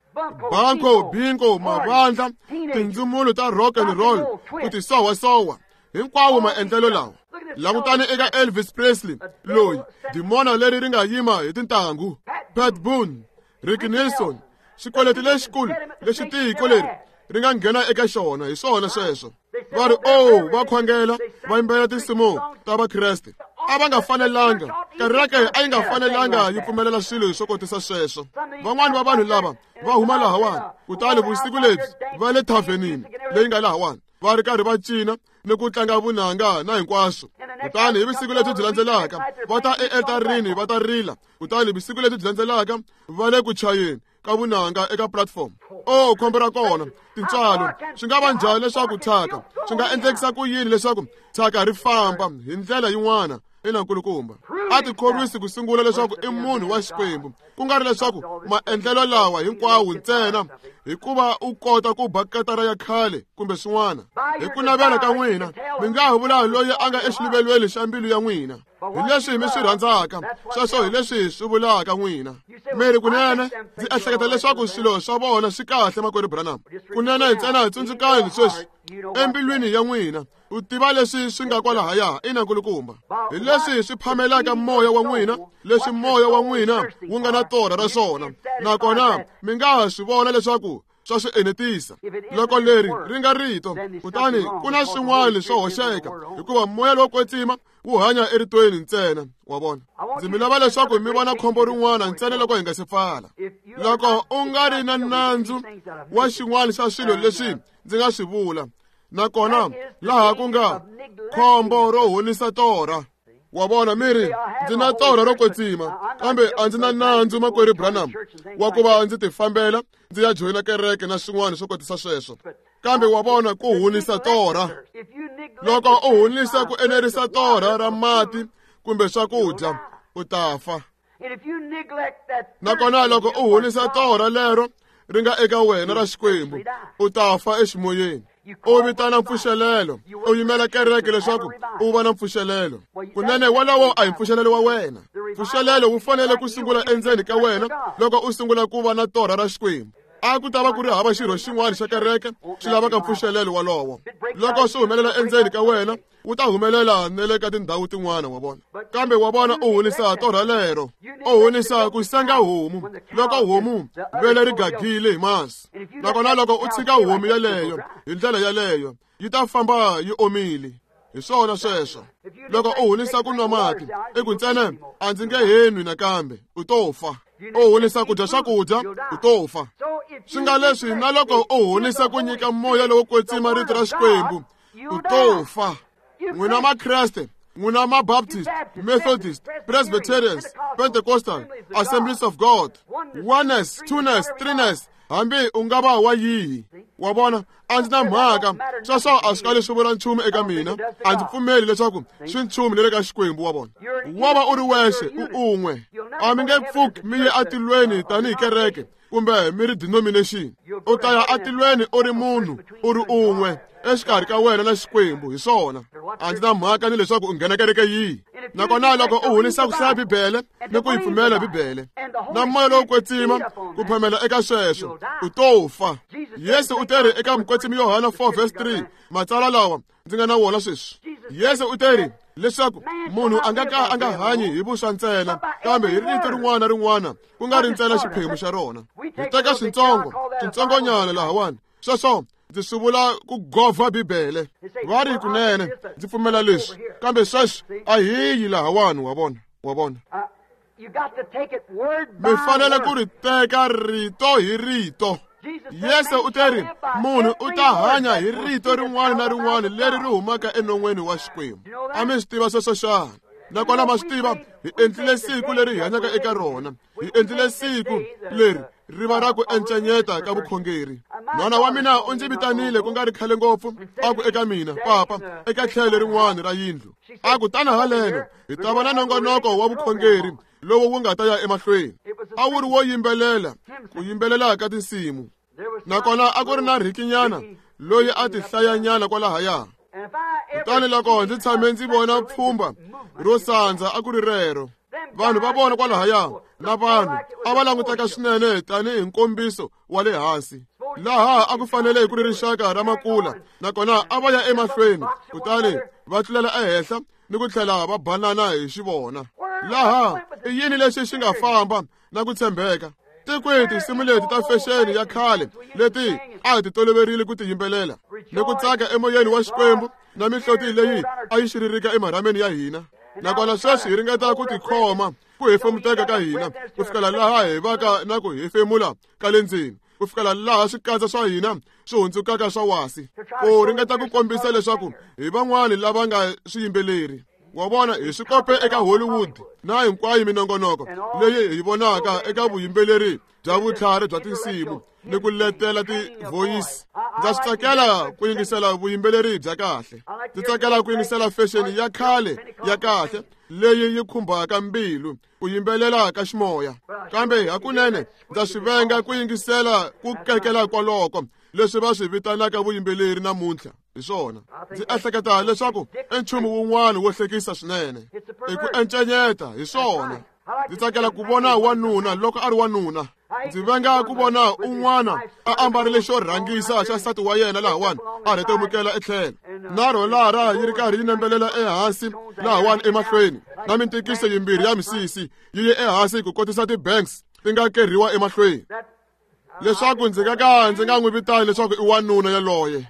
banko, bingo, mavandla, tindzumulo ta rock and roll, ku tisowasowa, hinkwawo maendlelo lawa. Langutani eka Elvis Presley loyi dimona leri ri nga yima hi tintangu, Pat Boone, Ricky Nelson, xikweleti lexikulu lexi tiko leri ri nga nghena eka xona hi swona sweswo. Va ri oh, va khongela, va yimbelela tinsimu ta Vakreste. A va nga fanelanga, kereke a yi nga fanelanga yi pfumelela swilo swo kotisa sweswo. Van'wani va vanhu lava va huma lahawani, kutani vusiku lebyi va le thavenini leyi nga lahawani, va ri karhi va cina ni ku tlanga vunanga na hinkwaswo. Kutani hi vusiku lebyi byi landzelaka va ta ealtarini va ta rila, kutani vusiku lebyi byi landzelaka va le ku chayeni ka vunanga eka platform. Oh, khombo ra kona, tintswalo. Swi nga va njhani leswaku thyaka swi nga endlekisa ku yini leswaku thyaka ri famba hi ndlela yin'wana? Ina nkulukumba, a tikhorwisi ku sungula leswaku i munhu wa Xikwembu, ku nga ri leswaku maendlelo lawa hinkwawo ntsena hikuva u kota ku ba katara ya khale kumbe swin'wana. Hi ku navela ka n'wina mi nga ha vula loyi a nga exiluvelweni xa mbilu ya n'wina hi leswi mi swi rhandzaka, sweswo hi leswi swi vulaka n'wina. Mi ri kunene ndzi ehleketa leswaku swilo swa vona swi kahle, makwerhu Branham. Kunene ntsena tsundzukani sweswi embilwini ya n'wina, u tiva leswi swi nga kwalahaya. Ina nkulukumba, hi leswi swi phamelaka moya wa n'wina, leswi moya wa n'wina wu nga na torha ra swona, nakona mi nga ha swi vona leswaku swa swi enetisa. Loko leri ri nga rito, kutani ku na swin'wana swo hoxeka, hikuva moya lowo kwetsima wu hanya eritweni ntsena. Wa vona? Ndzi mi lava leswaku mi vona khombo rin'wana ntsena loko hi nga se pfala. Loko u nga ri na nandzu wa xin'wana xa swilo leswi ndzi nga swi vula, nakona laha ku nga khombo ro honisa torha. Wa vona, mi ri, ndzi na torha ro kwetsima, kambe a ndzi na nandzu, makwerhu Branham, wa ku va ndzi tifambela ndzi ya joyina kereke na swin'wana swo kotisa sweswo. Kambe wa vona, ku honisa torha. Loko u honisa ku enerisa torha ra mati kumbe swakudya, u ta fa. Nakona loko u honisa torha lero ri nga eka wena ra Xikwembu, u ta fa eximoyeni. U vitana mpfuxelelo, u yimela kereke leswaku u va na mpfuxelelo. Kunene wolowo a hi mpfuxelelo wa wena. Mpfuxelelo wu fanele ku sungula endzeni ka wena loko u sungula ku va na torha ra Xikwembu. A ku ta va ku ri hava xirho xin'wana xa kereke xi lavaka mpfuxelelo wolowo. Loko swi humelela endzeni ka wena, wu ta humelela na le ka tindhawu tin'wana, wa vona. Kambe wa vona, u honisa torha lero, u honisa ku senga homu loko homu vele ri gagile hi masi. Nakona loko u tshika homu yeleyo hi ndlela yeleyo, yi ta famba yi omile. Hi swona sweswo. Loko u honisa ku nwa mati, i ku ntsena a ndzi nge he nwi nakambe, u to fa. U honisa ku dya swakudya, u to fa. Swi nga leswi na loko u honisa ku nyika moya lowo kwetsima rito ra Xikwembu, u to fa. N'wina Makreste, n'wina Mabaptist, Methodist, Presbyterians, Pentecostal, Assemblies of God, oneness, twoness, threeness, hambi u nga va wa yihi. Wa vona, a ndzi na mhaka. Sweswo a swi kali swi vula nchumu eka mina. A ndzi pfumeli leswaku swi nchumu le ka Xikwembu, wa vona. Wa va u ri wexe, u un'we. A mi nge pfuki mi ye atilweni tanihi kereke kumbe mi ri denomination. U ta ya atilweni u ri munhu, u ri un'we, exikarhi ka wena na Xikwembu. Hi swona. A ndzi na mhaka ni leswaku u nghena kereke yihi. Nakona loko u honisa ku hlaya Bibele ni ku yi pfumela Bibele, na moya lowo kwetsima ku phamela eka sweswo, u to fa. Yesu u teri eka Mukwetsimi Yohana four verse three, matsalwa lawa ndzi nga na wona sweswi. Yesu u teri leswaku munhu a nga ka a nga hanyi hi vuswa ntsena, kambe hi rito rin'wana na rin'wana, ku nga ri ntsena xiphemu xa rona. Hi teka swintsongo, swintsongonyana lahawani. Sweswo ndzi swi vula ku govha Bibele. Va ri kunene ndzi pfumela leswi, kambe sweswi a hi yi lahawani, wa vona, wa vona. Mi fanele ku ri teka rito hi rito. Yesu u teri munhu u ta hanya hi rito rin'wana na rin'wana leri ri humaka enon'weni wa Xikwembu. A mi swi tiva sweswo xana? Nakona ma swi tiva, hi endlile siku leri hi hanyaka eka rona. Hi endlile siku leri ri va ra ku encenyeta ka vukhongeri. Nhwana wa mina u ndzi vitanile ku nga ri khale ngopfu, a ku eka mina, papa, eka tlhelo rin'wana ra yindlu. A ku tana haleno, hi ta va na nongonoko wa vukhongeri lowu wu nga ta ya emahlweni. A wu ri wo yimbelela, ku yimbelela ka tinsimu. Nakona a ku ri na Rikinyana loyi a ti hlayanyana kwalahaya. Kutani loko ndzi tshame ndzi vona pfhumba ro sandza, a ku ri rero. Vanhu va vona kwalahaya na vanhu a va languteka swinene tanihi nkombiso wa le hansi. Laha a ku fanele ku ri rixaka ra makula, nakona a va ya emahlweni, kutani va tlulela ehenhla ni ku tlhela va banana hi xivona. Laha i yini lexi xi nga famba na ku tshembeka? Tikwihi tinsimu leti ta fexeni ya khale leti a hi ti toloverile ku ti yimbelela ni ku tsaka emoyeni wa Xikwembu na mihloti leyi a yi xiririka emarhameni ya hina? Nakona sweswi hi ringeta ku tikhoma ku hefemuteka ka hina ku fikela laha hi vaka na ku hefemula ka le ndzeni, ku fikela laha swikatsa swa hina swi hundzukaka swa wasi, ku ringeta ku kombisa leswaku hi van'wani lava nga swiyimbeleri. Wa vona, hi swi kope eka Hollywood na hinkwayo minongonoko leyi hi vonaka eka vuyimbeleri bya vutlhari bya tinsimu ni ku letela ti-voice. Ndza swi tsakela ku yingisela vuyimbeleri bya kahle. Ndzi tsakela ku yingisela fashion ya khale ya kahle leyi yi khumbaka mbilu, ku yimbelela ka ximoya. Kambe hakunene ndza swi venga ku yingisela ku kekela kwaloko leswi va swi vitanaka vuyimbeleri namuntlha. Hi swona. Ndzi ehleketa leswaku i nchumu wun'wana wo hlekisa swinene. I ku encenyeta, hi swona. Ndzi tsakela ku vona wanuna loko a ri wanuna. Ndzi venga ku vona un'wana a ambarile xo rhangisa xa nsati wa yena lahawani a rhetemukela etlhelo, na rholara yi ri karhi yi nembelela ehansi lahawani emahlweni, na mintikiso yimbirhi ya misisi yi ye ehansi ku kotisa ti-banks ti nga kerhiwa emahlweni. Leswaku ndzi nga ka ndzi nga n'wi vitani leswaku i wanuna yaloye.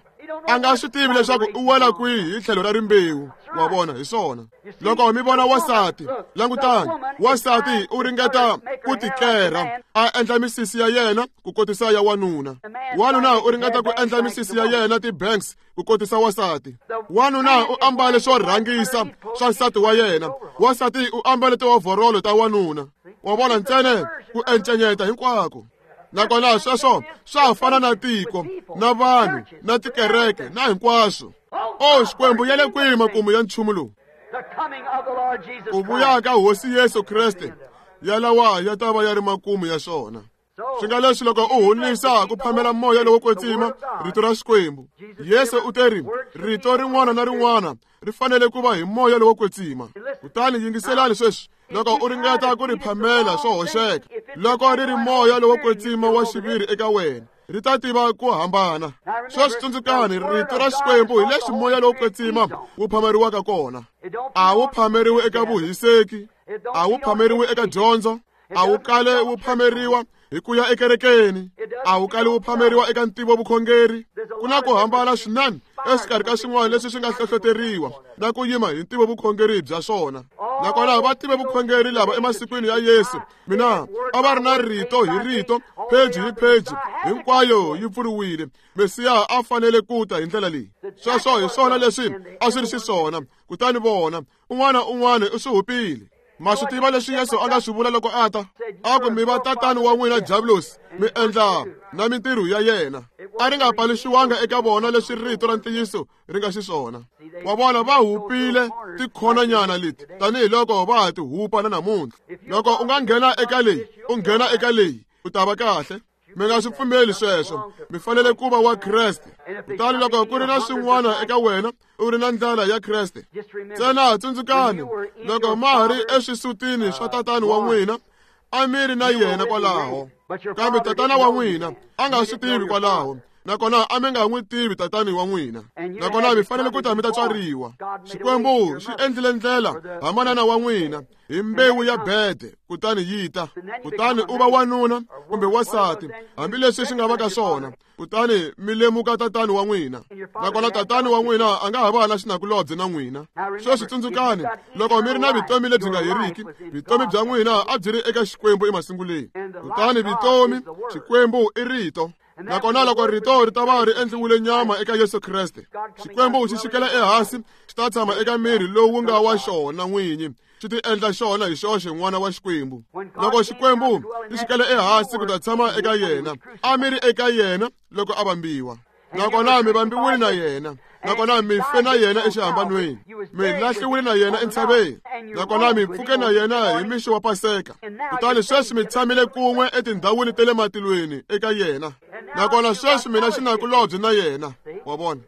A nga swi tivi leswaku u wela kwihi hi tlhelo ra rimbewu. Wa vona, hi swona. Loko mi vona wasati, langutani, wasati u ringeta ku tikera, a endla misisi ya yena ku kotisa ya wanuna. Wanuna u ringeta ku endla misisi ya yena ti-banks ku kotisa wasati. Wanuna u ambale swo rhangisa swa nsati wa yena. Wasati u ambale tiovorolo ta wanuna. Wa vona, ntsena ku encenyeta hinkwako. Nakona sweswo swa fana na tiko, na vanhu, na tikereke, na hinkwaswo. O Xikwembu, ya le kwihi makumu ya nchumu lowu? Ku vuya ka Hosi Yesu Kreste yalawa ya ta va ya ri makumu ya xona. Swi nga leswi loko u honisa ku phamela moya lowo kwetsima, rito ra Xikwembu. Yesu u te ri, rito rin'wana na rin'wana ri fanele ku va hi moya lowo kwetsima. Kutani yingiselani sweswi, loko u ringeta ku ri phamela swo hoxeka, loko ri ri moya lowo kwetsima wa xiviri eka wena, ri ta tiva ku hambana. Sweswi tsundzukani, rito ra Xikwembu hi leswi moya lowo kwetsima wu phameriwaka kona. A wu phameriwi eka vuhiseki, a wu phameriwi eka dyondzo, a wu kale wu phameriwa hi ku ya ekerekeni, a wu kali wu phameriwa eka ntivo vukhongeri. Ku na ku hambana swinene exikarhi ka swin'wana leswi swi nga hlohloteriwa na ku yima hi ntivo vukhongeri bya swona. Nakona va tive vukhongeri lava emasikwini ya Yesu, mina a va ri na rito hi rito, pheji hi pheji, hinkwayo yi pfuriwile. Mesiya a fanele ku ta hi ndlela leyi. Sweswo hi swona leswi a swi ri xiswona. Kutani vona, un'wana un'wana u swi hupile. Ma swi tiva leswi Yesu a nga swi vula loko a ta? A ku mi va tatani wa n'wina Diabulosi, mi endla na mintirho ya yena. A ri nga paluxiwanga eka vona leswi rito ra ntiyiso ri nga xiswona. Wa vona, va hupile tikhonanyana leti tanihiloko va ha ti hupa na namuntlha. Loko u nga nghena eka leyi, u nghena eka leyi, u ta va kahle. Mi nga swi pfumeli sweswo. Mi fanele ku va wa Kreste. Kutani loko ku ri na swin'wana eka wena, u ri na ndlela ya Kreste. Ntsena tsundzukani, loko ma ha ri eswisutini swa tatani wa n'wina, a mi ri na yena kwalaho. Kambe tatana wa n'wina a nga swi tivi kwalaho. Nakona a mi nga n'wi tivi tatani wa n'wina. Nakona mi fanele ku ta mi ta tswariwa. Xikwembu xi endlile ndlela ha manana wa n'wina hi mbewu ya bede, kutani yi ta. Kutani u va wanuna kumbe wasati, hambileswi swi nga va ka swona. Kutani mi lemuka tatani wa n'wina. Nakona tatani wa n'wina a nga ha va na xinakulobye na n'wina. Sweswi tsundzukani, loko mi ri na vutomi lebyi nga heriki, vutomi bya n'wina a byi ri eka Xikwembu emasunguleni. Kutani vutomi, Xikwembu i rito. Nakona loko rito ri ta va ri endliwile nyama eka Yesu Kreste, Xikwembu xi xikela ehansi, xi ta tshama eka miri lowu nga wa xona n'winyi, xi ti endla xona hi xoxe n'wana wa Xikwembu. Loko Xikwembu xi xikela ehansi ku ta tshama eka yena, a mi ri eka yena loko a vambiwa. Nakona mi vambiwile na yena, nakona mi fe na yena exihambanweni, mi lahliwile na yena entshaveni, nakona mi pfuke na yena hi mixo wa Paseka. Kutani sweswi mi tshamile kun'we etindhawini ta le matilweni eka yena. Nakona sweswi mina xinakulobye na yena. Wa vona,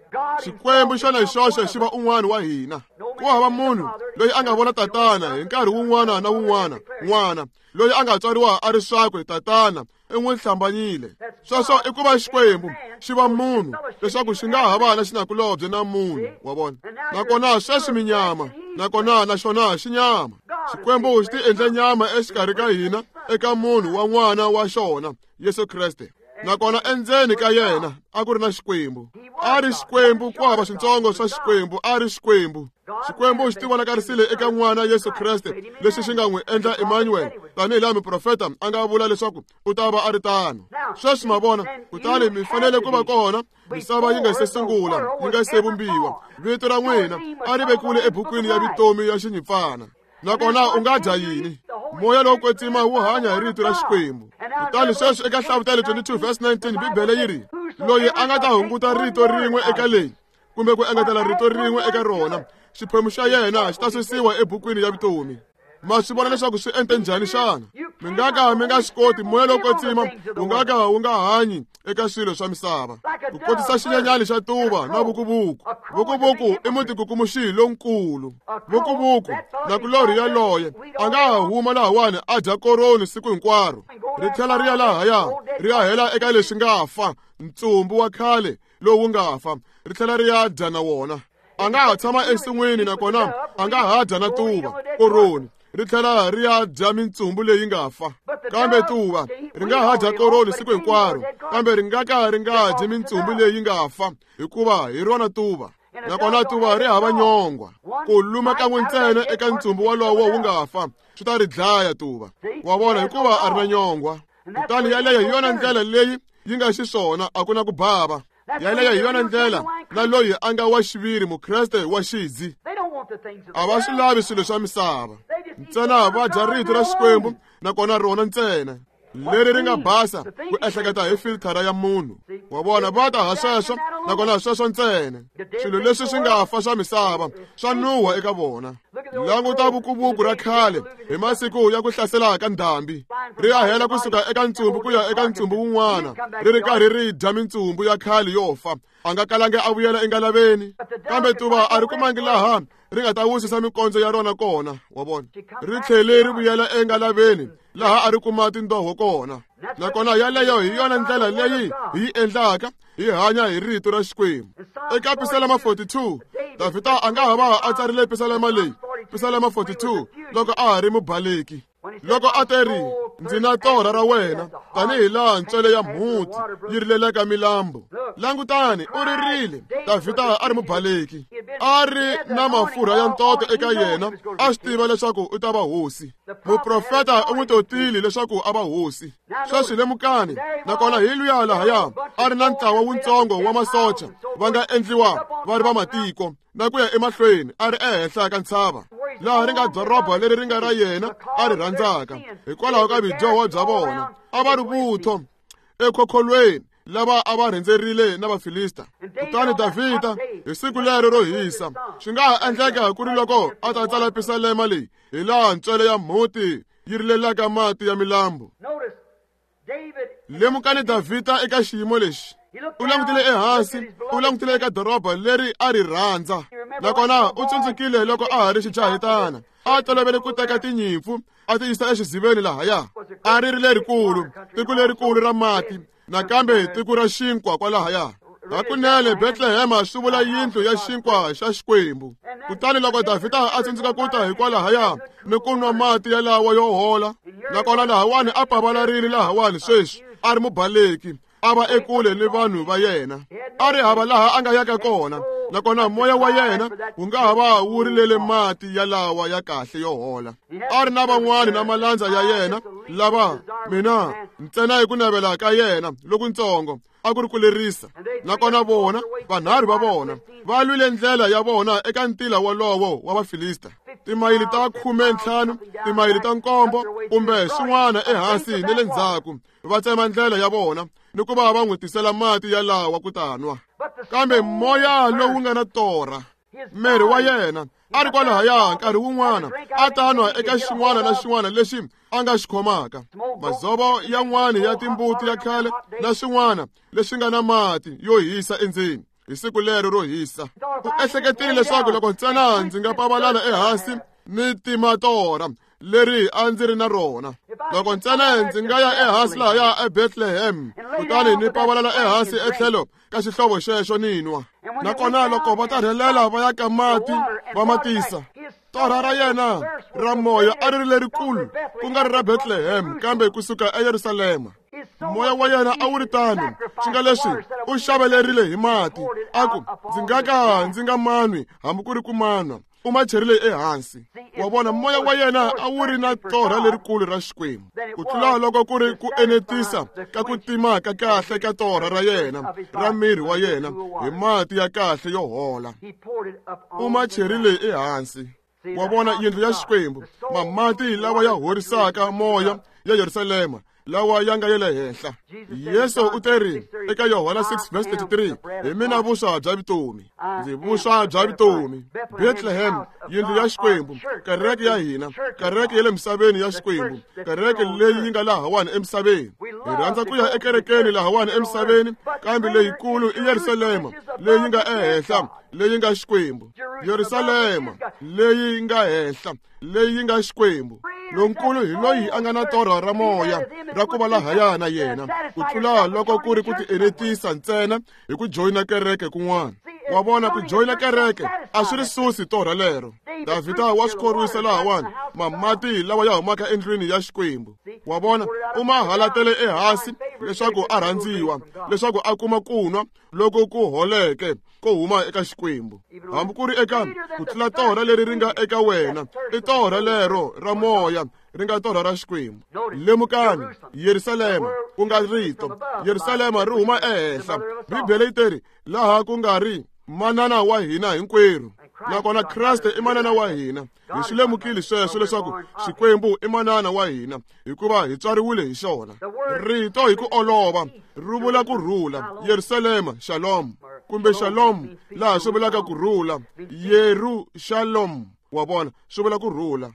Xikwembu xona hi xoxe xi va un'wana wa hina. Ku hava munhu loyi a nga vona tatana hi nkarhi wun'wana na wun'wana, n'wana loyi a nga tswariwa a ri swakwe tatana i n'wi hlambanyile. Sweswo i ku va Xikwembu xi va munhu leswaku xi nga ha va na xinakulobye na munhu. Wa vona, nakona sweswi mi nyama, nakona na xona xi nyama. Xikwembu xi ti endle nyama exikarhi ka hina eka munhu wa n'wana wa xona Yesu Kreste. Nakona endzeni ka yena a ku ri na Xikwembu. A ri Xikwembu, ku hava swintsongo swa Xikwembu, a ri Xikwembu. Xikwembu xi tivonakarisile eka n'wana Yesu Kreste, leswi xi nga n'wi endla Emmanuel, tanihi laha muprofeta a nga vula leswaku u ta va a ri tano. Sweswi ma vona, kutani mi fanele ku va kona misava yi nga se sungula, yi nga se vumbiwa. Vito ra n'wina a ri vekiwile ebukwini ya vutomi ya Xinyimpfana. Nakona u nga dya yini? Moya lowo kwetsima wu hanya hi rito ra Xikwembu. Kutani sweswi eka Hlavutelo twenty-two verse nineteen, Bibele yi ri, loyi a nga ta hunguta rito rin'we eka leyi, kumbe ku engetela rito rin'we eka rona, xiphemu xa yena xi ta susiwa ebukwini ya vutomi. Ma swi vona leswaku swi ente njhani xana? Mi nga ka mi nga swi koti, moya lowo kwetsima wu nga ka wu nga hanyi eka swilo swa misava. Ku kotisa xinyenyani xa tuva na vukuvuku. Vukuvuku i mutikukumuxi lonkulu. Vukuvuku nakulorhi yaloye a nga ha huma lahawani a dya koroni siku hinkwaro, ri tlhela ri ya lahaya ri ya hela eka leswi nga fa, ntsumbu wa khale lowu nga fa, ri tlhela ri ya dya na wona. A nga ha tshama ensin'wini nakona a nga ha dya na tuva koroni, ri tlhela ri ya dya mintsumbu leyi nga fa. Kambe tuva ri nga ha dya koroni siku hinkwaro, kambe ri nga ka ri nga dyi mintsumbu leyi nga fa, hikuva hi rona tuva. Nakona tuva ri hava nyongwa. Ku luma kan'we ntsena eka ntsumbu wolowo wu nga fa swi ta ri dlaya tuva. Wa vona, hikuva a ri na nyongwa. Kutani yaleyo hi yona ndlela leyi yi nga xiswona, a ku na ku bava. Yaleyo hi yona ndlela na loyi a nga wa xiviri Mukreste wa xidzi. A va swi lavi swilo swa misava, ntsena va dya rito ra Xikwembu, nakona rona ntsena leri ri nga basa ku ehleketa hi filthara ya munhu. Wa vona, va ta ha sweswo, nakona sweswo ntsena. Swilo leswi swi nga fa swa misava swa nuha eka vona. Languta vukuvuku ra khale hi masiku ya ku hlasela ka ndhambi, ri ya hela kusuka eka ntsumbu ku ya eka ntsumbu wun'wana, ri ri karhi ri dya mintsumbu ya khale yo fa. A nga kalangi a vuyela engalaveni, kambe tuva a ri kumangi laha ri nga ta wisisa mikondzo ya rona kona. Wa vona, ri tlhele ri vuyela engalaveni laha a ri kuma tindoho kona. Nakona yaleyo hi yona ndlela leyi hi yi endlaka, hi hanya hi rito ra Xikwembu. Eka Pisalema forty-two, Davhida a nga ha va a tsarile pisalema leyi, Pisalema forty-two, loko a ha ri mubaleki, loko a teri, ndzi na torha ra wena tanihi laha ntswele ya mhuti yi rilelaka milambu. Langutani, u ririle. Davhida a ri mubaleki, a ri na mafurha ya ntoto eka yena, a swi tiva leswaku u ta va hosi. Muprofeta u n'wi totile leswaku a va hosi. Sweswi lemukani, nakona hi luya lahaya a ri na ntlawa wutsongo wa masocha va nga endliwa va ri va matiko, na ku ya emahlweni a ri ehenhla ka ntshava laha ri nga doroba leri ri nga ra yena a ri rhandzaka, hikwalaho ka vudyoho bya vona. A va ri vutho ekhokholweni lava a va rhendzerile na Vafilista. Kutani Davhida hi siku lero ro hisa, swi nga ha endleka ku ri loko a ta tsala pisalema leyi, hi laha ntswele ya mhuti yi rilelaka mati ya milambu. Lemukani Davhida eka xiyimo lexi. U langutile ehansi, u langutile eka doroba leri a ri rhandza. Nakona u tsundzukile loko a ha ri xijahetana, a tolovele ku teka tinyimpfu a ti yisa exiziveni lahaya. A ri ri lerikulu, tiko lerikulu ra mati, nakambe tiko ra xinkwa kwalahaya. Hakunene Betlehema swi vula yindlu ya xinkwa xa Xikwembu. Kutani loko Davhida a tsundzuka ku ta hikwalahaya ni ku nwa mati yalawa yo hola, nakona lahawani a pavalarile lahawani sweswi a ri mubaleki, a va ekule ni vanhu va yena, a ri hava laha a nga yaka kona. Nakona moya wa yena wu nga ha va wu rilele mati yalawa ya kahle yo hola. A ri na van'wani na malandza ya yena lava mina ntsena hi ku navela ka yena lokuntsongo a ku ri ku lerisa. Nakona vona vanharhu va vona va lwile ndlela ya vona eka ntila wolowo wa Vafilista, timayili ta khume ntlhanu, timayili ta nkombo kumbe swin'wana ehansi ni le ndzhaku, va tsema ndlela ya vona ni ku va va n'wi tisela mati yalawa ku ta nwa. Kambe moya lowu nga na torha, miri wa yena a ri kwalahaya nkarhi wun'wana a ta nwa eka xin'wana na xin'wana lexi a nga xi khomaka, madzovo yan'wana ya timbuti ya khale na swin'wana leswi nga na mati yo hisa endzeni hi siku lero ro hisa. U ehleketile leswaku loko ntsena ndzi nga pavalala ehansi ni tima torha leri a ndzi ri na rona, loko ntsena ndzi nga ya ehansi lahaya eBethlehem kutani ni pavalala ehansi etlhelo ka xihlovo xexo ni nwa. Nakona loko va ta rhelela va ya ka mati va ma tisa, torha ra yena ra moya a ri ri lerikulu, ku nga ri ra Bethlehem kambe kusuka eYerusalema. Moya wa yena a wu ri tano, swi nga leswi u xavelerile hi mati, a ku ndzi nga ka ndzi nga manwi hambi ku ri ku manwa. U ma cherile ehansi. Wa vona, moya wa yena a wu ri na torha lerikulu ra Xikwembu ku tlula loko ku ri ku enetisa ka ku tima ka kahle ka torha ra yena ra miri wa yena hi mati ya kahle yo hola. U ma cherile ehansi. Wa vona, yindlu ya Xikwembu, mamati lawa ya horisaka moya ya Yerusalema lawa ya nga ya le henhla. Yesu u teri eka Yohana six verse thirty-three, hi mina vuswa bya vutomi, ndzi vuswa bya vutomi. Bethlehem, yindlu ya Xikwembu, kereke ya hina, kereke ya le misaveni ya Xikwembu, kereke leyi yi nga lahawani emisaveni. Hi rhandza ku ya ekerekeni lahawani emisaveni, kambe leyikulu i Yerusalema leyi nga ehenhla, leyi nga Xikwembu. Yerusalema leyi nga henhla, leyi nga Xikwembu. Lonkulu hi loyi a nga na torha ra moya ra ku va lahaya na yena, ku tlula loko ku ri ku tienetisa ntsena hi ku joyina kereke kun'wana. Wa vona, ku joyina kereke a swi ri susi torha lero. Davhida wa swi khorwisa lahawani, mamati lawa ya humaka endlwini ya Xikwembu. Wa vona, u ma halatele ehansi leswaku a rhandziwa, leswaku a kuma ku nwa loko ku holeke ko huma eka Xikwembu. Hambi ku ri eka ku tlula torha leri ri nga eka wena, i torha lero ra moya ri nga torha ra Xikwembu. Lemukani, Yerusalema ku nga rito, Yerusalema ri huma ehenhla. Bibele yi teri laha ku nga ri manana wa hina hinkwerhu, nakona Kreste i manana wa hina. Hi swi lemukile sweswo leswaku Xikwembu i manana wa hina, hikuva hi tswariwile hi xona. Rito hi ku olova ri vula ku rhula. Yerusalema, Shalom, kumbe Shalom laha swi vulaka ku rhula. Yerusalem, wa vona, swi vula ku rhula.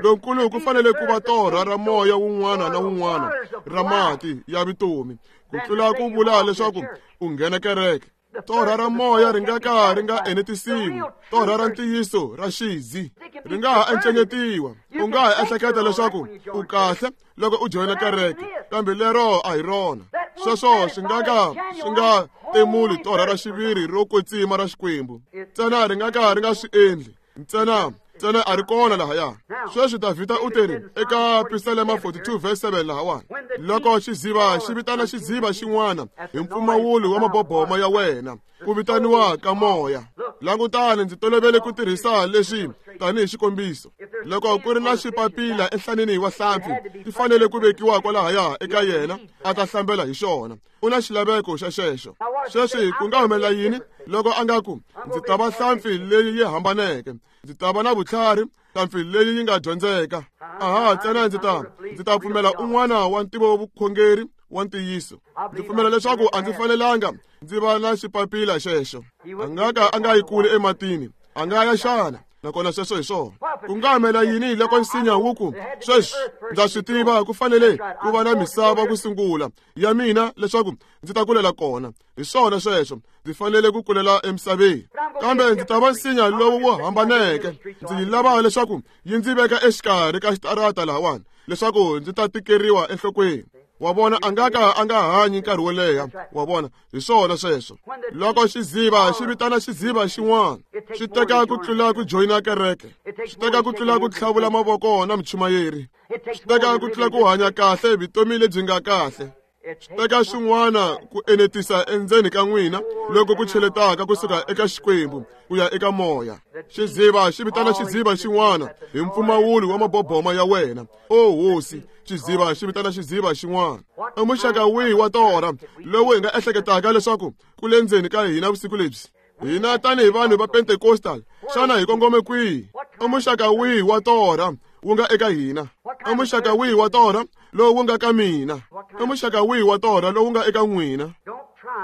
Lonkulu ku fanele ku va torha ra moya wun'wana na wun'wana ra mati ya vutomi, ku tlula ku vula leswaku u nghena kereke. Torha ra moya ri nga ka ri nga enetisiwi. Torha ra ntiyiso ra xizi ri nga ha encenyetiwa. U nga ha ehleketa leswaku u kahle loko u joyina kereke, kambe lero a hi rona. Sweswo swi nga ka swi nga temuli torha ra xiviri ro kwetsima ra Xikwembu. Ntsena ri nga ka ri nga swi endli. Ntsena ntsena a ri kona lahaya. Sweswi Davhida u teri eka Pisalema forty-two verse seven lahawani, loko xiziva xi vitana xiziva xin'wana hi mpfumawulo wa maboboma ya wena, ku vitaniwa ka moya. Langutani, ndzi tolovele ku tirhisa leswi tanihi xikombiso. Loko ku ri na xipapila enhlanini wa hlampfi, ti fanele ku vekiwa kwalahaya eka yena a ta hlambela hi xona. U na xilaveko xa xexo. Sweswi ku nga humelela yini loko a nga ku, ndzi ta va hlampfi leyi yi hambaneke, ndzi ta va na vutlhari, hlampfi leyi yi nga dyondzeka. Aha, ntsena ndzi ta ndzi ta pfumela un'wana wa ntivo vukhongeri wa ntiyiso. Ndzi pfumela leswaku a ndzi fanelanga ndzi va na xipapila xexo. A nga ka a nga yi kule ematini, a nga ya xana? Nakona sweswo hi swona. Ku nga humelela yini loko nsinya wu ku, sweswi ndza swi tiva ku fanele ku va na misava ku sungula ya mina leswaku ndzi ta kulela kona. Hi swona sweswo, ndzi fanele ku kulela emisaveni, kambe ndzi ta va nsinya lowu wu hambaneke. Ndzi yi lava leswaku yi ndzi veka exikarhi ka xitarata lahawani, leswaku ndzi ta tikeriwa enhlokweni. Wa vona, a nga ka a nga hanyi nkarhi wo leha. Wa vona, hi swona sweswo. Loko xiziva xi vitana xiziva xin'wana, swi teka ku tlula ku joyina kereke, swi teka ku tlula ku tlhavula mavoko na muchumayeri, swi teka ku tlula ku hanya kahle vutomi lebyi nga kahle. Swi teka swin'wana ku enetisa endzeni ka n'wina loko ku cheletaka kusuka eka Xikwembu ku ya eka moya. Xiziva xi vitana xiziva xin'wana hi mpfumawulo wa maboboma ya wena. O hosi, xiziva xi vitana xiziva xin'wana. I muxaka wihi wa torha lowu hi nga ehleketaka leswaku ku le ndzeni ka hina vusiku lebyi? Hina tanihi vanhu va Pentecostal, xana hi kongome kwihi? I muxaka wihi wa torha wu nga eka hina? I muxaka wihi wa torha lowu wu nga ka mina? I muxaka wihi wa torha lowu nga eka n'wina?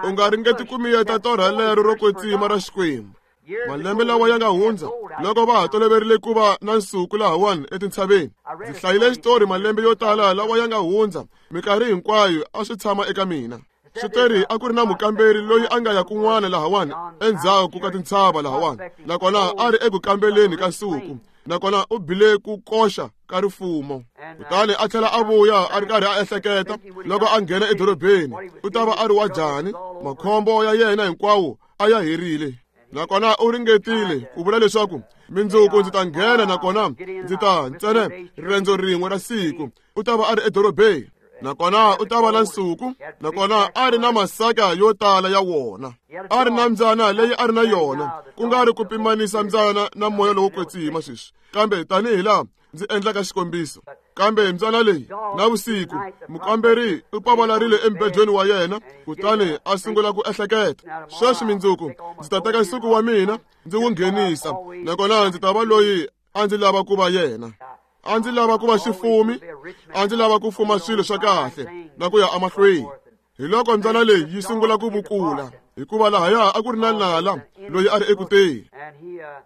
U nga ringeti ku miyeta torha lero ro kwetsima ra Xikwembu. Malembe lawa ya nga hundza, loko va ha toloverile ku va na nsuku lahawani etintshaveni, ndzi hlayile xitori malembe yo tala lawa ya nga hundza, minkarhi hinkwayo a swi tshama eka mina. Swi teri a ku ri na mukamberi loyi a nga ya kun'wana lahawani endzhaku ka tintshava lahawani, nakona a ri eku kambeleni ka nsuku, nakona u bile ku koxa ka rifumo. Kutani a tlhela a vuya a ri karhi a ehleketa loko a nghena edorobeni u ta va a ri wa njhani, makhombo ya yena hinkwawo a ya herile. Nakona u ringetile ku vula leswaku mindzuku ndzi ta nghena, nakona ndzi ta ntsena riendzo rin'we ra siku, u ta va a ri edorobeni, nakona u ta va na nsuku, nakona a ri na masaka yo tala ya wona, a ri na mbyana leyi a ri na yona, ku nga ri ku pimanisa mbyana na moya lowo kwetsima sweswi, kambe tanihi laha ndzi endlaka xikombiso. Kambe mbyana leyi na vusiku mukamberi u pavalarile embedweni wa yena, kutani a sungula ku ehleketa, sweswi mindzuku ndzi ta teka nsuku wa mina ndzi wu nghenisa, nakona ndzi ta va loyi a ndzi lava ku va yena. A ndzi lava ku va xifumi, a ndzi lava ku fuma swilo swa kahle na ku ya emahlweni. Hi loko mbyana leyi yi sungula ku vukula, hikuva lahaya a ku ri na nala loyi a ri ekuteni.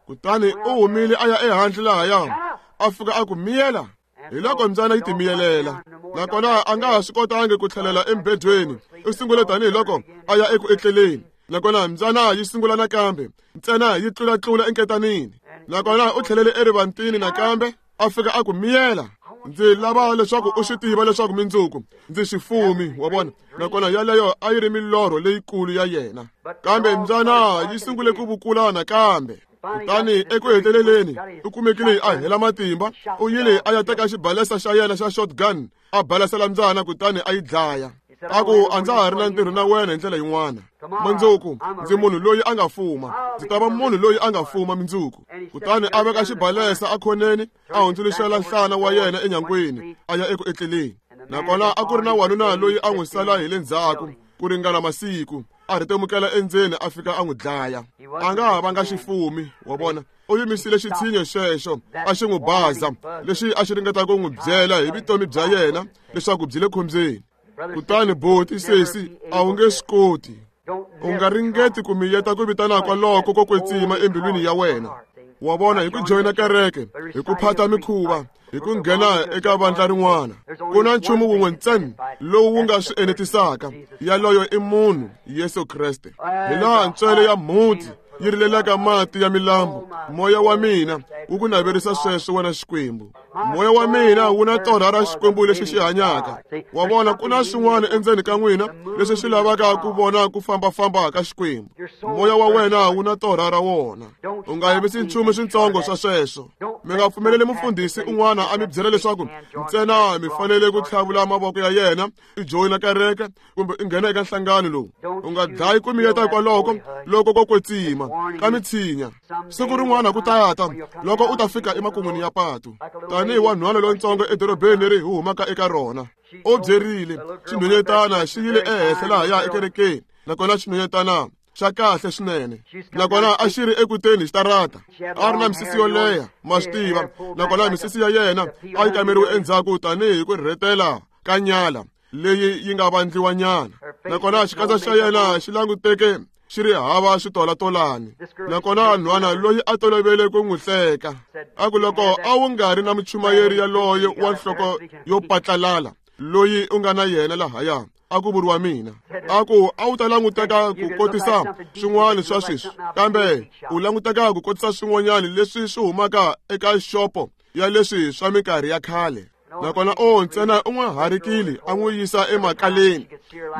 Kutani u humile a ya ehandle lahaya, a fika a ku miyela. Hi loko mbyana yi timiyelela, nakona a nga ha swi kotangi ku tlhelela embedweni. U sungule tanihiloko a ya eku etleleni, nakona mbyana yi sungula nakambe, ntsena yi tlulatlula enketanini. Nakona u tlhelele erivantini nakambe, a fika a ku miyela. Ndzi lava leswaku u swi tiva leswaku mindzuku ndzi xifumi, wa vona. Nakona yaleyo a yi ri milorho leyikulu ya yena. Kambe mbyana yi sungule ku vukula nakambe. Kutani eku heteleleni u kumekile a hela matimba, u yile a ya teka xibalesa xa yena xa shotgun, a balasela mbyana kutani a yi dlaya. A ku a ndza ha ri na ntirho na wena hi ndlela yin'wana. Mundzuku ndzi munhu loyi a nga fuma, ndzi ta va munhu loyi a nga fuma mindzuku. Kutani a veka xibalesa ekhoneni, a hundzuluxela nhlana wa yena enyangweni, a ya eku etleleni. Nakona a ku ri na wanuna loyi a n'wi sala hi le ndzhaku ku ringana masiku, a rhetemukela endzeni a fika a n'wi dlaya. A nga ha vanga xifumi, wa vona. U yimisile xitshinyo xexo a xi n'wi baza, lexi a xi ringeta ku n'wi byela hi vutomi bya yena leswaku byi le khombyeni. Kutani boti sesi a wu nge swi koti. U nga ringeti ku miyeta ku vitana kwaloko ko kwetsima embilwini ya wena. Wa vona, hi ku joyina kereke, hi ku phata mikhuva, hi ku nghena eka vandla rin'wana. Ku na nchumu wun'we ntsena lowu wu nga swi enetisaka, yaloyo i munhu Yesu Kreste. Hi laha ntswele ya mhunti yi rilelaka mati ya milambu, moya wa mina wu ku naverisa sweswo wena Xikwembu. Moya wa mina wu na torha ra Xikwembu lexi xi hanyaka. Wa vona, ku na swin'wana endzeni ka n'wina leswi swi lavaka ku vona ku fambafamba ka Xikwembu. Moya wa wena wu na torha ra wona. U nga yimisi nchumu swintsongo swa sweswo. Mi nga pfumeleli mufundhisi un'wana a mi byela leswaku ntsena mi fanele ku tlhavula mavoko ya yena, i joyina kereke kumbe i nghena eka nhlangano lowu. U nga dlayi ku miyeta kwaloko loko ko kwetsima ka mitshinya. Siku rin'wana ku ta ta loko u ta fika emakun'wini ya patu, tanihi wanhwana lontsongo edorobeni leri hi humaka eka rona. U byerile xinhwanyetana xi yile ehenhla lahaya ekerekeni, nakona xinhwanyetana xa kahle swinene, nakona a xi ri ekuteni xitarata. A ri na misisi yo leha, ma swi tiva, nakona misisi ya yena a yi kameriwe endzhaku tanihi ku rhetela ka nyala leyi yi nga vandliwanyana. Nakona xikandza xa yena xi languteke xi ri hava switolatolani. Nakona nhwana loyi a tolovele ku n'wi hleka, a ku loko a wu nga ri na muchumayeri yaloye wa nhloko yo patlalala loyi u nga na yena lahaya, a ku vuriwa mina. A ku a wu ta languteka ku kotisa swin'wana swa sweswi, kambe u languteka ku kotisa swin'wanyana leswi swi humaka eka xopo ya leswi swa minkarhi ya khale. Nakona o ntsena u n'wi harikile a n'wi yisa emakaleni.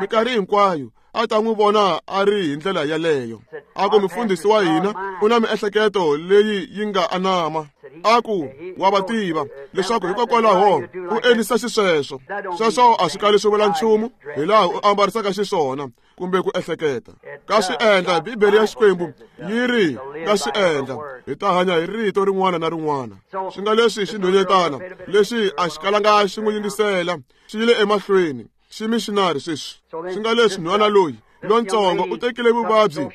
Minkarhi hinkwayo a ta n'wi vona a ri hi ndlela yaleyo. A ku mufundhisi wa hina u na miehleketo leyi yi nga anama. A ku wa va tiva leswaku hikokwalaho u endlisa xisweswo. Sweswo a swi kali swi vula nchumu hi laha u ambarisaka xiswona kumbe ku ehleketa. Ka swi endla, Bibele ya Xikwembu yi ri ka swi endla, hi ta hanya hi rito rin'wana na rin'wana. Swi nga leswi xinhwanyetana lexi a xi kalanga xi n'wi yingisela, xi yile emahlweni xi missionary sweswi. Swi nga leswi nhwana loyi lontsongo u tekile vuvabyi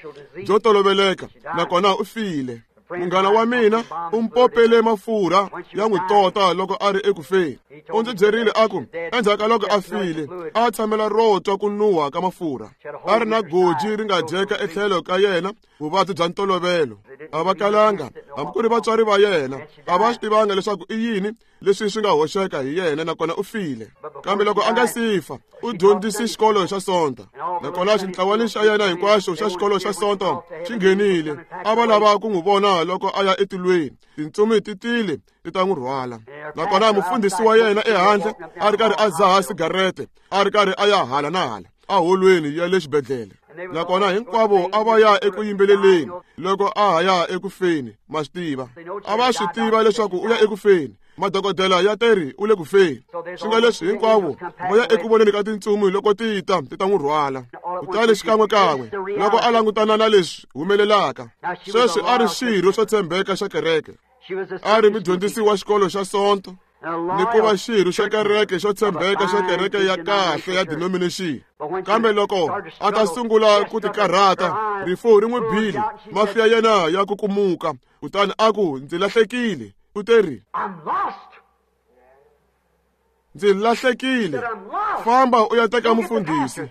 byo toloveleka, nakona u file. Munghana wa mina u mpopele mafurha ya n'wi tota loko a ri eku feni. U ndzi byerile a ku endzhaku ka loko a file a tshamela ro twa ku nuha ka mafurha. A ri na goji ri nga dyeka etlhelo ka yena, vuvabyi bya ntolovelo. A va kalanga hambi ku ri vatswari va yena a va swi tivanga leswaku i yini leswi swi nga hoxeka hi yena, nakona u file. Kambe loko a nga si fa, u dyondzise xikolo xa Sonto, nakona xintlawani xa yena hinkwaxo xa xikolo xa Sonto xi nghenile. A va lava ku n'wi vona loko a ya etilweni. Tintsumi ti tile ti ta n'wi rhwala. Nakona mufundhisi wa yena ehandle a ri karhi a dzaha sigarete, a ri karhi a ya hala na hala aholweni ya le xibedhlele. Nakona hinkwavo a va ya eku yimbeleleni loko a ha ya eku feni, ma swi tiva. A va swi tiva leswaku u ya eku feni. Madokodela ya teri u le ku feni. Swi nga leswi hinkwavo va ya eku voneni ka tintsumi loko ti ta ti ta n'wi rhwala. Kutani xikan'wekan'we loko a langutana na leswi humelelaka, sweswi a ri xirho xo tshembeka xa kereke, a ri mudyondzisi wa xikolo xa Sonto, ni ku va xirho xa kereke xo tshembeka xa kereke ya kahle ya denomination. Kambe loko a ta sungula ku tikarhata, rifu ri n'wi bile, mahlo ya yena ya kukumuka. Kutani a ku ndzi lahlekile. U teri ndzi lahlekile, famba u ya teka mufundhisi.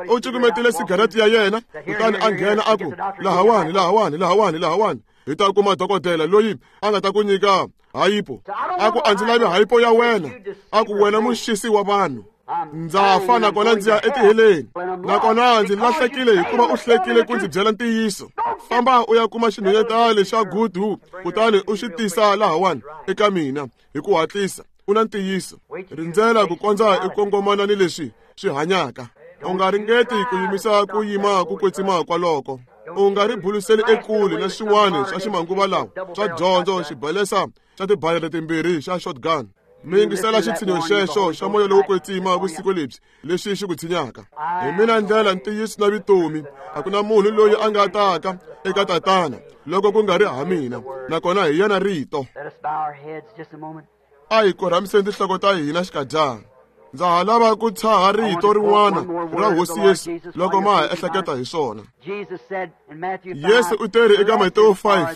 U cukumetile sigarete ya yena, kutani a nghena a ku lahawani, lahawani, lahawani, lahawani, hi ta kuma dokodela loyi a nga ta ku nyika hayipo. A ku a ndzi lavi hayipo ya wena. A ku wena muxisi wa vanhu, ndza fa nakona ndzi ya etiheleni, nakona ndzi lahlekile hikuva u hlekile ku ndzi byela ntiyiso. Famba u ya kuma xinhwanyetana xa gudu, kutani u xi tisa lahawani eka mina hi ku hatlisa. U na ntiyiso. Rindzela ku kondza i kongomana ni leswi swi hanyaka. U nga ringeti ku yimisa ku yima ku kwetsima kwaloko. U nga ri buluseli ekule na swin'wana swa ximanguva lawa swa dyondzo xibalesa xa tibalele timbirhi xa shotgun. Mi yingisela xitshinyo xexo xa moya lowo kwetsima vusiku lebyi lexi xi ku tshinyaka. Hi mina ndlela, ntiyiso na vutomi. A ku na munhu loyi a nga taka eka Tatana loko ku nga ri ha mina, nakona hi yena Rito. A hi korhamiseni tinhloko ta hina xikadyana. Ndza ha lava ku tshaha rito rin'wana ra Hosi Yesu loko ma ha ehleketa hi swona. Yesu u teri eka Matewu five,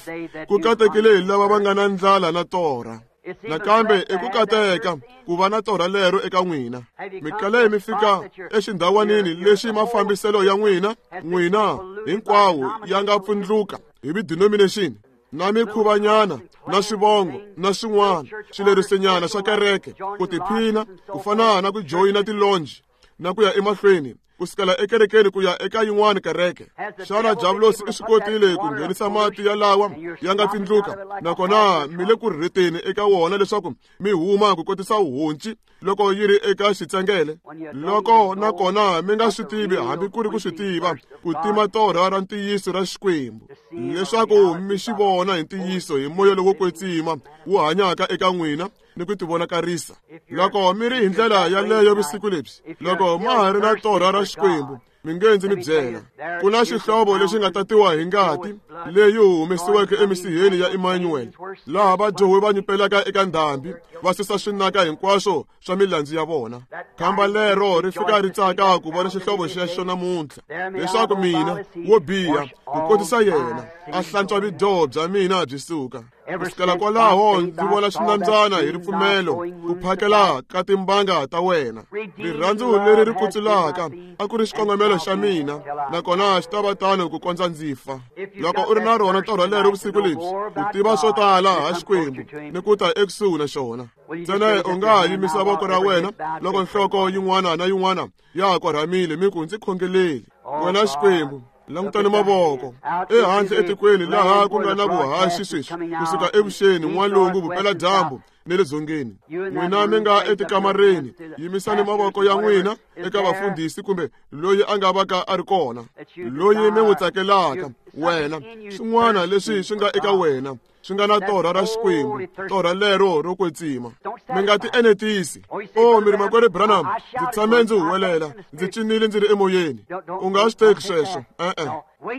ku katekile hi lava va nga na ndlala na torha. Nakambe i ku kateka ku va na torha lero eka n'wina. Mi kale mi fika exindhawanini lexi mafambiselo ya n'wina n'wina hinkwawo ya nga pfundluka hi vi-denomination na mikhuvanyana na swivongo na swin'wana swilerisinyana swa kereke, ku tiphina ku fana na ku joyina tilonji na ku ya emahlweni ku sukela ekerekeni ku ya eka yin'wana kereke. Xana Diablosi i swi kotile ku nghenisa mati ya lawa ya nga tsindluka, nakona mi le ku rheteni eka wona leswaku mi huma ku kotisa honci loko yi ri eka xitsengele? Loko nakona mi nga swi tivi hambi ku ri ku swi tiva ku tima torha ra ntiyiso ra Xikwembu, leswaku mi xi vona hi ntiyiso hi moya lowo kwetsima wu hanyaka eka n'wina ni ku tivonakarisa. Loko mi ri hi ndlela yaleyo vusiku lebyi, loko ma ha ri na torha ra Xikwembu, mi nge ndzi mi byela, ku na xihlovo lexi nga tatiwa hi ngati leyi humesiweke emisiheni ya Emmanuel, laha vadyohi va nyupelaka eka ndhambi va susa swinaka hinkwaswo swa milandzu ya vona. Khamba lero ri fika ri tsaka ku vona xihlovo xexo namuntlha, leswaku mina wo biha ku kotisa yena a hlantswa vidyoho bya mina byi suka. Ku sukela kwalaho ndzi vona xinambyana hi ripfumelo ku phakela ka timbanga ta wena. Rirhandzu leri ri kutsulaka a ku ri xikongomelo xa mina, nakona xi ta va tano ku kondza ndzi fa. Loko u ri na rona torha lero vusiku lebyi, u tiva swo tala ha Xikwembu ni ku ta ekusuhi na xona. Ntsena u nga ha yimisa voko ra wena loko nhloko yin'wana na yin'wana ya ha korhamile, mi ku ndzi khongeleli. Wena Xikwembu, langutani mavoko ehandle etikweni laha ku nga na vuhaxi sweswi, kusuka evuxeni, n'walungu, vupeladyambu ni le dzongeni. N'wina mi nga etikamareni, yimisani mavoko ya n'wina eka vafundhisi kumbe loyi a nga va ka a ri kona, loyi mi n'wi tsakelaka. Wena, swin'wana leswi swi nga eka wena swi nga na torha ra Xikwembu, torha lero ro kwetsima. Mi nga ti enetisi. O mi ri makwerhu Branham, ndzi tshame ndzi huwelela, ndzi cinile ndzi ri emoyeni. U nga swi teki sweswo, e-e.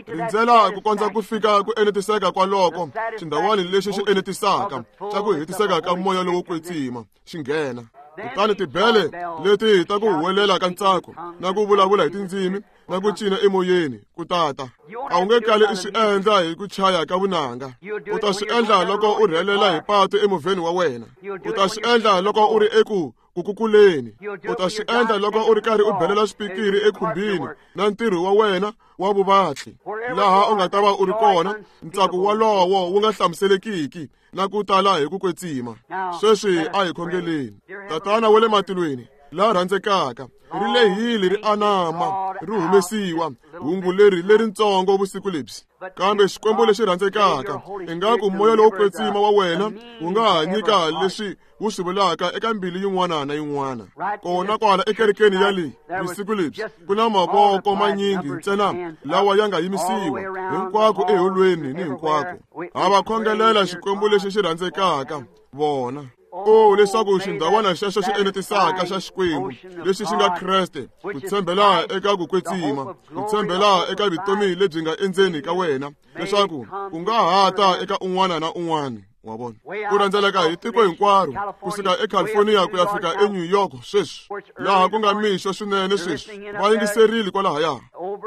Rindzela ku kondza ku fika ku enetiseka kwaloko xindhawani lexi xi enetisaka xa ku hetiseka ka moya lowo kwetsima xi nghena. Kutani tibele leti ta ku huwelela ka ntsako na ku vulavula hi tindzimi na ku cina emoyeni ku tata. A wu nge kali i swi endla hi ku chaya ka vunanga. U ta swi endla loko u rhelela hi patu emovheni wa wena. U ta swi endla loko u ri eku ku kukuleni. U ta swi endla loko u ri karhi u belela swipikiri ekhumbini na ntirho wa wena wa vuvatli. Laha u nga ta va u ri kona, ntsako wolowo wu nga hlamuselekiki na ku tala hi ku kwetsima. Sweswi a hi khongeleni. Tatana wa le matilweni, la rhandzekaka, ri lehile ri anama ri humesiwa hungu leri leritsongo vusiku lebyi. Kambe Xikwembu lexi rhandzekaka, ingaku moya lowo kwetsima wa wena wu nga ha nyika leswi wu swi vulaka eka mbilu yin'wana na yin'wana. Kona kwala ekerekeni ya leyi vusiku lebyi ku na mavoko manyingi ntsena lawa ya nga yimisiwa hinkwako eholweni ni hinkwako. Ha va khongelela Xikwembu lexi xi rhandzekaka vona. O leswaku xindhawana xexo xi enetisaka xa Xikwembu lexi xi nga Kreste, ku tshembela eka ku kwetsima, ku tshembela eka vutomi lebyi nga endzeni ka wena, leswaku ku nga ha ta eka un'wana na un'wana. Wa vona, ku rhendzeleka hi tiko hinkwaro, kusuka eCalifornia ku ya fika eNew York sweswi, laha ku nga mixo swinene sweswi, va yingiserile kwalahaya,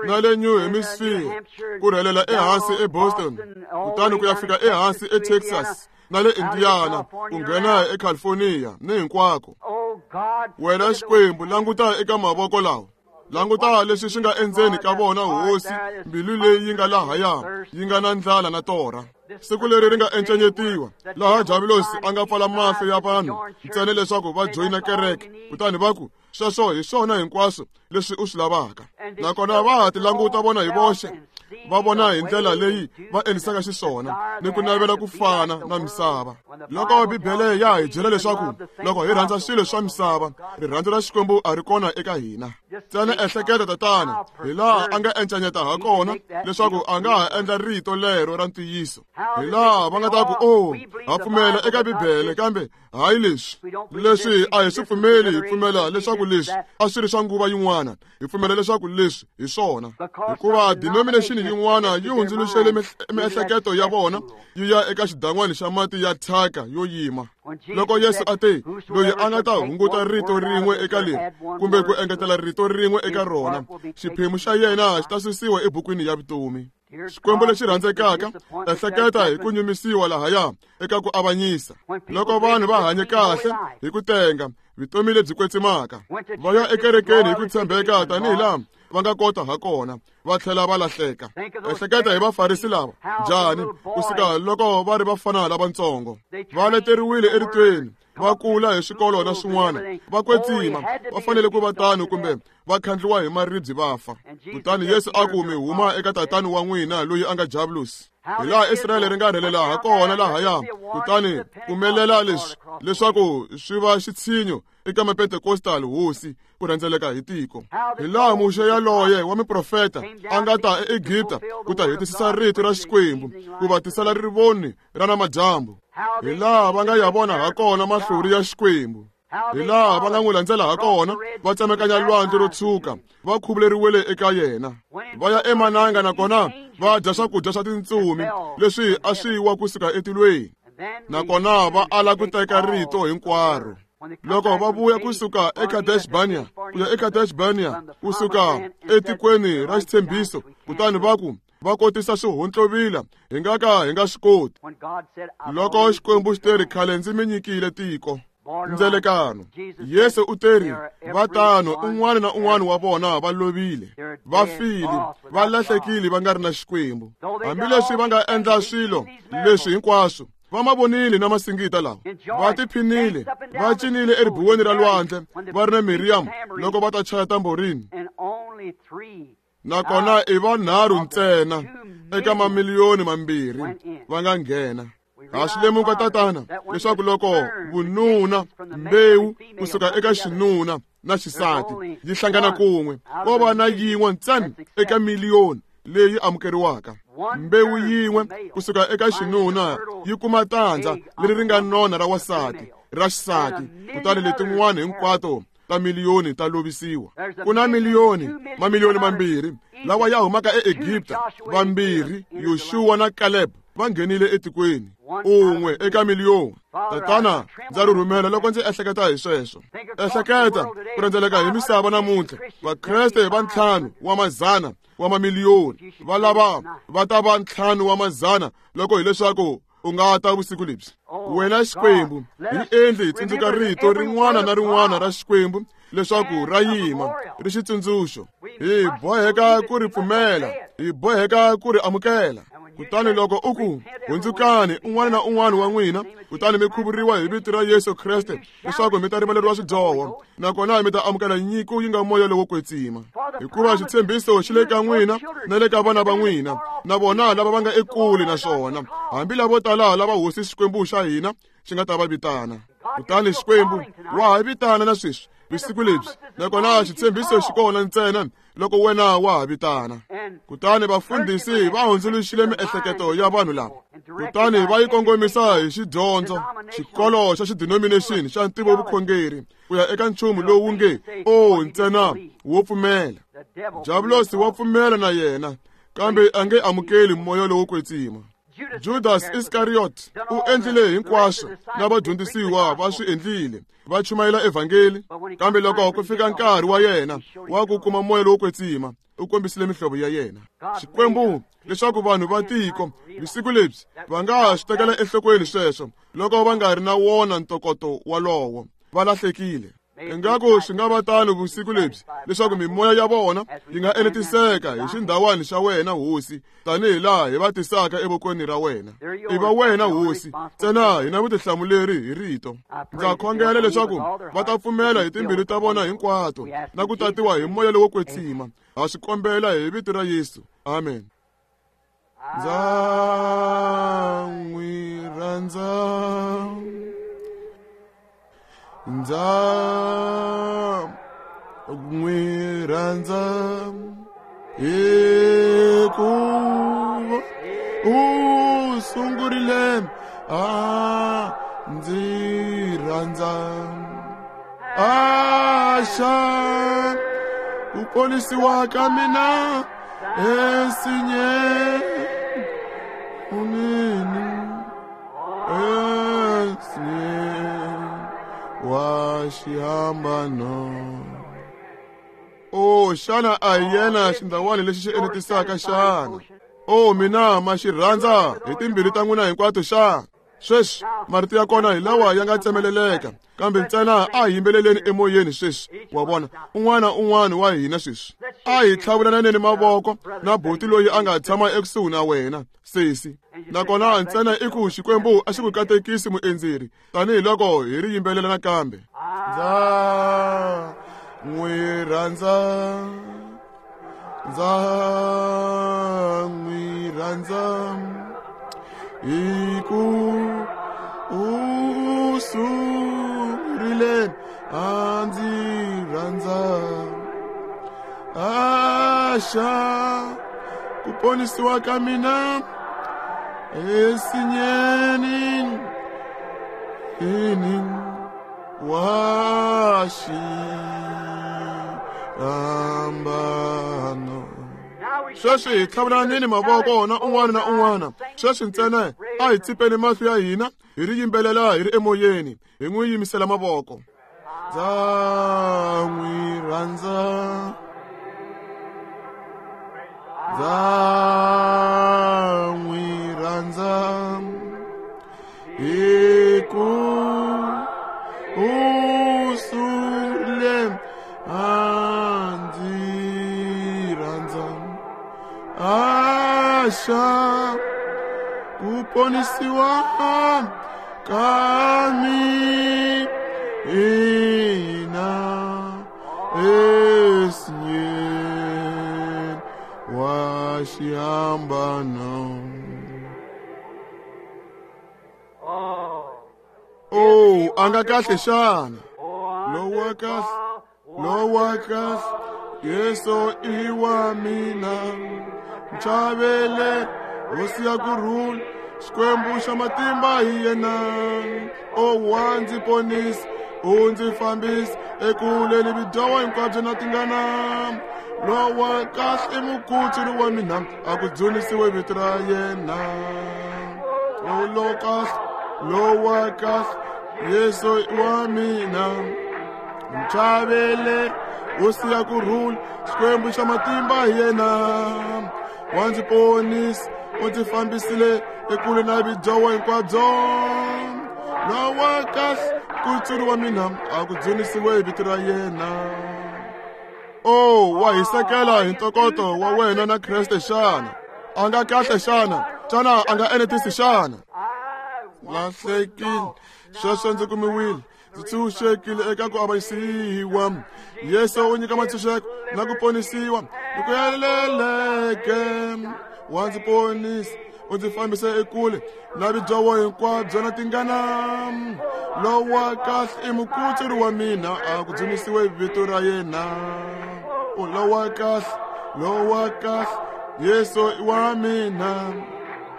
na le New Hemisphere, ku rhelela ehansi eBoston, kutani ku ya fika ehansi eTexas, na le Indiana, ku nghena eCalifornia ni hinkwako. Wena Xikwembu, languta eka mavoko lawa. Languta leswi swi nga endzeni ka vona, Hosi, mbilu leyi yi nga lahaya yi nga na ndlala na torha. Siku leri ri nga encenyetiwa, laha Diablosi a nga pfala mahlo ya vanhu ntsena leswaku va joyina kereke, kutani va ku, sweswo hi swona hinkwaswo leswi u swi lavaka. Nakona va ha ti languta vona hi voxe, Va vona hi ndlela leyi va endlisaka xiswona ni ku navela ku fana na misava. Loko Bibele ya hi byela leswaku loko hi rhandza swilo swa misava, rirhandzu ra Xikwembu a ri kona eka hina. Ntsena ehleketa tatana hi laha a nga encanyeta ha kona leswaku a nga ha endla rito lero ra ntiyiso. Hi laha va nga ta ku, "Oh, ha pfumela eka Bibele kambe hayi leswi. Leswi a hi swi pfumeli, hi pfumela leswaku leswi a swi ri swa nguva yin'wana. Hi pfumela leswaku leswi hi swona." Hikuva denomination yin'wana yi hundzuluxele miehleketo ya vona yi ya eka xidan'wana xa mati ya thyaka yo yima. Loko Yesu a te, loyi a nga ta hunguta rito rin'we eka leri kumbe ku engetela rito rin'we eka rona, xiphemu xa yena xi ta susiwa ebukwini ya vutomi. Xikwembu lexi rhandzekaka, ehleketa hi ku nyumisiwa lahaya eka ku avanyisa. Loko vanhu va hanye kahle hi ku tenga vutomi lebyi kwetsimaka, va ya ekerekeni hi ku tshembeka tanihi laha va nga kota ha kona, va tlhela va lahleka. Ehleketa hi Vafarisi lava, njhani kusuka loko va ri vafana lavatsongo, va leteriwile eritweni, va kula hi swikolo na swin'wana, va kwetsima, va fanele ku va tano kumbe va khandliwa hi maribye va fa. Kutani Yesu a ku, mi huma eka tatani wa n'wina loyi a nga Diabulosi. Hi laha Israyele ri nga rhelela ha kona lahaya, kutani pfumelela leswi leswaku swi va xitshinyo eka Mapentekostal hosi ku rhendzeleka hi tiko. Hi laha Muxe yaloye wa miprofeta a nga ta eEgipta ku ta hetisisa rito ra Xikwembu ku va tisela rivoni ra namadyambu. Hi laha va nga ya vona ha kona mahlori ya Xikwembu. Hi laha va nga n'wi landzela ha kona, va tsemekanya lwandle ro tshuka, va khuvuleriwile eka yena. Va ya emananga nakona va dya swakudya swa tintsumi leswi a swi wa kusuka etilweni. Nakona va ala ku teka rito hinkwaro. Loko va vuya kusuka eKadesh-Barnea ku ya eKadesh-Barnea kusuka etikweni ra xitshembiso, kutani va ku va kotisa swihontlovila, hi nga ka hi nga swi koti. Loko Xikwembu xi teri, khale ndzi mi nyikile tiko ndzelekano, Yesu u teri, va tano un'wana na un'wana wa vona va lovile, va file, va lahlekile, va nga ri na Xikwembu. Hambileswi va nga endla swilo leswi hinkwaswo, va ma vonile na masingita lawa, va tiphinile, va cinile eribuweni ra lwandle va ri na Miriam loko va ta chaya tamborini. Nakona i vanharhu ntsena eka mamiliyoni mambirhi va nga nghena. Ha swi lemuka tatana leswaku loko vununa mbewu kusuka eka xinuna na xisati yi hlangana kun'we, ko va na yin'we ntsena eka miliyoni leyi amukeriwaka. Mbewu yin'we kusuka eka xinuna yi kuma tandza leri ri nga nona ra wasati ra xisati, kutani letin'wana hinkwato ta miliyoni ta lovisiwa. Ku na miliyoni mamiliyoni mambirhi lawa ya humaka eEgipta, vambirhi Yoshua na Caleb va nghenile etikweni, un'we eka miliyoni. Tatana, ndza rhurhumela loko ndzi ehleketa hi sweswo. Ehleketa ku rhendzeleka hi misava namuntlha, Vakreste va ntlhanu wa mazana wa mamiliyoni va lava va ta va ntlhanu wa mazana loko hileswaku u nga ta vusiku lebyi. Wena Xikwembu, hi endli hi tsundzuka rito rin'wana na rin'wana ra Xikwembu leswaku ra yima ri xitsundzuxo. Hi boheka ku ri pfumela, hi boheka ku ri amukela. Kutani loko u ku, hundzukani un'wana na un'wana wa n'wina, kutani mi khuvuriwa hi vito ra Yesu Kreste leswaku mi ta rivaleriwa swidyoho, nakona mi ta amukela nyiko yi nga moya lowo kwetsima. Hikuva xitshembiso xi le ka n'wina na le ka vana va n'wina, na vona lava va nga ekule na swona, hambi lavo tala lava hosi Xikwembu xa hina xi nga ta va vitana. Kutani Xikwembu wa ha vitana na sweswi vusiku lebyi, nakona xitshembiso xi kona ntsena loko wena wa ha vitana. Kutani vafundhisi va hundzuluxile miehleketo ya vanhu lava, kutani va yi kongomisa hi xidyondzo, xikolo xa xidenomination xa ntivovukhongeri, ku ya eka nchumu lowu nge o ntsena wo pfumela. Diabulosi wa pfumela na yena, kambe a nge amukeli moya lowo kwetsima. Judas Iscariot u endlile hinkwaswo na vadyondzisiwa va swi endlile, va chumayela evhangeli, kambe loko ku fika nkarhi wa yena wa ku kuma moya lowo kwetsima, u kombisile mihlovo ya yena. Xikwembu leswaku vanhu va tiko vusiku lebyi va nga swi tekela enhlokweni sweswo loko va nga ri na wona ntokoto walowo, va lahlekile. Ingaku swi nga va tano vusiku lebyi leswaku mimoya ya vona yi nga enetiseka hi xindhawani xa wena hosi, tanihi laha hi va tisaka evokweni ra wena. I va wena hosi ntsena hi na vutihlamuleri hi rito. Ndza khongela leswaku va ta pfumela hi timbilu ta vona hinkwato na ku tatiwa hi moya lowo kwetsima. Ha swi kombela hi vito ra Yesu. Amen. Ndza n'wi rhandza. Ndza n'wi rhandza hikuva u sungurile a ndzi rhandza. Axa ku ponisiwa ka mina ensinyeni unini ensinyeni wa xihambano. O xana a hi yena xindhawana lexi xi enetisaka xana? O mina ma xi rhandza hi timbilu ta n'wina hinkwato xana? Sweswi marito ya kona hi lawa ya nga tsemeleleka, kambe ntsena a hi yimbeleleni emoyeni sweswi. Wa vona, un'wana un'wana wa hina sweswi a hi tlhavulananeni mavoko na buti loyi a nga tshama ekusuhi na wena sesi. Nakona ntsena i ku Xikwembu a xi ku katekisi muendzeri tanihiloko hi ri yimbelela nakambe. Ndza n'wi rhandza, ndza n'wi rhandza hiku u sungurile a ndzi rhandza. Axa ku ponisiwa ka mina ensinyeni ini wa xihambano. Sweswi hi tlhavulanini mavoko na un'wana na un'wana. Sweswi ntsena a hi tsipeni mahlo ya hina hi ri yimbelela hi ri emoyeni, hi n'wi yimisela mavoko. Ndza n'wi rhandza, ndza n'wi rhandza hiku u sungurile a ndzi rhandza. Axa ku ponisiwa ka mina ensinyeni wa xihambano. O a nga kahle xana? Lowa kahle, lowa kahle, Yesu i wa mina. Nchavele hosi ya ku rhula, Xikwembu xa matimba hi yena. O wa ndzi ponisa, u ndzi fambisa ekule ni vidyoho hinkwabyo na tingana. Lowa kahle i mukutsuri wa mina, a ku dzunisiwe vito ra yena. O lowa kahle, lowa kahle, Yesu i wa mina. Nchavele hosi ya ku rhula, Xikwembu xa matimba hi yena. Wa ndzi ponisa, u ndzi fambisile ekule na vidyoho hinkwabyo. Lowa kahle kutsuri wa mina, a ku dzunisiwe vito ra yena. O wa hisekela hi ntokoto wa wena na Kreste xana? A nga kahle xana? Xana a nga enetisi xana? Lahlekile, sweswo ndzi kumiwile, ndzi tshunxekile eka ku avanyisiwa. Yesu u nyika matshunxeko na ku ponisiwa ni ku heleleke. Wa ndzi ponisa, u ndzi fambisa ekule na vidyoho hinkwabyo na tingana. Lowa kahle i mukutsuri wa mina, a ku dzunisiwe vito ra yena. O lowa kahle, lowa kahle, Yesu i wa mina.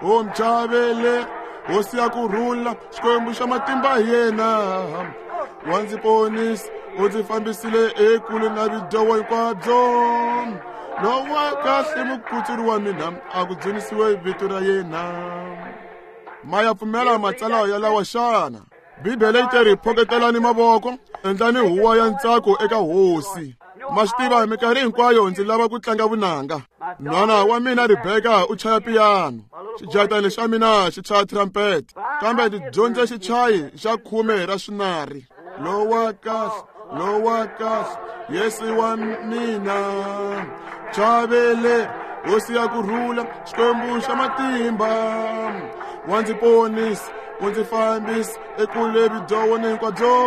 O mchavele hosi ya ku rhula, Xikwembu xa matimba hi yena. Wa ndzi ponisa, u ndzi fambisile ekule na vidyoho hinkwabyo. Lowa kahle mukutsuri wa mina, a ku dzunisiwe vito ra yena. Ma ya pfumela matsalwa ya lawa xana? Bibele yi te ri phoketelani mavoko, endlani huwa ya ntsako eka hosi. Ma swi tiva, minkarhi hinkwayo ndzi lava ku tlanga vunanga. Nhwana wa mina Rebeka u chaya piyano, xijahatani xa mina xi chaya trumpet, kambe ndzi dyondze xichayi xa khume ra swinari. Lowa kahle, lowa kahle, Yesu wa mina. Chavele hosi ya ku rhula, Xikwembu xa matimba. Wa ndzi ponisa, u ndzi fambisa ekule vidyoho hinkwabyo.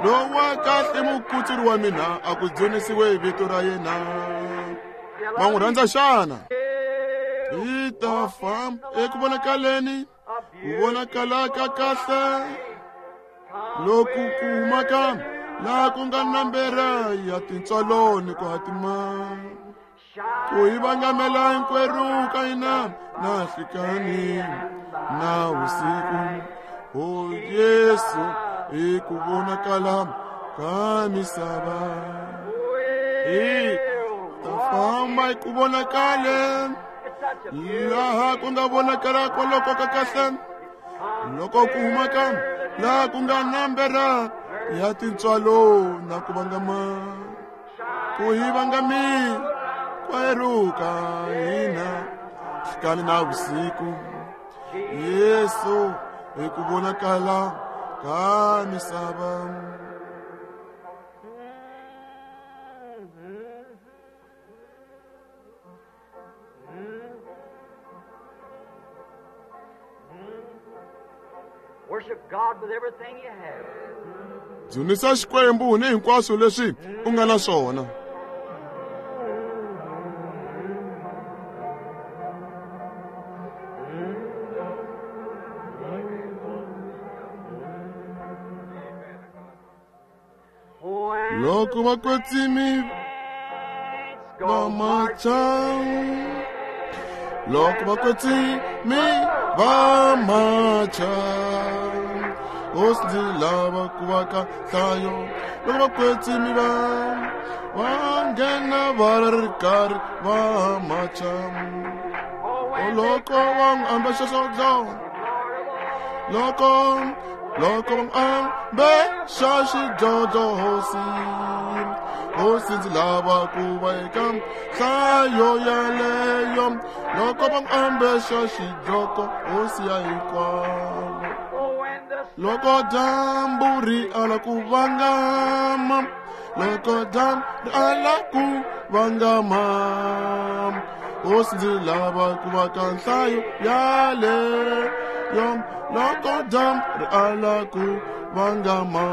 Lowa kahle mukutsuri wa mina, a ku dzunisiwe vito ra yena. Ma n'wi rhandza xana? Hi ta famba eku vonakaleni ku vonakala ka kahle loku ku humaka laha ku nga nambera ya tintswalo ni ku hatima ku hi vangamela hinkwerhu ka hina na nhlikani na vusiku. O Yesu hi ku vonakala ka misava. Hi ta famba hi ku vonakaleni laha ku nga vonakala kwaloko ka kahle loko ku humaka laha ku nga nambera ya tintswalo na ku vangama ku hi vangami kwerhu ka hina nhlikani na vusiku. Yesu hi ku vonakala ka misava. Worship God with everything you have. Dzunisa Xikwembu ni hinkwaswo leswi u nga na swona. Loko vakwetsimi va macha, loko vakwetsimi va macha, hosi ndzi lava ku va ka nhlayo. Loko vakwetsimi va va nghena va ri karhi va macha, loko va n'wi ambexa xidlodlo, loko loko va n'wi ambexa xidlodlo, hosi hosi ndzi lava ku va eka nhlayo yaleyo. Loko va n'wi ambexa xidlodlo, hosi ya hinkwavo. Loko dyambu ri ala ku vangama, loko dyambu ri ala ku vangama, hosi ndzi lava ku va ka nhlayo yaleyo. Loko dyambu ri ala ku vangama.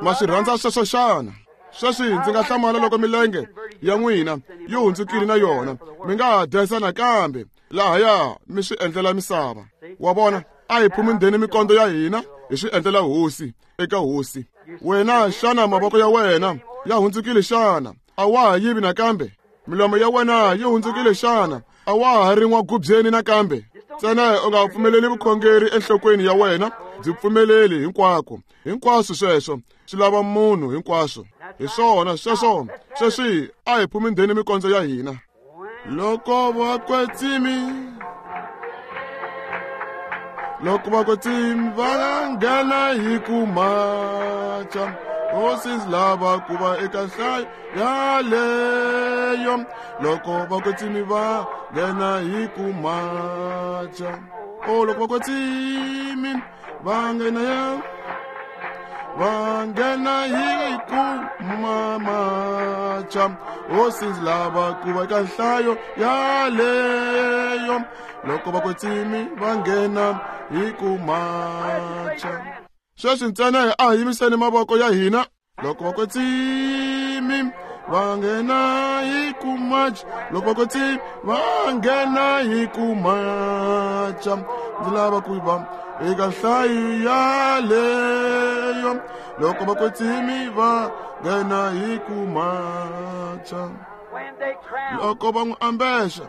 Ma swi rhandza sweswo xana? Sweswi ndzi nga hlamala loko milenge ya n'wina yi hundzukile na yona mi nga ha dansa nakambe lahaya mi swi endlela misava. Wa vona, a hi phumundeni mikondzo ya hina hi swi endlela hosi eka hosi. Wena xana mavoko ya wena ya hundzukile xana? A wa ha yivi nakambe? Milomo ya wena yi hundzukile xana? A wa ha ri n'wagubyeni nakambe? Ntsena u nga pfumeleli vukhongeri enhlokweni ya wena, byi pfumeleli hinkwako. Hinkwaswo sweswo swi lava munhu hinkwaswo. Hi swona sweswo. Sweswi a hi phumundeni mikondzo ya hina. Loko vakwetsimi loko vakwetsimi va nghena hi ku macha, hosi ndzi lava ku va eka nhlayo yaleyo. Loko vakwetsimi va nghena hi ku macha, o loko vakwetsimi va nghena ya va nghena hi ku macha, hosi ndzi lava ku va eka nhlayo yaleyo. Loko vakwetsimi va nghena hi ku macha. Sweswi ntsena a hi yimiseni mavoko ya hina. Loko vakwetsimi va nghena hi ku macha, loko vakwetsimi va nghena hi ku macha, ndzi lava ku va eka nhlayo yaleyo. Loko vakwetsimi va nghena hi ku macha, loko va n'wi ambexa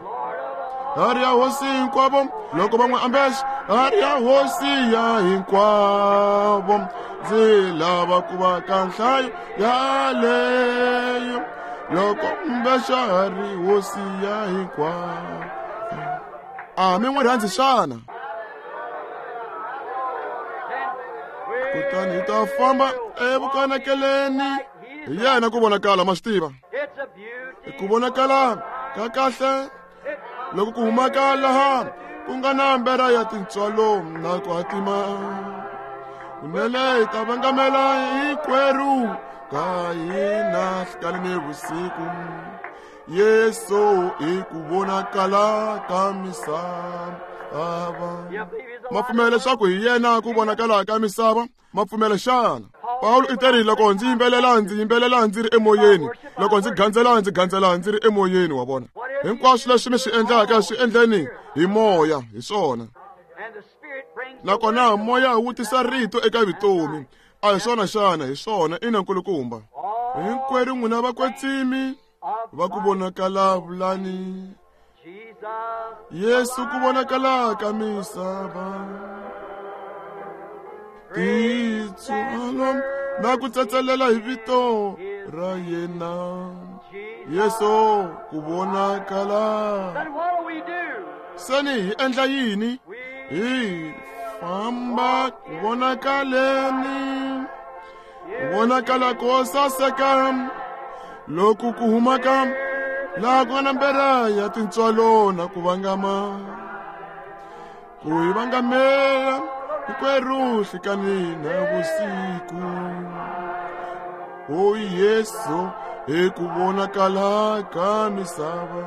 hari ya hosi hinkwavo, loko va n'wi ambexa hari ya hosi ya hinkwavo, ndzi lava ku va ka nhlayo yaleyo. Loko ambexa hari hosi ya hinkwavo. A mi n'wi rhandzi xana? Kutani hi ta famba evukanakeleni hi yena ku vonakala. Ma swi tiva ku vonakala ka kahle loko ku humaka laha ku nga na mbera ya tintswalo na ku hatima. Kunene hi ta vangamela hinkwerhu ka hina nhlikani ni vusiku. Yesu i ku vonakala ka misava. Ma pfumela leswaku hi yena ku vonakala ka misava? Ma pfumela xana? Pawulo i teri loko ndzi yimbelela ndzi yimbelela ndzi ri emoyeni, loko ndzi gandzela ndzi gandzela ndzi ri emoyeni. Wa vona? Hinkwaswo leswi mi swi endlaka swi endleni hi moya, hi swona. Nakona moya wu tisa rito eka vutomi. A hi swona xana? Hi swona, ina nkulukumba. Hinkwerhu n'wina vakwetsimi va ku vonakala vulani Yesu ku vonakala ka misava. Titswalo na ku tsetselela hi vito ra yena Yesu ku vonakala. Seni hi endla yini? Hi famba ku vonakaleni, ku vonakala ko saseka loku ku humaka laha ku nga na mbera ya tintswalo na ku vangama, ku hi vangamela hinkwerhu nhlikani na vusiku. O Yesu hi ku vonakala ka misava.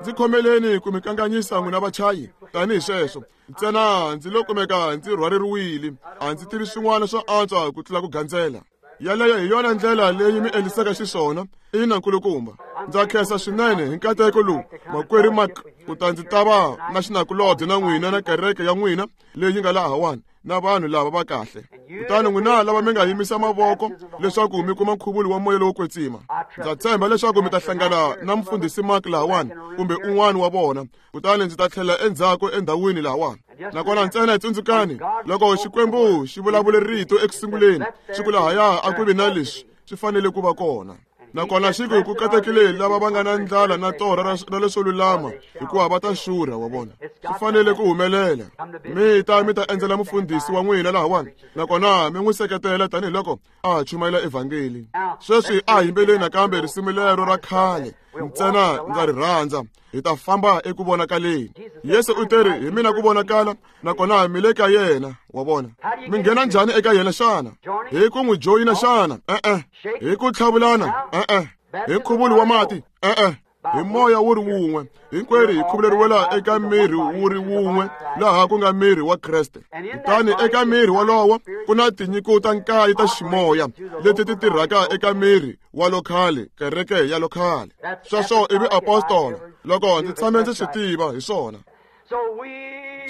Ndzi khomeleni ku mi kanganyisa n'wina vachayi tanihi sweswo. Ntsena ndzi lo kumeka ndzi rhwareriwile, a ndzi tivi swin'wana swo antswa ku tlula ku gandzela. Yaleyo hi yona ndlela leyi mi endlisaka xiswona. Ina nkulukumba. Ndza khensa swinene hi nkateko lowu, makwerhu Mark, ku ta ndzi ta va na xinakulobye na n'wina na kereke ya n'wina leyi nga lahawani na vanhu lava va kahle. Kutani n'wina lava mi nga yimisa mavoko leswaku mi kuma nkhuvulo wa moya lowo kwetsima, ndza tshemba leswaku mi ta hlangana na mfundhisi Mark lahawani kumbe un'wana wa vona, kutani ndzi ta tlhela endzhaku endhawini lahawani. Nakona ntsena tsundzukani, loko Xikwembu xi vulavule rito ekusunguleni, xi ku lahaya a ku vi na leswi swi fanele ku va kona. Nakona xi ku ku katekile lava va nga na ndlala na torha ra leswo lulama, hikuva va ta xurha. Wa vona, swi fanele ku humelela. Mi ta mi ta endzela mufundhisi wa n'wina lahawani, nakona mi n'wi seketela tanihiloko a chumayela evhangeli. Sweswi a yimbeleni nakambe risimu lero ra khale, ntsena ndza ri rhandza. Hi ta famba eku vonakaleni. Yesu u teri hi mina ku vonakala, nakona mi le ka yena. Wa vona, mi nghena njhani eka yena xana? Hi ku n'wi joyina xana? E-e. Hi ku tlhavulana? E-e. Hi nkhuvulo wa mati? E-e. Hi moya wu ri wun'we. Hinkwerhu hi khuvuleriwela eka miri wu ri wun'we, laha ku nga miri wa Kreste. Kutani eka miri wolowo ku na tinyiko ta nkaye ta ximoya leti ti tirhaka eka miri wa lokhale, kereke ya lokhale. Sweswo i viapostola, loko ndzi tshame ndzi swi tiva hi swona.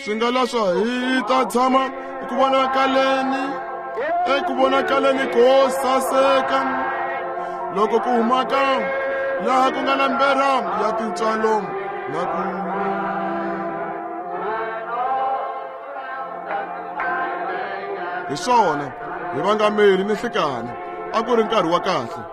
Swi nga leswo hi ta tshama eku vonakaleni, eku vonakaleni ko saseka loko ku humaka laha ku nga na mbera ya tintswalo na ku hi swona hi vangameri ni nhlikani. A ku ri nkarhi wa kahle.